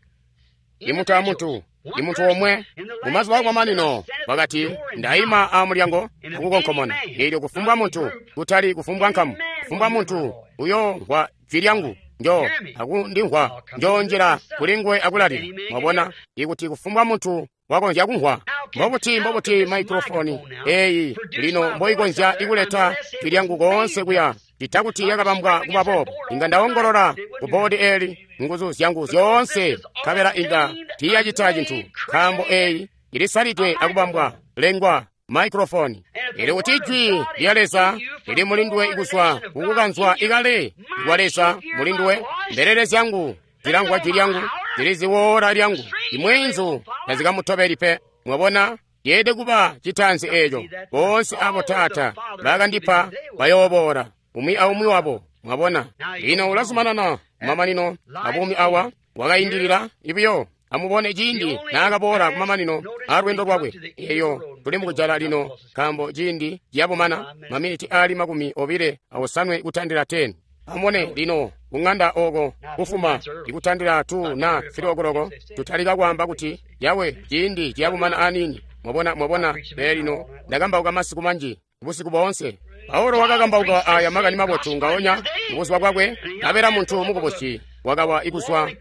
imuntu amuntu, imuntu omwe. Mumazuba akumamanino wakati, ndaima amulyango akukonkomona. Eelyo kufumbwa muntu, kutali kufumbwa nkamu, kufumbwa muntu uyoomvwa jwi lyangu, njo akundimvwa, njoonjila kuli nguwe akulalila. Mwabona, ikuti kufumbwa muntu wakonzya kumvwa. Mbobuti, mbobuti maikrofoni eeyi lino mboikonzya ikuleta jwi lyangu koonse kuya, cita kuti yakabambwa kuba boobo. Inga ndaongolola ku boodi eeli nguzu zyangu zyoonse, nkabela inga tiiyacita cintu, nkaambo eeyi ilisalidwe akubambwa lengwa maikrofoni. Ili kuti jwi lya Leza lili mulinduwe kuzwa kukukanzwa ikale kwa Leza mulinduwe. Mbelele zyangu zilamvwa jwi lyangu, ziliziwoola lyangu, imwenzu tazikamutobeli pe. Mwabona, yeede kuba citaanzi eeco. Boonse abo Taata bakandipa bayooboola, umwi aumwi wabo. Mwabona, lino ulazumanana kumamanino abuumi awa, wakaindilila ibiyo. Amubone ciindi naakaboola kumamanino aalweendo lwakwe. Eyo tuli mukujala lino, nkaambo ciindi ciyabumana, maminiti aali 29 kutandila 10. Amubone lino kung'anda oko kufuma ikutandila 2 na 3 okoloko tutalika kwaamba kuti yawe ciindi ciyakumana aniini. Mwabona, mwabona. Pele lino ndakambauka masiku manji busiku boonse. Paulo wakakambauka aya makani mabotu ngaonya mubuzuba bwakwe, nkabela muntu mukubusi wakawa ikuzwa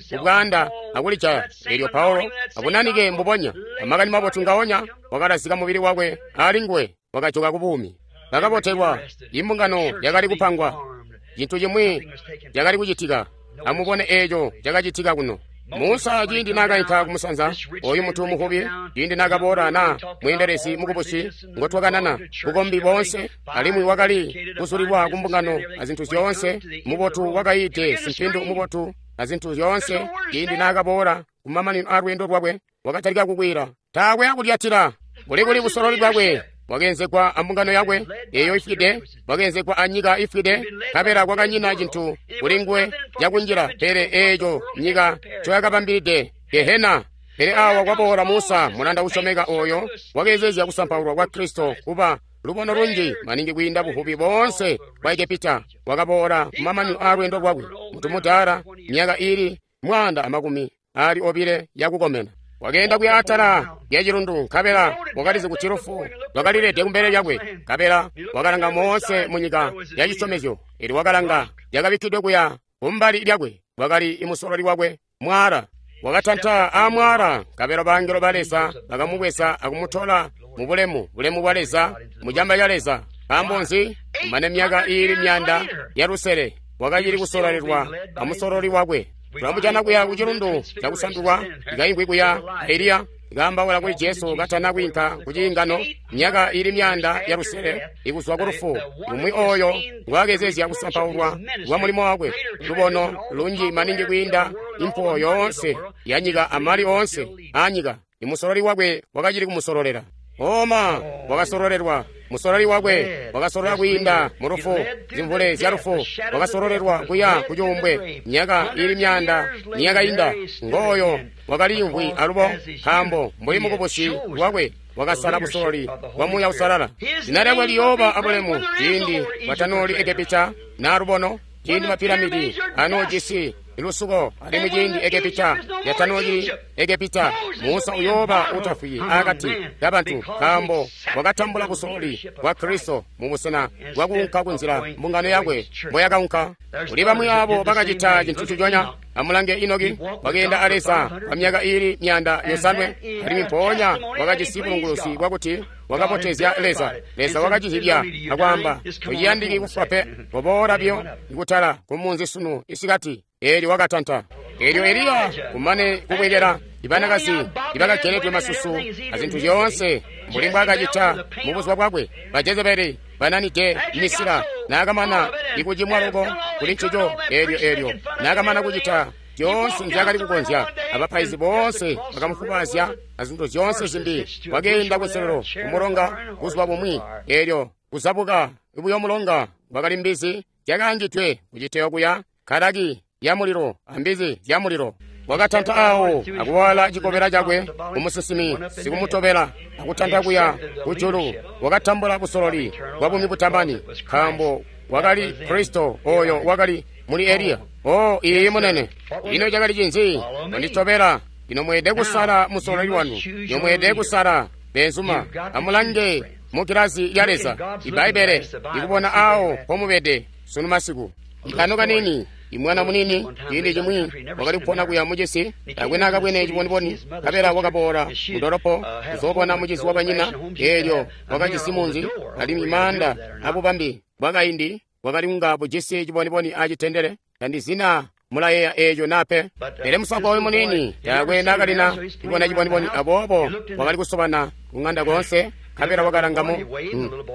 ku bwaanda akulijaya. Elyo Paulo abunanike mbubonya amakani mabotu ngaonya wakalazika mubili wakwe alinguwe, wakajoka ku buumi. Bakabotelwa, imbungano yakali kupangwa, cintu cimwi cakali kucitika. Amubone eeco cakacitika kuno. Musa ciindi naakainka kumusanza, oyu muntu muhubi, ciindi naakaboola na mweendelezi mukubusi ngotwakanana bukombi boonse, alimwi wakali kuzulilwa kumbungano azintu zyoonse, mubotu wakayiide simpindu mubotu azintu zyoonse, ciindi naakaboola kumamanino aalweendo lwakwe, wakatalika kukwiila, taakwe akulyatila. Kuli busololi bwakwe bwakeenzegwa ambungano yakwe eyo ifwide, bwakeenzegwa anyika ifwide, nkabela kwakanyina cintu kuli nguwe cakunjila pele eeco nyika ncoyakabambilide, Gehena. Pele awa kwaboola Musa, mulanda usyomeka oyo wakeezezya kusampaulwa kwa Kristo kuba lubono lunji maningi kwiinda buvubi boonse bwa Egepita. Wakaboola kumamanino aalweendo lwakwe, muntu mudaala, myaka iili 120 yakukomena. Wakeenda kuya atala lya cilundu, nkabela wakalizi kuti lufu lwakalilede kumbele lyakwe. Nkabela wakalanga moonse munyika ya cisyomezyo, elyo wakalanga lyakabikkidwe kuya kumbali lyakwe, wakali imusololi wakwe mwaala. Wakatanta aamwaala, nkabela bangelo ba Leza bakamubweza akumutola mu bulemu, bulemu bwa Leza, mu camba ca Leza. Nkaambo nzi? Kumane myaka iili 600 wakacili kusololelwa amusololi wakwe. Tulamujana kuya ku cilundu cakusandulwa, ikaingwi kuya a Eliya, ikaambaula kuli Jesu katana kwiinka ku ciingano, myaka iili 600 ikuzwa ku lufu, umwi oyo ngwaakezezya kusampaulwa kwa mulimo wakwe, lubono lunji maningi kwiinda impuwo yoonse ya nyika amali oonse aanyika. Imusololi wakwe wakacili kumusololela. Oma wakasololelwa, musololi wakwe wakasolola kwiinda mu lufu, zimvule zya lufu, wakasololelwa kuya ku cuumbwe, myaka iili 900 niyakainda. Ngooyo wakaliimvwi alubo, nkaambo mbuli mukubusi wakwe wakasala busololi bwa Muuya Uusalala. Zina lyakwe liyooba abulemu ciindi batanooli Egepita na lubono, ciindi mapiramidi anoojisi lusuko, alimwi ciindi Egepita yatanooli Egepita, Musa uyooba utafwi akati kabantu, nkaambo wakatambula busololi bwa Kristo mubusena bwakuunka kunzila mbungano yakwe mboyakaunka. Kuli bamwi abo bakacita cintu nciconya. Amulange Enoki, wakeenda a Leza kwa myaka iili 700, alimwi mpoonya wakajisi bulunguluzi bwakuti wakabotezya Leza. Leza wakacizibya akwaamba, tociyandiki kufwa pe, koboola biyo kutala kumunzi sunu isikati. Eelyo wakatanta. Eelyo Eliya kumane kubwekela ibanakazi ibakageledwe masusu azintu zyoonse mbuli mbwaakacita mubuzuba bwakwe, ba Jezebeli bananide misila, naakamana ikucimwa loko kuli ncico, eelyo naakamana kucita zyoonse nzyaakali kukonzya, abapaizi boonse bakamufubazya azintu zyoonse zimbi, wakeenda kuselelo kumulonga buzuba bumwi. Eelyo kuzabuka buyo mulonga kwakali mbizi zyakaangidwe kuciteyo kuya, nkalaki yamulilo ambizi zyamulilo. Wakatanta awo akuwala cikobela cakwe kumusinsimi sikumutobela akutanta kuya kujulu. Wakatambula busololi bwa buumi butamani, nkaambo wakali Kristo oyo wakali muli Eliya. O iiyi munene, ino cakali cinzi? Konditobela. Ino mweede kusala musololi wanu, ino mweede kusala beenzuma. Amulange mu gilazi lya Leza, Ibbaibbele ikubona awo pomubede sunu masiku. Ikano kanini, imwana munini, ciindi cimwi wakali kupona kuya mucisi, taakwe naakabwene ciboniboni, nkabela wakaboola mudolopo kuzoobona mucizi wabanyina. Eelyo wakajisi munzi alimwi maanda abubambi bwakaindi bwakali kunga bujisi ciboniboni acitendele. Tandizina mulayeeya eeco naa pe. Pele musankwa oyu muniini taakwe naakalina kubona ciboniboni, aboobo wakali kusobana kuŋanda koonse. Nkabela wakalanga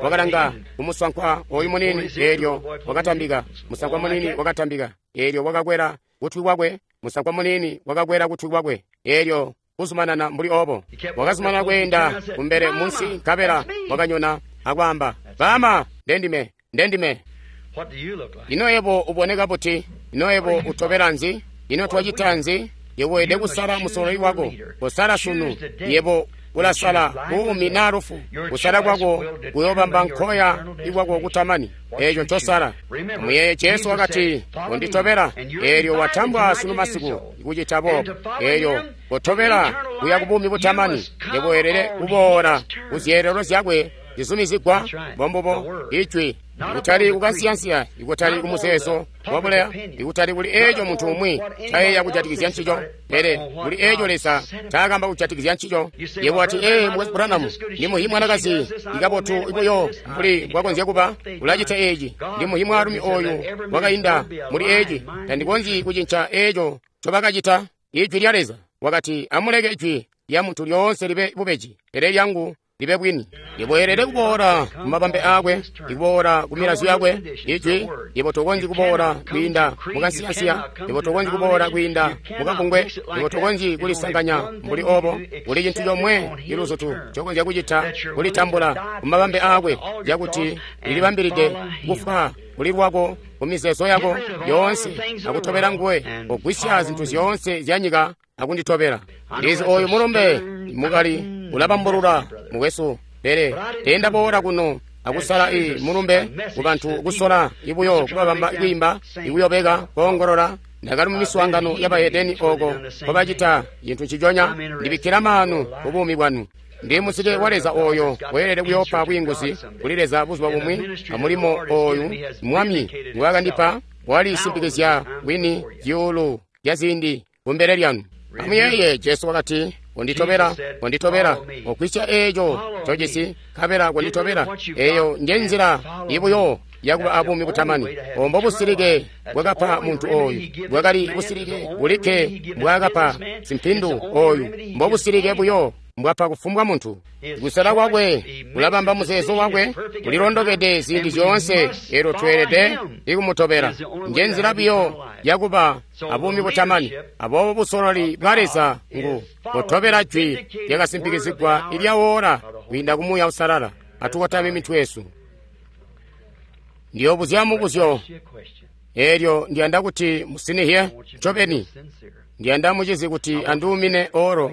wakalanga kumusankwa oyu muniini, eelyo wakatambika. Musankwa muniini wakatambika, eelyo wakakwela kutwi kwakwe. Musankwa muniini wakakwela kutwi kwakwe, eelyo kuzumanana mbuli obo. Wakazumanana kweenda kumbele munsi, nkabela wakanyona akwaamba, "Baama, ndendime, ndendime." Ino yebo uboneka buti? Ino yebo utobela nzi? Ino twacita nzi? Yebo weelede kusala musololi wako. Kosala sunu. Yebo Ulasala buumi naa lufu. Kusala kwako kuyoobamba nkoya ikwako kutamani. Eeco ncosala. Muyeeye Jesu wakati, "Konditobela." Eelyo watambwa sunu masiku kucita boobo. Eelyo kotobela kuya kubuumi butamani. Yebo weelede kuboola kuzyeelelo zyakwe zizumizigwa. Mbombubo ijwi. Ikutali kukansiyansiya, ikutali kumuzeezo wabuleya, ikutali kuli eeco muntu umwi ncayeeya kujatikizya ncico, pele kuli eeco Leza ncaakamba kujatikizya ncico. Yebo wati, "Ee, Mukwesu Branham, ndi muhi mwanakazi ikabotu buyo mbuli mbwakonzya kuba, ulacita eeci. Ndi muhi mwaalumi ooyu wakainda muli eeci. Tandikonzyi kucinca eeco ncobakacita." Ijwi lya Leza wakati, "Amuleke ijwi lya muntu lyoonse libe bubeji, pele lyangu libe bwini." Yebo weelede kuboola kumabambe aakwe, ikuboola ku milazyo yakwe, ijwi. Yebo tokonzyi kuboola kwiinda mukansiyansiya. Yebo tokonzyi kuboola kwiinda mukabungwe. Yebo tokonzyi kulisanganya mbuli obo. Kuli cintu comwe iluzutu ncokonzya kucita, kulitambula kumabambe aakwe, cakuti lilibambilide kufwa kuli lwako kumizeezo yako yoonse akutobela nguwe. Kogwisya zintu zyoonse zya nyika akunditobela. Ndizi ooyu mulumbe mukali ulabambulula, mukwesu, pele teendaboola kuno akusala i mulumbe kubantu kusola ibuyo kubabamba kwiimba, ikuyobeka, koongolola. Ndakali mu miswaangano y'abahedeni oko nkobacita cintu nciconya. Ndibikkila maanu ku buumi bwanu. Ndi muzike wa Leza ooyo weelede kuyoopa bwiinguzi kuli Leza buzuba bumwi. Amulimo ooyu Mwami ngwaakandipa walisimpikizya bwini zyuulu zya ziindi kumbele lyanu. Amuyeeye, Jesu wakati, "Konditobela, konditobela, ogwisya eeco ncojisi, nkabela konditobela." Eeyo njenzila ibuyo yakuba abuumi butamani. Obo mbobusilike bwakapa muntu ooyu, bwakali busilike bulikke mbwaakapa simpindu ooyu, mbobusilike buyo mbwapa kufumbwa muntu. Kusala kwakwe kulabamba muzeezo wakwe, kulilondokede ziindi zyoonse. Eelyo tweelede ikumutobela. Njenzila buyo yakuba abuumi butamani. Aboobo busololi bwa Leza ngu kutobela jwi lyakasimpikizigwa ilyawola kwiinda ku Muuya Uusalala. Atukotame mitwe yesu. Ndiyoobuzya mubuzyo, eelyo ndiyanda kuti musinihye ncobeni. Ndiyanda mucizi kuti anduumine oro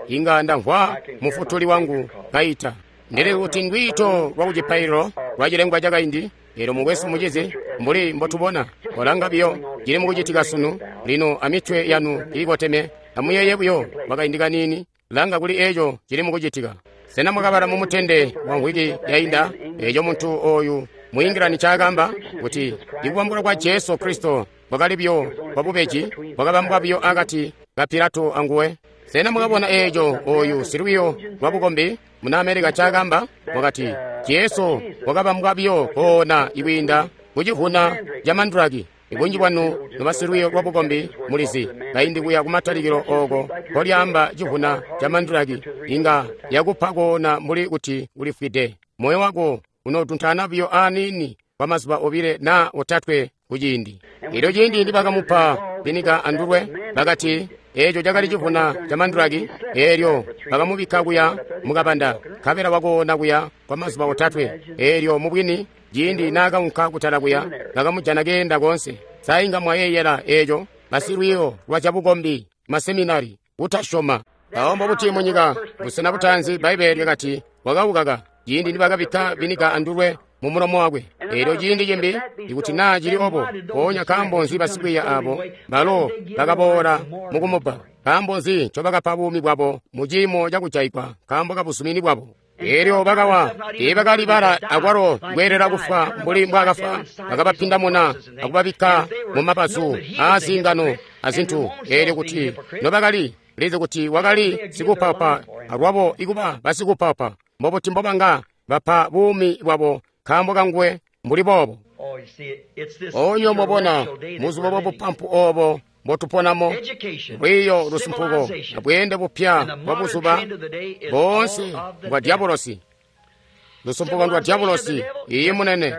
inga ndamvwa mufutuli wangu kaita. Ndili kuti ndwiito lwa kucipaililo lwa cilengwa cakaindi. Eelyo mukwesu, mucizi, mbuli mbotubona, kolanga biyo cili mukucitika sunu. Lino amitwe yanu iikoteme, amuyeeye buyo kwakaindi kaniini. Langa kuli eeco cili mukucitika. Sena mwakabala mu mutende wa mvwiki yainda eeco muntu ooyu muingilani ncaakamba kuti ikubambulwa kwa Jesu Kristo kwakali buyo kwa bubeji, kwakabambwa buyo akati ka Pilato anguwe? Sena mwakabona eeco ooyu silwiyo lwa bukombi muna Amerika ncaakamba? Wakati Jesu wakabambwa biyo koona ikwiinda kucivwuna ca mandulaki. Ibunji bwanu nobasilwiyo lwa bukombi mulizi kaindi kuya kumatalikilo ooko nkolyaamba civwuna ca mandulaki inga yakupa koona mbuli kuti ulifwide. Moyo wako unotuntaana biyo aaniini kwa mazuba obile naa otatwe kuciindi. Elyo ciindi nibakamupa vinika andulwe, bakati eeco cakali civwuna ca mandulaki. Eelyo bakamubikka kuya mukabanda, nkabela wakoona kuya kwa mazuba otatwe. Eelyo mubwini ciindi naakaunka kutala kuya, bakamujana keenda koonse. Sa inga mwayeeyela eeco? Basilwiyo lwa zyabukombi, maseminari, kutasyoma. Mpawo mbobuti munyika busena butaanzi Bbaibbele lyakati wakaukaka ciindi nibakabikka vinika andulwe mu mulomo wakwe. Eelyo ciindi cimbi, ikuti naa cili obo, mpoonya nkaambo nzi basikwiiya aabo balo bakaboola mukumubba? Nkaambo nzi ncobakapa buumi bwabo mu ciimo cakujaigwa nkaambo kabuzumini bwabo? Eelyo bakawa, teebakalibala akwalo kweelela kufwa mbuli mbwaakafwa. Bakabapindamuna akubabikka mu mabazu aazingano azintu. Eelyo kuti nobakali lizi kuti wakali sikupapa, alwabo ikuba basikupapa, mbobuti mbobanga bapa buumi bwabo nkaambo kanguwe mbuli boobo? Oonyo mwabona muzuba bwa bupampu oobo mbotuponamo, lwiiyo, lusumpuko, abweende bupya bwa buzuba boonse mbwa dyabolosi. Lusumpuko ndwa dyabolosi. Iyi munene,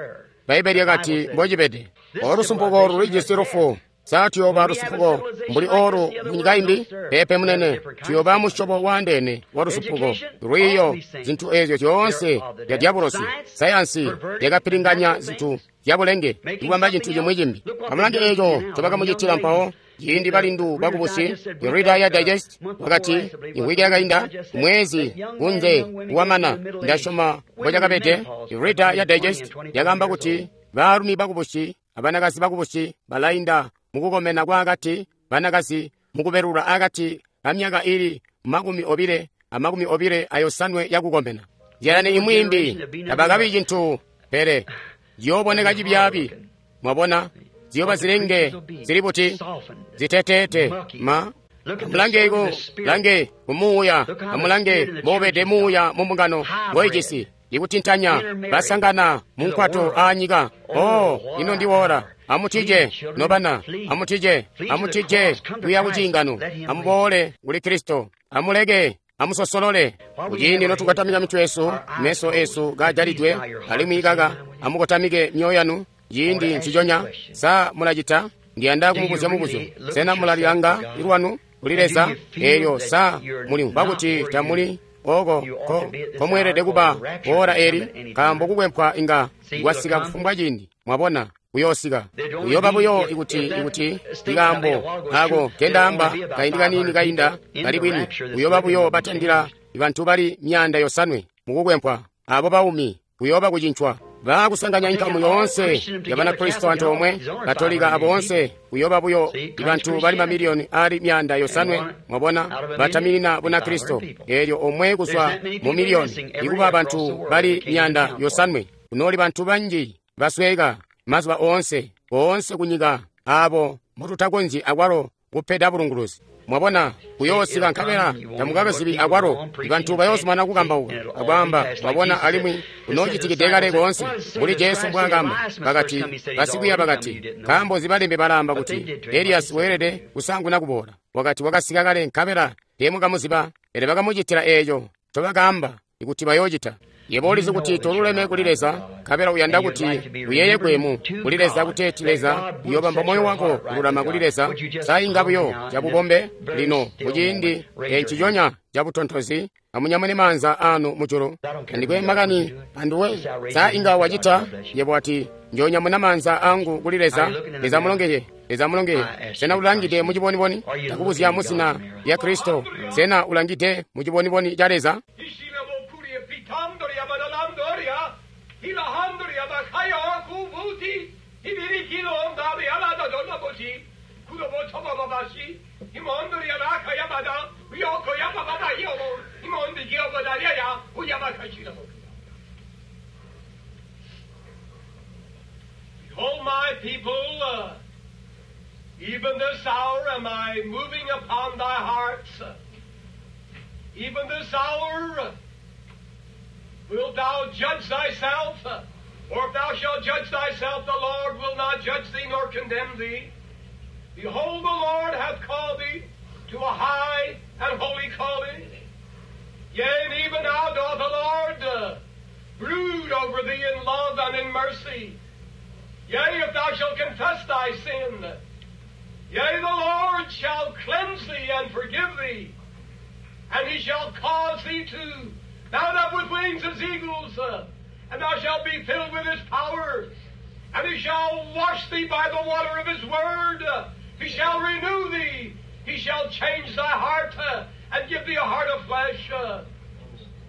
Bbaibbele lyakati mbocibede. Olusumpuko lulijisi lufu. Sa tuyooba lusumpuko mbuli oolu munyika imbi? Peepe munene, tuyooba musyobo waandeene wa lusumpuko. Lwiiyo, zintu eezyo zyoonse zya dyabolosi. Sayansi yakapilinganya zintu zyabulenge ikubamba cintu cimwi cimbi. Amulange eeco ncobakamucitila mpawo. Ciindi balindu bakubusi, Reader ya Digest wakati, imvwiki yakainda, mwezi kunze wamana, ndasyoma mbocakabede. Reader ya Digest yakaamba kuti baalumi bakubusi abanakazi bakubusi balainda mukukomena kwaakati, banakazi mukubelula akati kamyaka ili 25 na 25 yakukomena. Zyalani imwi imbi tabakabi cintu, pele ziyooboneka cibyaabi. Mwabona, ziyooba zilenge zili buti ziteteete ma. Amulange ku lange kumuuya, amulange mboubede muuya mu mbungano ngoijisi ikutintanya basangana mu nkwato aanyika. Oh, ino ndiwoora. Amutije nobana, amutije, amutije kuya ku ciingano, amuboole kuli Kristo, amuleke amusosolole. Kuciindi notukotamika mitwe yesu, meso esu gajalidwe, alimwi kaka amukotamike myoyo yanu ciindi nciconya. Sa mulacita? Ndiyanda kumubuzya mubuzyo. Sena mulalilanga lwanu kuli Leza? Eelyo sa mulimvwa kuti tamuli oko komweelede kuba ora eli? Nkaambo kukwempwa inga kwasika kufumbwa ciindi. Mwabona, kuyoosika kuyooba buyo ikuti ikaambo ako kendaamba kaindi kaniini kainda kali bwini. Kuyooba buyo batandila bantu bali 500 mukukwempwa, abo baumi kuyooba kucincwa. Baakusanganya inkamu yoonse ya Banakristo antoomwe, Katolika aboonse, kuyooba buyo bantu bali mamiliyoni ali 500. Mwabona, bataminina Bunakristo. Eelyo omwe kuzwa mu miliyoni ikuba bantu bali 500. Kunooli bantu banji basweka mazuba oonse, oonse kunyika, abo mututakonzyi akwalo kupeda bulunguluzi. Mwabona, kuyoosika nkabela tamukakazibi akwalo. Bantu bayoozumana kukambauka akwaamba, mwabona, alimwi kunoocitikide kale koonse mbuli Jesu mbwaakamba. Bakati, basikwiiya bakati, nkaambo nzi balembi balaamba kuti Eliyasi weelede kusaanguna kuboola? Wakati wakasika kale nkabela teemukamuziba, pele bakamucitila eeco ncobakaamba ikuti bayoocita. Yebo ulizi kuti toluleme kuli Leza, nkabela uyanda kuti uyeeyegwe mu kuli Leza kuteeti Leza uyoobamba moyo wako kululama kuli Leza. Sa inga buyo cabubombe lino muciindi enciconya cabutontozi, amunyamune maanza anu mujulu. Andikwe makani anduwe. Sa inga wacita? Yebo ati, njoonyamuna maanza angu kuli Leza. Leza mulongeye, Leza mulongeye. Sena ulangide muciboniboni? Ndakubuzya muzina lya Kristo. Sena ulangide muciboniboni ca Leza? Behold, my people, even this hour am I moving upon thy hearts. Even this hour wilt thou judge thyself? Or if thou shalt judge thyself, the Lord will not judge thee nor condemn thee. Behold, the Lord hath called thee to a high and holy calling. Yea, and even now doth the Lord brood over thee in love and in mercy. Yea, if thou shalt confess thy sin, yea, the Lord shall cleanse thee and forgive thee, and he shall cause thee to mount up with wings as eagles, and thou shalt be filled with his power, and he shall wash thee by the water of his word. He shall renew thee. He shall change thy heart and give thee a heart of flesh.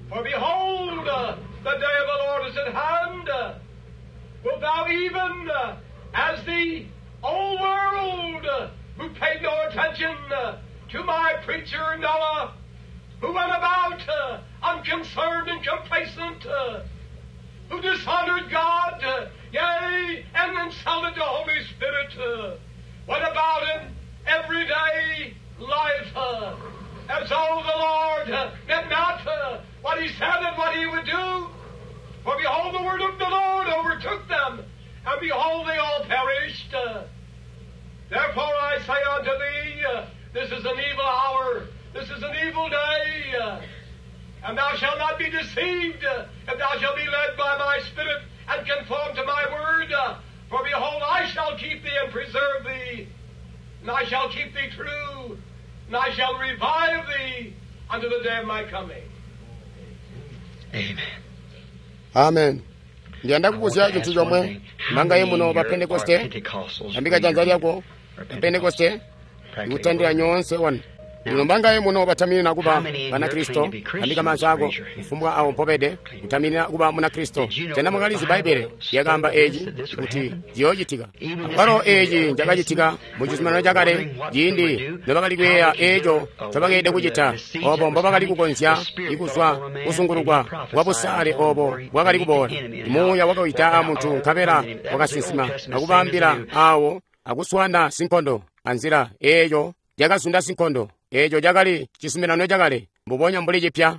For behold, the day of the Lord is at hand. Wilt thou even, as the old world, who paid no attention to my preacher Noah, who went about unconcerned and complacent, who dishonored God, yea, and insulted the Holy Spirit, went about in everyday life, as though the Lord meant not what he said and what he would do. For behold, the word of the Lord overtook them, and behold, they all perished. Therefore I say unto thee, this is an evil hour, this is an evil day, and thou shalt not be deceived, if thou shalt be led by my Spirit and conform to my word. For behold, I shall keep thee and preserve thee, and I shall keep thee true, and I shall revive thee unto the day of my coming. Amen. Amen. Ndiyanda kubuzya chinthu chomwe manga ye muno pa Pentekoste, tambika chanza lyako pa Pentekoste. Ikutandila nyoonse wanu. Lino mbangaye muno bataminina kuba Banakristo, tambika maanza ako, kufumbwa awo mpobede, kutaminina kuba Munakristo. Sena mwakalizi Bbaibbele lyakaamba eci kuti ciyoocitika? Akwalo eci cakacitika mu Cizuminano Cakale, ciindi nobakali kuyeeya eco ncobakeelede kucita, obo mbobakali kukonzya kuzwa kuzungulukwa kwa busaale obo bwakali kuboola. Muuya wakawida a muntu nkabela wakasinsima akubaambila awo akuswaana sinkondo anzila eeyo yakazunda sinkondo. Eeco cakali Cizuminano Cakale, mbubonya mbuli cipya.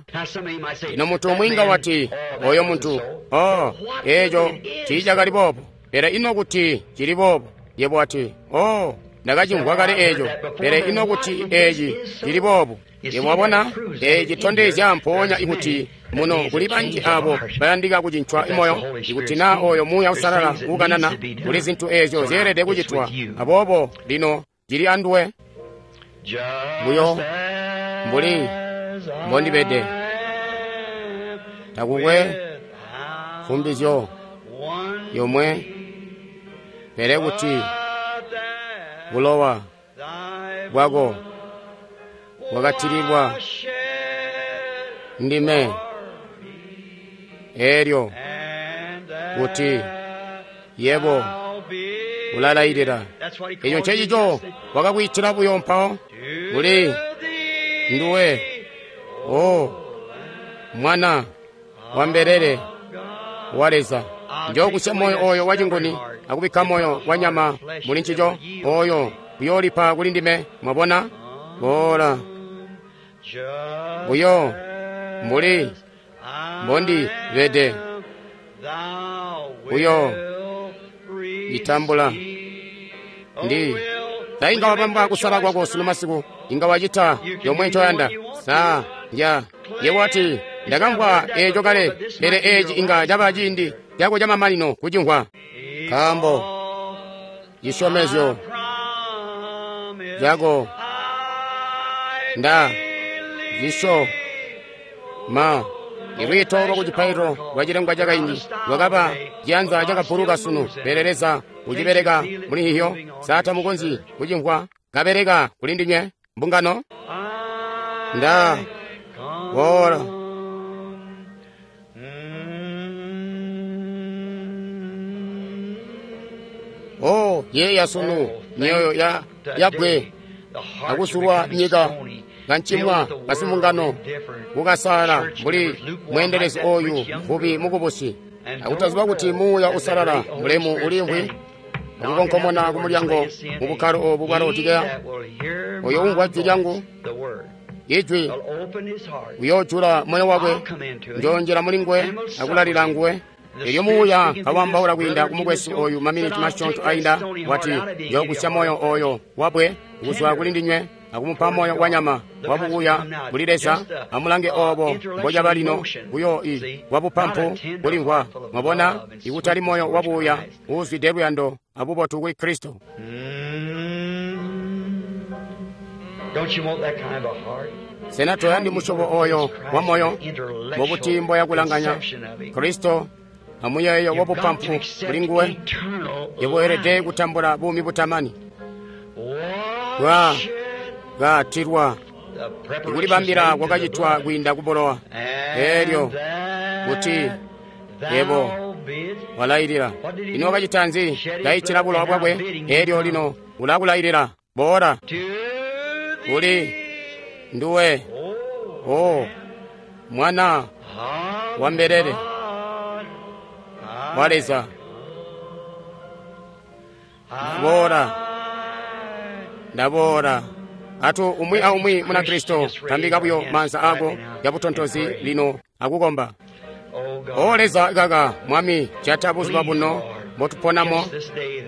Lino muntu umwi inga wati, oyo muntu, oh, eeco tiicakali boobo. Pele ino kuti cili boobo? Yebo wati, oh, ndakacimvwa kale eeco. Pele ino kuti eeci cili boobo? Yebo wabona, eeci citondezya mpoonya ikuti muno kuli banji abo bayandika kucincwa moyo. Ikuti naa oyo Muuya Uusalala uukanana, kuli zintu eezyo zyeelede kucitwa. Aboobo lino cili anduwe. Buyo mbuli mbondibede, takukwe fumbizyo yomwe, pele kuti bulowa bwako bwakatilibwa ndime, eelyo kuti yebo ulalailila. Eco ncecico wakakwiitila buyo mpawo kuli nduwe, o mwana wa mbelele wa Leza. Njookusya moyo oyo wacinguni akubikka moyo wa nyama muli ncico, oyo uyoolipa kuli ndime. Mwabona? Boola buyo mbuli mbondibede, buyo itambula ndi sa inga wabamba kusala kwako sunu masiku, inga wacita yomwe ncoyanda. Sa ya yebo wati, ndakamvwa eeco kale, pele eeci inga caba ciindi cako camamanino kucimvwa. Nkaambo cisyomezyo cako nda cisyoma. Ilwiito lwa kucipaililo lwa cilengwa cakaindi lwakaba ciyanza cakabuluka sunu, pele Leza ucibeleka muli hihyo. Sa tamukonzyi kucimvwa kabeleka kuli ndinywe mbungano? Nda boola oh yeeya sunu myoyo ya yabwe akusulwa nyika kancimwa basimbungano kukasala mbuli mweendelezi oyu mvubi mukubusi, akutaziba kuti Muuya Uusalala mulemu ulimvwi akukonkomona kumulyango mu bukkalo obu bwa Laodikeya. Oyo umvwa jwi lyangu, ijwi, uyoojula moyo wakwe, njoonjela muli nguwe akulalila nguwe. Elyo Muuya kawambaula kwiinda kumukwesu oyu maminiti masyoonto ainda, wati, njookusya moyo oyo wabwe kuzwa kuli ndinywe akumupa moyo wa nyama wabubuya kuli Leza. Amulange obo mbocaba lino buyo i wabupampu kulimvwa. Mwabona, ikutali moyo wabuya uuzwide luyando abubotu kuli Kristo. Sena toyandi musyobo oyo wa moyo? Mbobuti mboya kulanganya Kristo amuyeeyo wabupampu kuli nguwe? Yebo weelede kutambula buumi butamani. Bwa katilwa ikulibambila kwakacitwa kwiinda kubulowa, eelyo kuti yebo walailila. Ino wakacita nzi? Kaitila bulowa bwakwe, eelyo lino ulakulailila. Boola kuli nduwe, o mwana wa mbelele wa Leza. Ndaboola, ndaboola. Atu umwi aumwi Munakristo tambika buyo maanza ako yabutontozi lino akukomba. O Leza kaka Mwami, jata buzuba buno mbotuponamo.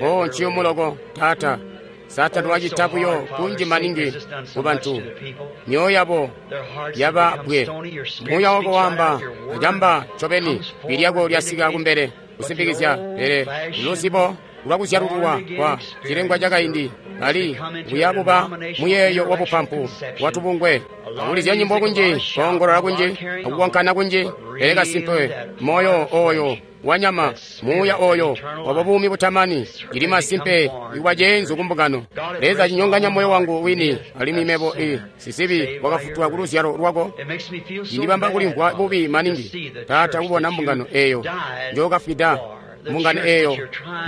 O nciyumu loko Taata, Saatani wacita buyo kunji maningi ku bantu, myoyo yabo yaba bwe. Muuya wako waamba acamba ncobeni, jwi lyako lyasika kumbele kusimpikizya, pele luzibo lwa kuzyalululwa kwa cilengwa cakaindi, bali kuyabuba muyeeyo wabupampu watubungwe, akulizya nyimbo kunji, koongolola kunji, akukonkana kunji. Pele kasimpe moyo oyo wanyama, muuya oyo waba buumi butamani, cili masimpe ikuba ceenzu kumbungano. Leza cinyonganya moyo wangu wini, alimwi mebo i sisibi wakafutulwa ku luzyalo lwako. Cindibamba kulimvwa bubi maningi, Taata, kubona mbungano eyo njokafwida, mbungano eyo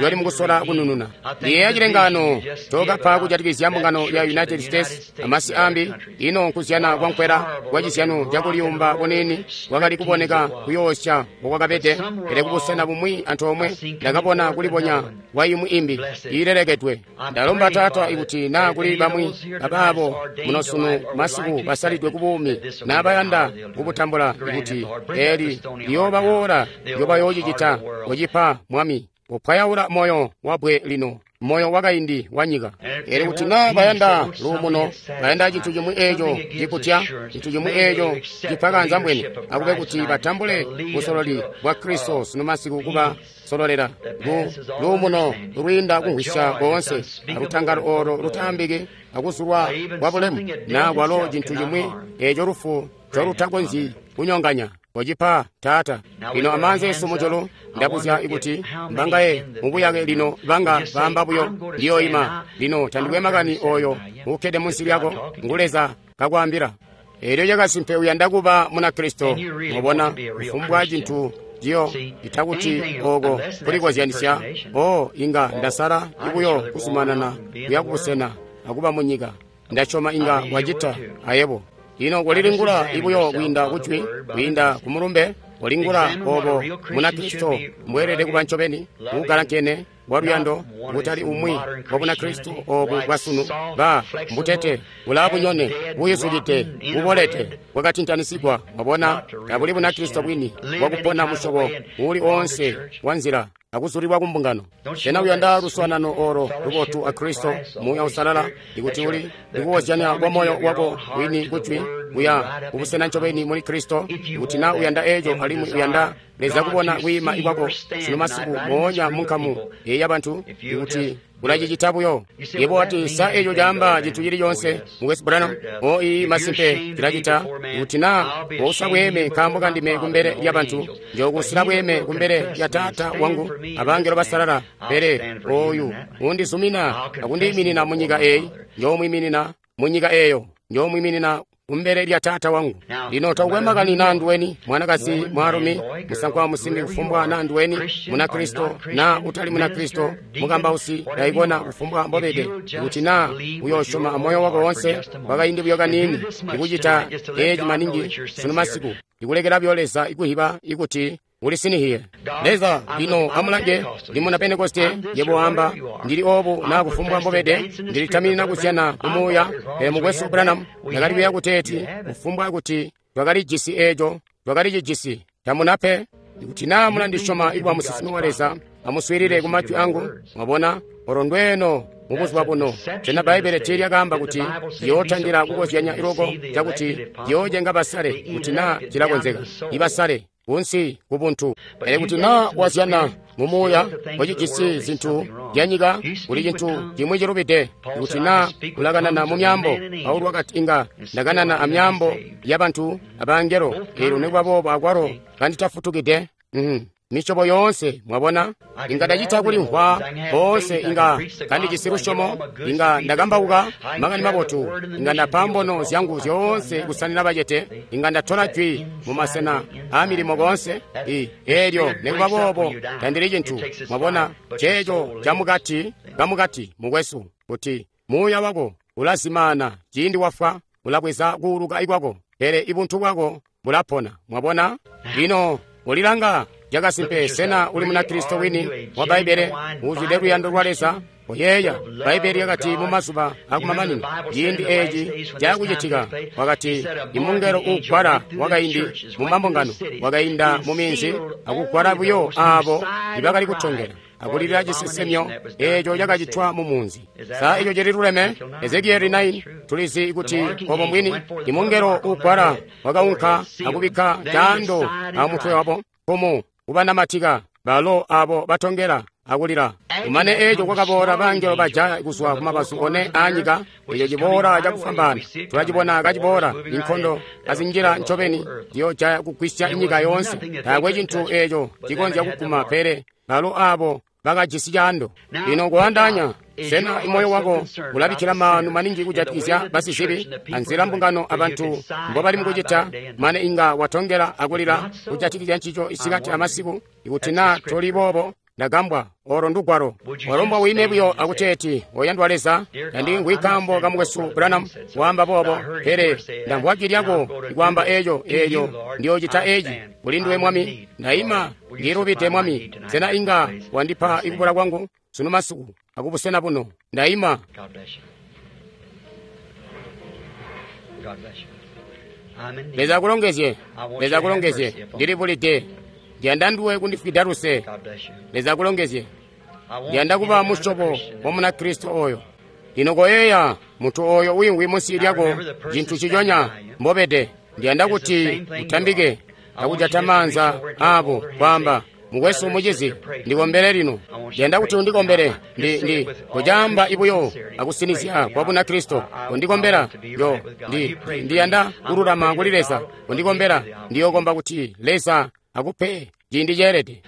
yoli mukusola kunununa. Ndiyeeya cilengano cokapa kujatikizya mbungano ya United States amasi ambi. Ino nkuzyana kwankwela kwa cizyano cakuliyumba kuniini kwakali kuboneka kuyoosya mbokwakabede, pele kubusena bumwi antoomwe ndakabona kulibonya kwa imwi imbi iilelekedwe. Ndalomba, Taata, ikuti naa kuli bamwi abaabo muno sunu masiku basalidwe ku buumi naa bayanda kubutambula, ikuti eli liyooba woola lyobayoocicita. Kocipa, Mwami, kupwayaula moyo wabwe lino, moyo wakaindi wa nyika. Elyo kuti naa bayanda luumuno, bayanda cintu cimwi eeco cikutya, cintu cimwi eeco cipa mbweni, akube kuti batambule busololi bwa Kristo sunu masiku kuba sololela ku luumuno lwiinda kumvwisya koonse, alutangalo oolo lutaambiki, akuzulwa kwa bulemu, naa kwalo cintu cimwi eeco lufu ncolutakonzyi kunyonganya. Kocipa, Taata. Lino amaanza esu mujulu, ndabuzya ikuti mbangaye mubuyake lino banga baamba buyo ndiyoima. Lino tandikwe makani oyo uukkede munsi lyako, ngu Leza kakwaambila. Elyo cakasimpe uyanda kuba Munakristo, mubona kufumbwa cintu ciyo itakuti oko kulikozyanisya. O inga ndasala ibuyo kuzumanana kuya kubusena akuba munyika. Ndasyoma inga wacita ayebo. Lino kulilingula ibuyo kwiinda kujwi, kwiinda kumulumbe, kulingula obo Munakristo mbweelede kuba ncobeni, uukalankene waluyando, kutali umwi wa Bunakristo obu bwasunu, ba mbutete, bulaabunyone, buyizukide, bubolete, bwakatintanisigwa. Mwabona, tabuli Bunakristo bwini bwakupona musyobo uuli oonse wa nzila akuzulilwa kumbungano. Sena uyanda luswaanano olo lubotu a Kristo, Muuya Uusalala, ikuti uli ndikukozyanya kwa moyo wako wini kujwi kuya kubusena ncobeni muli Kristo? Ikuti naa uyanda eeco alimwi uyanda Leza kubona kwiima ikwako sunu masiku moonya munkamu eyi yabantu, ikuti ulacicita buyo. Yebo wati, sa eeco caamba cintu cili coonse, Mukwesu Branham? O ii masimpe cilacita. Ikuti naa wousa bweeme nkaambo kandime kumbele lyabantu, njookusila bweeme kumbele lya Taata wangu abangelo basalala. Pele oyu undizumina akundiiminina munyika eyi, njoomwiiminina munyika eeyo, njoomwiiminina kumbele lya Taata wangu. Lino takukwe makani naa nduweni, mwanakazi, mwaalumi, musankwa, musimbi, kufumbwa naa nduweni, Munakristo naa utali Munakristo, mukambausi, daikona, kufumbwa mbobede, kuti naa uyoosyoma amoyo wako wonse kwakaindi buyo kaniini, ikucita eeci maningi sunu masiku, ikulekela buyo Leza ikuhiba ikuti ulisinihiye. Leza, lino amulange, ndi muna Pentekoste, yebo wamba, ndili obu naa kufumbwa mbobede, ndilitaminina kuzyana kumuuya. Pele Mukwesu Branham, ndakali kuya kuteeti kufumbwa kuti twakalijisi eeco, twakalicijisi. Tamunape. Ikuti naa mulandisyoma ikuba musinsimi wa Leza, amuswiilile ku majwi angu. Mwabona, olo ndweeno mubuzuba buno. Sena Bbaibbele tiilyakaamba kuti liyootandila kukozyanya iloko cakuti liyoocenga basale, kuti naa cilakonzeka, ibasale kunsi kubuntu? Pele kuti naa wazyana mumuuya wacijisi zintu zyanyika, kuli cintu cimwi cilubide. Kuti naa ulakanana mu myaambo, Paulo wakati inga ndakanana amyaambo yabantu abangelo, eelyo nikuba boobo akwalo kanditafutukide. Misyobo yoonse, mwabona, inga ndacita kulimvwa boonse, inga kandijisi lusyomo, inga ndakambauka makani mabotu, inga ndapa mbono zyangu zyoonse kusanina bacete, inga ndatola jwi mumasena aamilimo koonse. Eelyo nikuba boobo tandili cintu. Mwabona, ceeco camukati kamukati, mukwesu, kuti muuya wako ulazimaana ciindi wafwa, ulabweza kuuluka kwako, pele ibuntu bwako bulapona. Mwabona, lino ulilanga cakasimpe, sena uli Munakristo wini wa Bbaibbele uuzwide luyando lwa Leza? Oyeeya, Bbaibbele lyakati mu mazuba akumamanino ciindi eeci cakucitika, wakati imungelo uugwala wakaindi mu mambungano wakainda mu minzi akugwala buyo aabo ibakali kutongela akulilila cisesemyo eeco cakacitwa mu munzi. Sa eco cililuleme? Ezekieli 9, tulizi kuti obo mbwini. Imungelo uugwala wakaunka akubikka caando amutwe wabo kumu kubanamatika balo abo batongela akulila. Kumane eco kwakaboola bangelo baja kuzwa kumabazu one aanyika, eco ciboola cakufwambaana. Tulacibona kaciboola, inkondo azinjila ncobeni ziyojaya kugwisya nyika yoonse. Taakwe cintu eco cikonzya kuguma, pele balo abo bakajisi caando. Lino kuandaanya, sena moyo wako ulabikkila maanu maningi kujatikizya basizibi anzila mbungano abantu mbobali mukucita, mane inga watongela akulila kujatikizya ncico isikati amasiku? Ikuti naa toli boobo, ndagambwa. Olo ndugwalo. Walombwa wime buyo akuteeti, oyandwa Leza, tandimvwi kaambo ka mukwesu Branham waamba boobo, pele ndamvwa jwi lyako ikwaamba eco, eelyo ndiyocita eci. Kuli nduwe Mwami, ndaima ndilubide Mwami. Sena inga wandipa ikubula kwangu sunu masiku akubusena buno? Ndaima. Leza akulongezye. Leza akulongezye. Ndilibulide. Ndiyanda nduwe kundifwida luse. Leza akulongezye. Ndiyanda kuba musyobo wa Munakristo oyo. Lino koyeeya muntu oyo wiimvwi munsi lyako, cintu ciconya mbobede. Ndiyanda kuti utambike akujata maanza abo kwaamba, mukwesu mucizi, ndikombele lino. Ndiyanda kuti undikombele. Ndi kucaamba ibuyo akusinizya kwa Bunakristo. Kundikombela yo ndiyanda kululama kuli Leza. Kundikombela ndiyokomba kuti Leza akupe ciindi ceelede.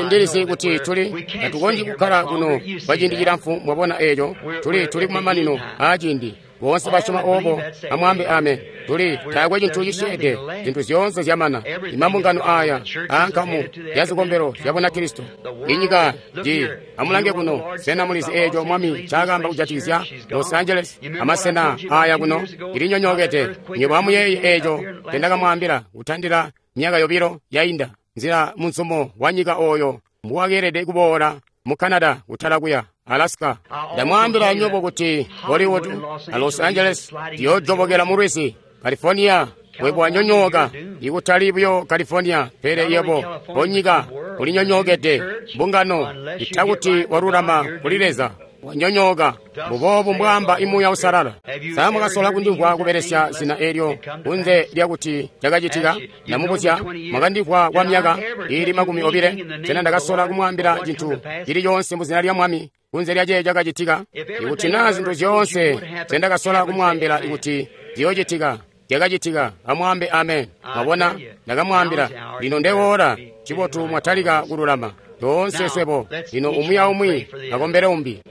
Ndilizi kuti tuli tatukonzyi kukkala kuno kwa ciindi cilamfu. Mwabona eco, tuli kumamanino aa ciindi. Boonse basyoma obo amwaambe amen. Tuli taakwe cintu cisyeede, zintu zyoonse zyamana. Imambungano aya aankamu ya zikombelo zya Bunakristo inyika ji. Amulange kuno, sena mulizi eco Mwami ncaakaamba kujatikizya Los Angeles amasena aya kuno? Ilinyonyookede. Nywebo amuyeeye eco ncendakamwaambila kutandila myaka 2 yainda, nzila munzumo wa nyika oyo mbuwakeelede kuboola mu Canada kutala kuya Alaska. Ndamwaambila nywebo kuti Hollywood a Los Angeles ziyojobokela mu lwizi. California webo wanyonyooka, ikutali buyo California, pele yebo onyika ulinyonyookede. Mbungano itakuti walulama kuli Leza, wanyonyooka. Mbuboobu mbwaamba imuuya usalala. Sa mwakasola kundimvwa kubelesya zina elyo kunze lyakuti cakacitika? Ndamubuzya, mwakandimvwa kwa myaka iili 20. Sena ndakasola kumwaambila cintu cili coonse muzina lya Mwami kunze lya ceeco cakacitika? Ikuti naa zintu zyoonse zendakasola kumwaambila ikuti ziyoocitika zyakacitika, amwaambe amen. Mwabona, ndakamwaambila. Lino ndewola cibotu mwatalika kululama toonse swebo. Lino umwi aumwi akombele umbi.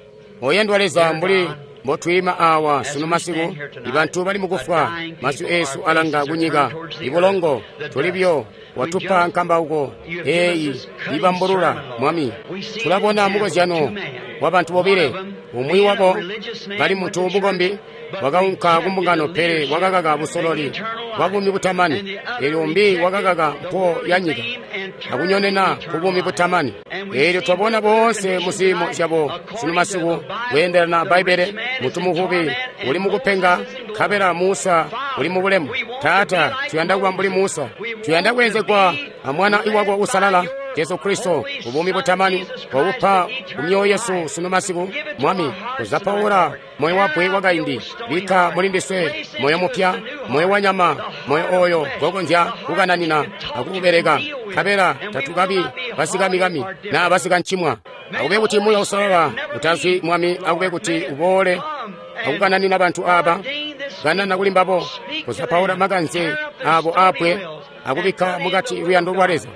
Oyandwa Leza, mbuli mbotwiima awa sunu masiku, ibantu bali mukufwa, masyu esu alanga kunyika, ibulongo tuli buyo. Watupa nkambauko eyi ibambulula Mwami. Tulabona mukozyano wa bantu bobile. Umwi wabo kali muntu mukombi, wakaunka kumbungano, pele wakakaka busololi bwa buumi butamani. Eelyo umbi wakakaka mpo ya nyika akunyonena ku buumi butamani. Eelyo twabona boonse mu ziimo zyabo sunu masiku kweendelana Bbaibbele. Muntu muvubi uli mukupenga, nkabela Musa uli mu bulemu. Taata, tuyanda kuba mbuli Musa. Tuyanda kweenzegwa a Mwana iwako usalala Jesu Kristo ubuumi butamani wabupa ku myoyo yesu sunu masiku. Mwami, kuzapaula moyo wabwe wakaindi, bikka muli ndiswe moyo mupya, moyo wa nyama, moyo oyo gokonzya kukananina akubeleka, nkabela tatukabi basikamikami naa basikancimwa. Akube kuti Muuya Usalala utazwi, Mwami, akube kuti uboole akukananina bantu aba, kanana kuli mbabo, kuzapaula makanze abo apwe akubikka mukati luyando lwa Leza.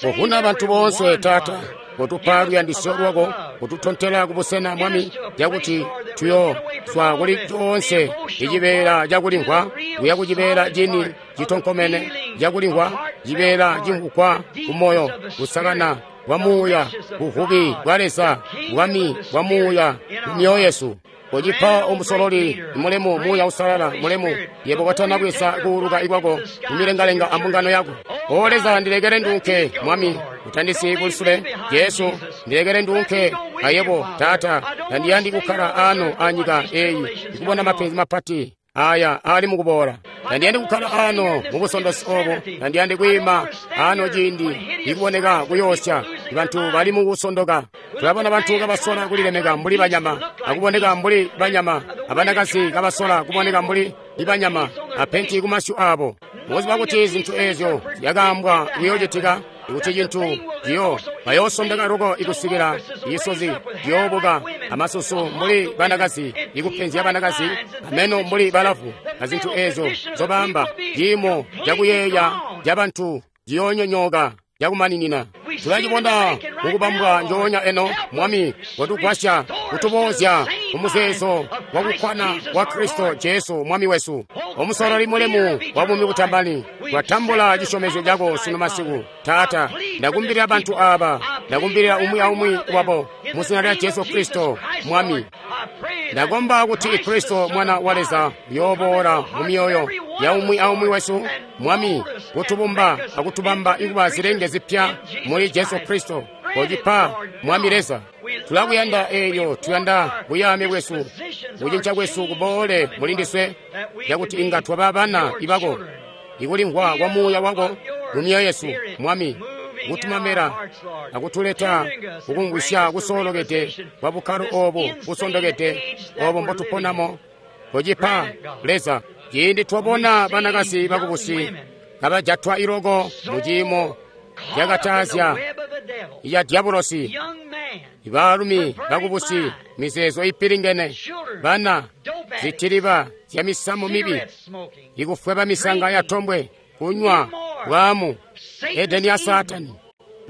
Kuvuna bantu boonse, Taata, kutupa luyandisyo lwako, kututontela kubusena, Mwami, cakuti tuyo zwa kuli coonse icibeela cakulimvwa kuya kucibeela cini citonkomene cakulimvwa, cibeela cimvugwa kumoyo, kusakana kwa muuya, buvubi bwa Leza, bwami bwa muuya mu myoyo yesu. Kucipa omusololi mulemu, Muuya Usalala mulemu, yebo kotana bweza kuuluka ikwako mumilengalenga ambungano yako. O Leza, ndilekele ndunke, Mwami, utandisiyi kulisule. Jesu, ndilekele ndunke ayebo. Taata, tandiyandi kukkala ano anyika eyi ikubona mapenzi mapati aya ali mukuboola. Tandiyandi kukkala ano mubusondosi obo. Tandiyandi kwiima ano ciindi ikuboneka kuyoosya bantu bali mukusondoka. Tulabona bantu kabasola kulilemeka mbuli banyama, akuboneka mbuli banyama, abanakazi kabasola kuboneka mbuli ibanyama, apenti kumasyu abo. Mukuziba kuti zintu ezyo zyakaambwa kuyoocitika, Ikuti cintu ciyo bayoosondeka loko ikusikila isozi ciyoobuka amasusu mbuli banakazi ikupenzya banakazi ameno mbuli balavu azintu eezo zobaamba ciimo cakuyeeya cabantu ciyoonyonyooka cakumaninina. Tulacibona mukubambwa njoonya eno. Mwami, watugwasya kutuboozya kumuzeezo wakukkwana wa Kristo Jesu Mwami wesu, omusololi mulemu wa buumi butamani. Twatambula cisyomezyo cako sunu masiku. Taata, ndakumbilira bantu aba, ndakumbilira umwi aumwi wabo mu zina lya Jesu Kristo Mwami. Ndakomba kuti Kristo Mwana wa Leza uyooboola mu myoyo ya umwi aumwi wesu, Mwami, kutubumba akutubamba ikuba zilenge zipya muli Jesu Kristo. Kocipa, Mwami Leza. Tulakuyanda eelyo tuyanda buyaame bwesu, kucinca kwesu kuboole muli ndiswe, cakuti inga twaba bana ibako, ikulimvwa kwa muuya wako mu myoyo yesu, Mwami, kutumamela akutuleta kukumvwisya kusoolokede kwa bukkalo obu busondokede obo mbotuponamo. Kocipa, Leza. Ciindi twabona banakazi bakubusi kabajatwa iloko mu ciimo cakataazya ya dyabulosi, ibaalumi bakubusi, mizeezo ipilingene, bana zitiliba zya misamu mibi, ikufweba misanga ya tombwe, kunywa bwaamu, Edeni ya Saatani.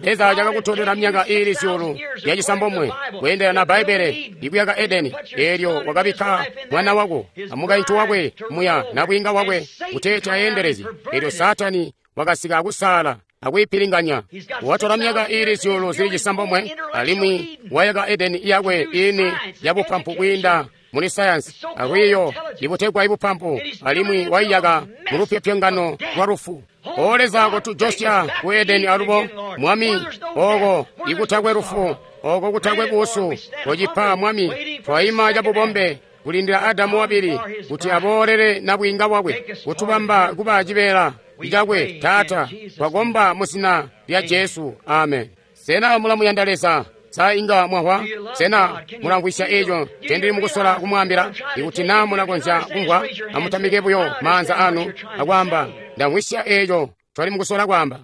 Leza cakakutondela myaka iili zyuulu yacisambomwe kweendelana na Bbaibbele ikuyaka Edeni, eelyo wakabikka mwana wako amukaintu wakwe muya nabwiinga wakwe kuteeti ayendelezye. Eelyo Saatani wakasika akusaala akuyipilinganya. Watola myaka iili zyuulu zili cisambomwe alimwi wayaka Edeni yakwe iini yabupampu kwiinda muli sayansi alwiiyo ibutegwa ibupampu, alimwi waiyaka mu lupyopyongano lwa lufu. O Leza, kotujosya ku Edeni alubo, Mwami, oko ikutakwe lufu, oko kutakwe buusu. Kocipa, Mwami. Twaima cabubombe kulindila Adamu wabili kuti aboolele nabwiinga bwakwe, kutubamba kuba cibeela cakwe. Taata, twakomba mu zina lya Jesu. Amen. Sena mulamuyanda Leza? Sa inga mwahwa? Sena mulamvwisya eco ncendili mukusola kumwaambila? Ikuti naa mulakonzya kumvwa, amutamike buyo maanza anu akwaamba, ndamvwisya eco ncoli mukusola kwaamba.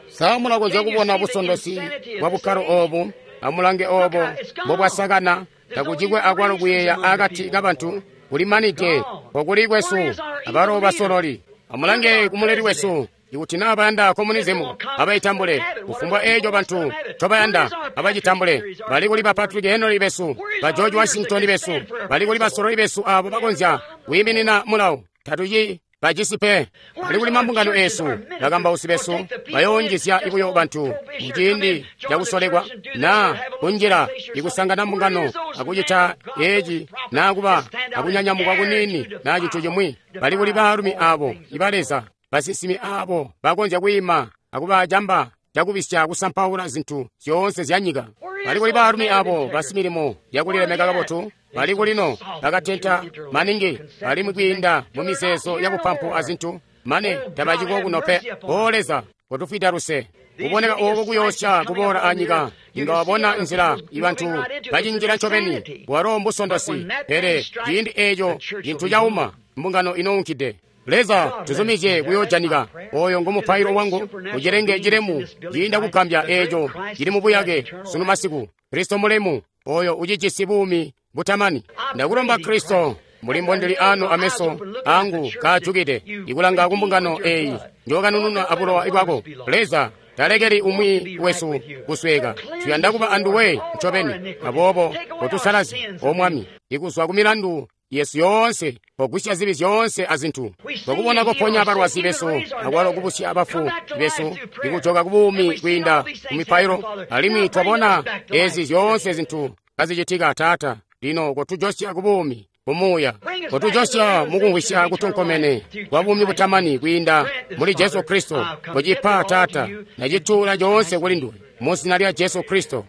Sa mulakonzya kubona busondosi bwa bukkalo obu? Amulange obo mbobwasakana. Takucikwe akwalo kuyeeya akati kabantu kulimanide okuli kwesu abalo basololi. Amulange kumuleli wesu. Ikuti naa bayanda komunizimu, abaitambule. Kufumbwa eeco bantu ncobayanda, abacitambule. Bali kuli ba Patrick Henry besu, ba George Washington besu, bali kuli basololi besu abo bakonzya kwiiminina mulawo. Tatuci bajisi pe. Bali kuli mambungano eesu, bakambausi besu bayoonjizya buyo bantu muciindi cakusolekwa naa kunjila ikusangana mbungano akucita eeci naa kuba akunyanyamukwa kuniini naa cintu cimwi. Bali kuli baalumi abo iba Leza, basinsimi abo bakonzya kwiima akuba camba cakubisya kusampaula zintu zyoonse zya nyika. Bali kuli baalumi abo basimilimo yakulilemeka kabotu. Bali kulino bakatenta maningi alimwi kwiinda mu mizeezo yabupampu azintu mane tabaciko kuno pe. O Leza, kotufwida luse. Kuboneka oko kuyoosya kuboola anyika, inga wabona nzila ibantu bacinjila ncobeni. Walo mbusondosi, pele ciindi eeco cintu cauma, mbungano inounkide. Leza, tuzumizye kuyoojanika. Oyo ngomupailo wangu. Ucilenge cilemu ciinda kugambya eeco cili mubuyake sunu masiku. Kristo mulemu, oyo ucijisi buumi butamani. Ndakulomba Kristo, mbuli mbondili anu ameso angu kaajukide ikulanga kumbungano eyi njokanununa abulowa bwako. Leza, talekeli umwi wesu kusweka. Tuyanda kuba anduwe ncobeni. Aboobo kotusalazye, O Mwami, ikuzwa ku milandu yesu yoonse, pogwisya zibi zyoonse azintu. Twakubona koponya balwazi besu, akwalo kubusya abafu besu, ikujoka kubuumi kwiinda ku mipailo, alimwi twabona ezi zyoonse zintu kazicitika. Taata, lino kotujosya kubuumi kumuuya, kotujosya mukumvwisya kutonkomene kwa buumi butamani kwiinda muli Jesu Kristo. Kocipa, Taata, nacituula coonse kuli nduwe mu zina lya Jesu Kristo.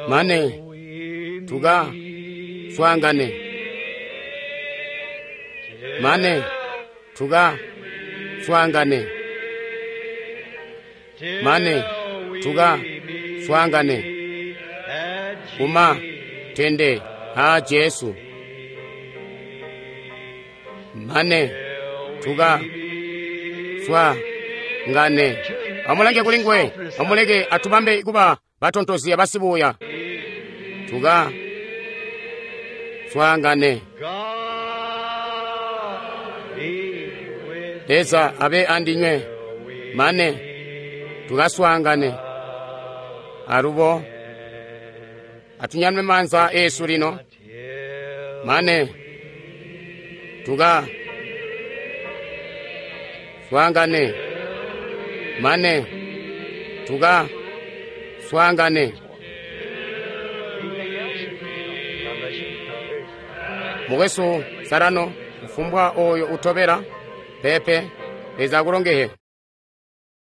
Mane tuka swaangane, mane tuka swaangane, mane tuka swaangane kuma tende a Jesu, mane tuka swa ngane. Amulange kuli nguwe, amuleke atubambe kuba batontozi basibuuya. Tuka swaangane. God be with Leza abe andinywe mane tukaswaangane. Alubo atunyanwe maanza eesu lino till mane tuka swaangane mane tuka swaangane. anything else. God bless you. Mukwesu Sarano kufumbwa oyo utobela pepe Leza akulongehe.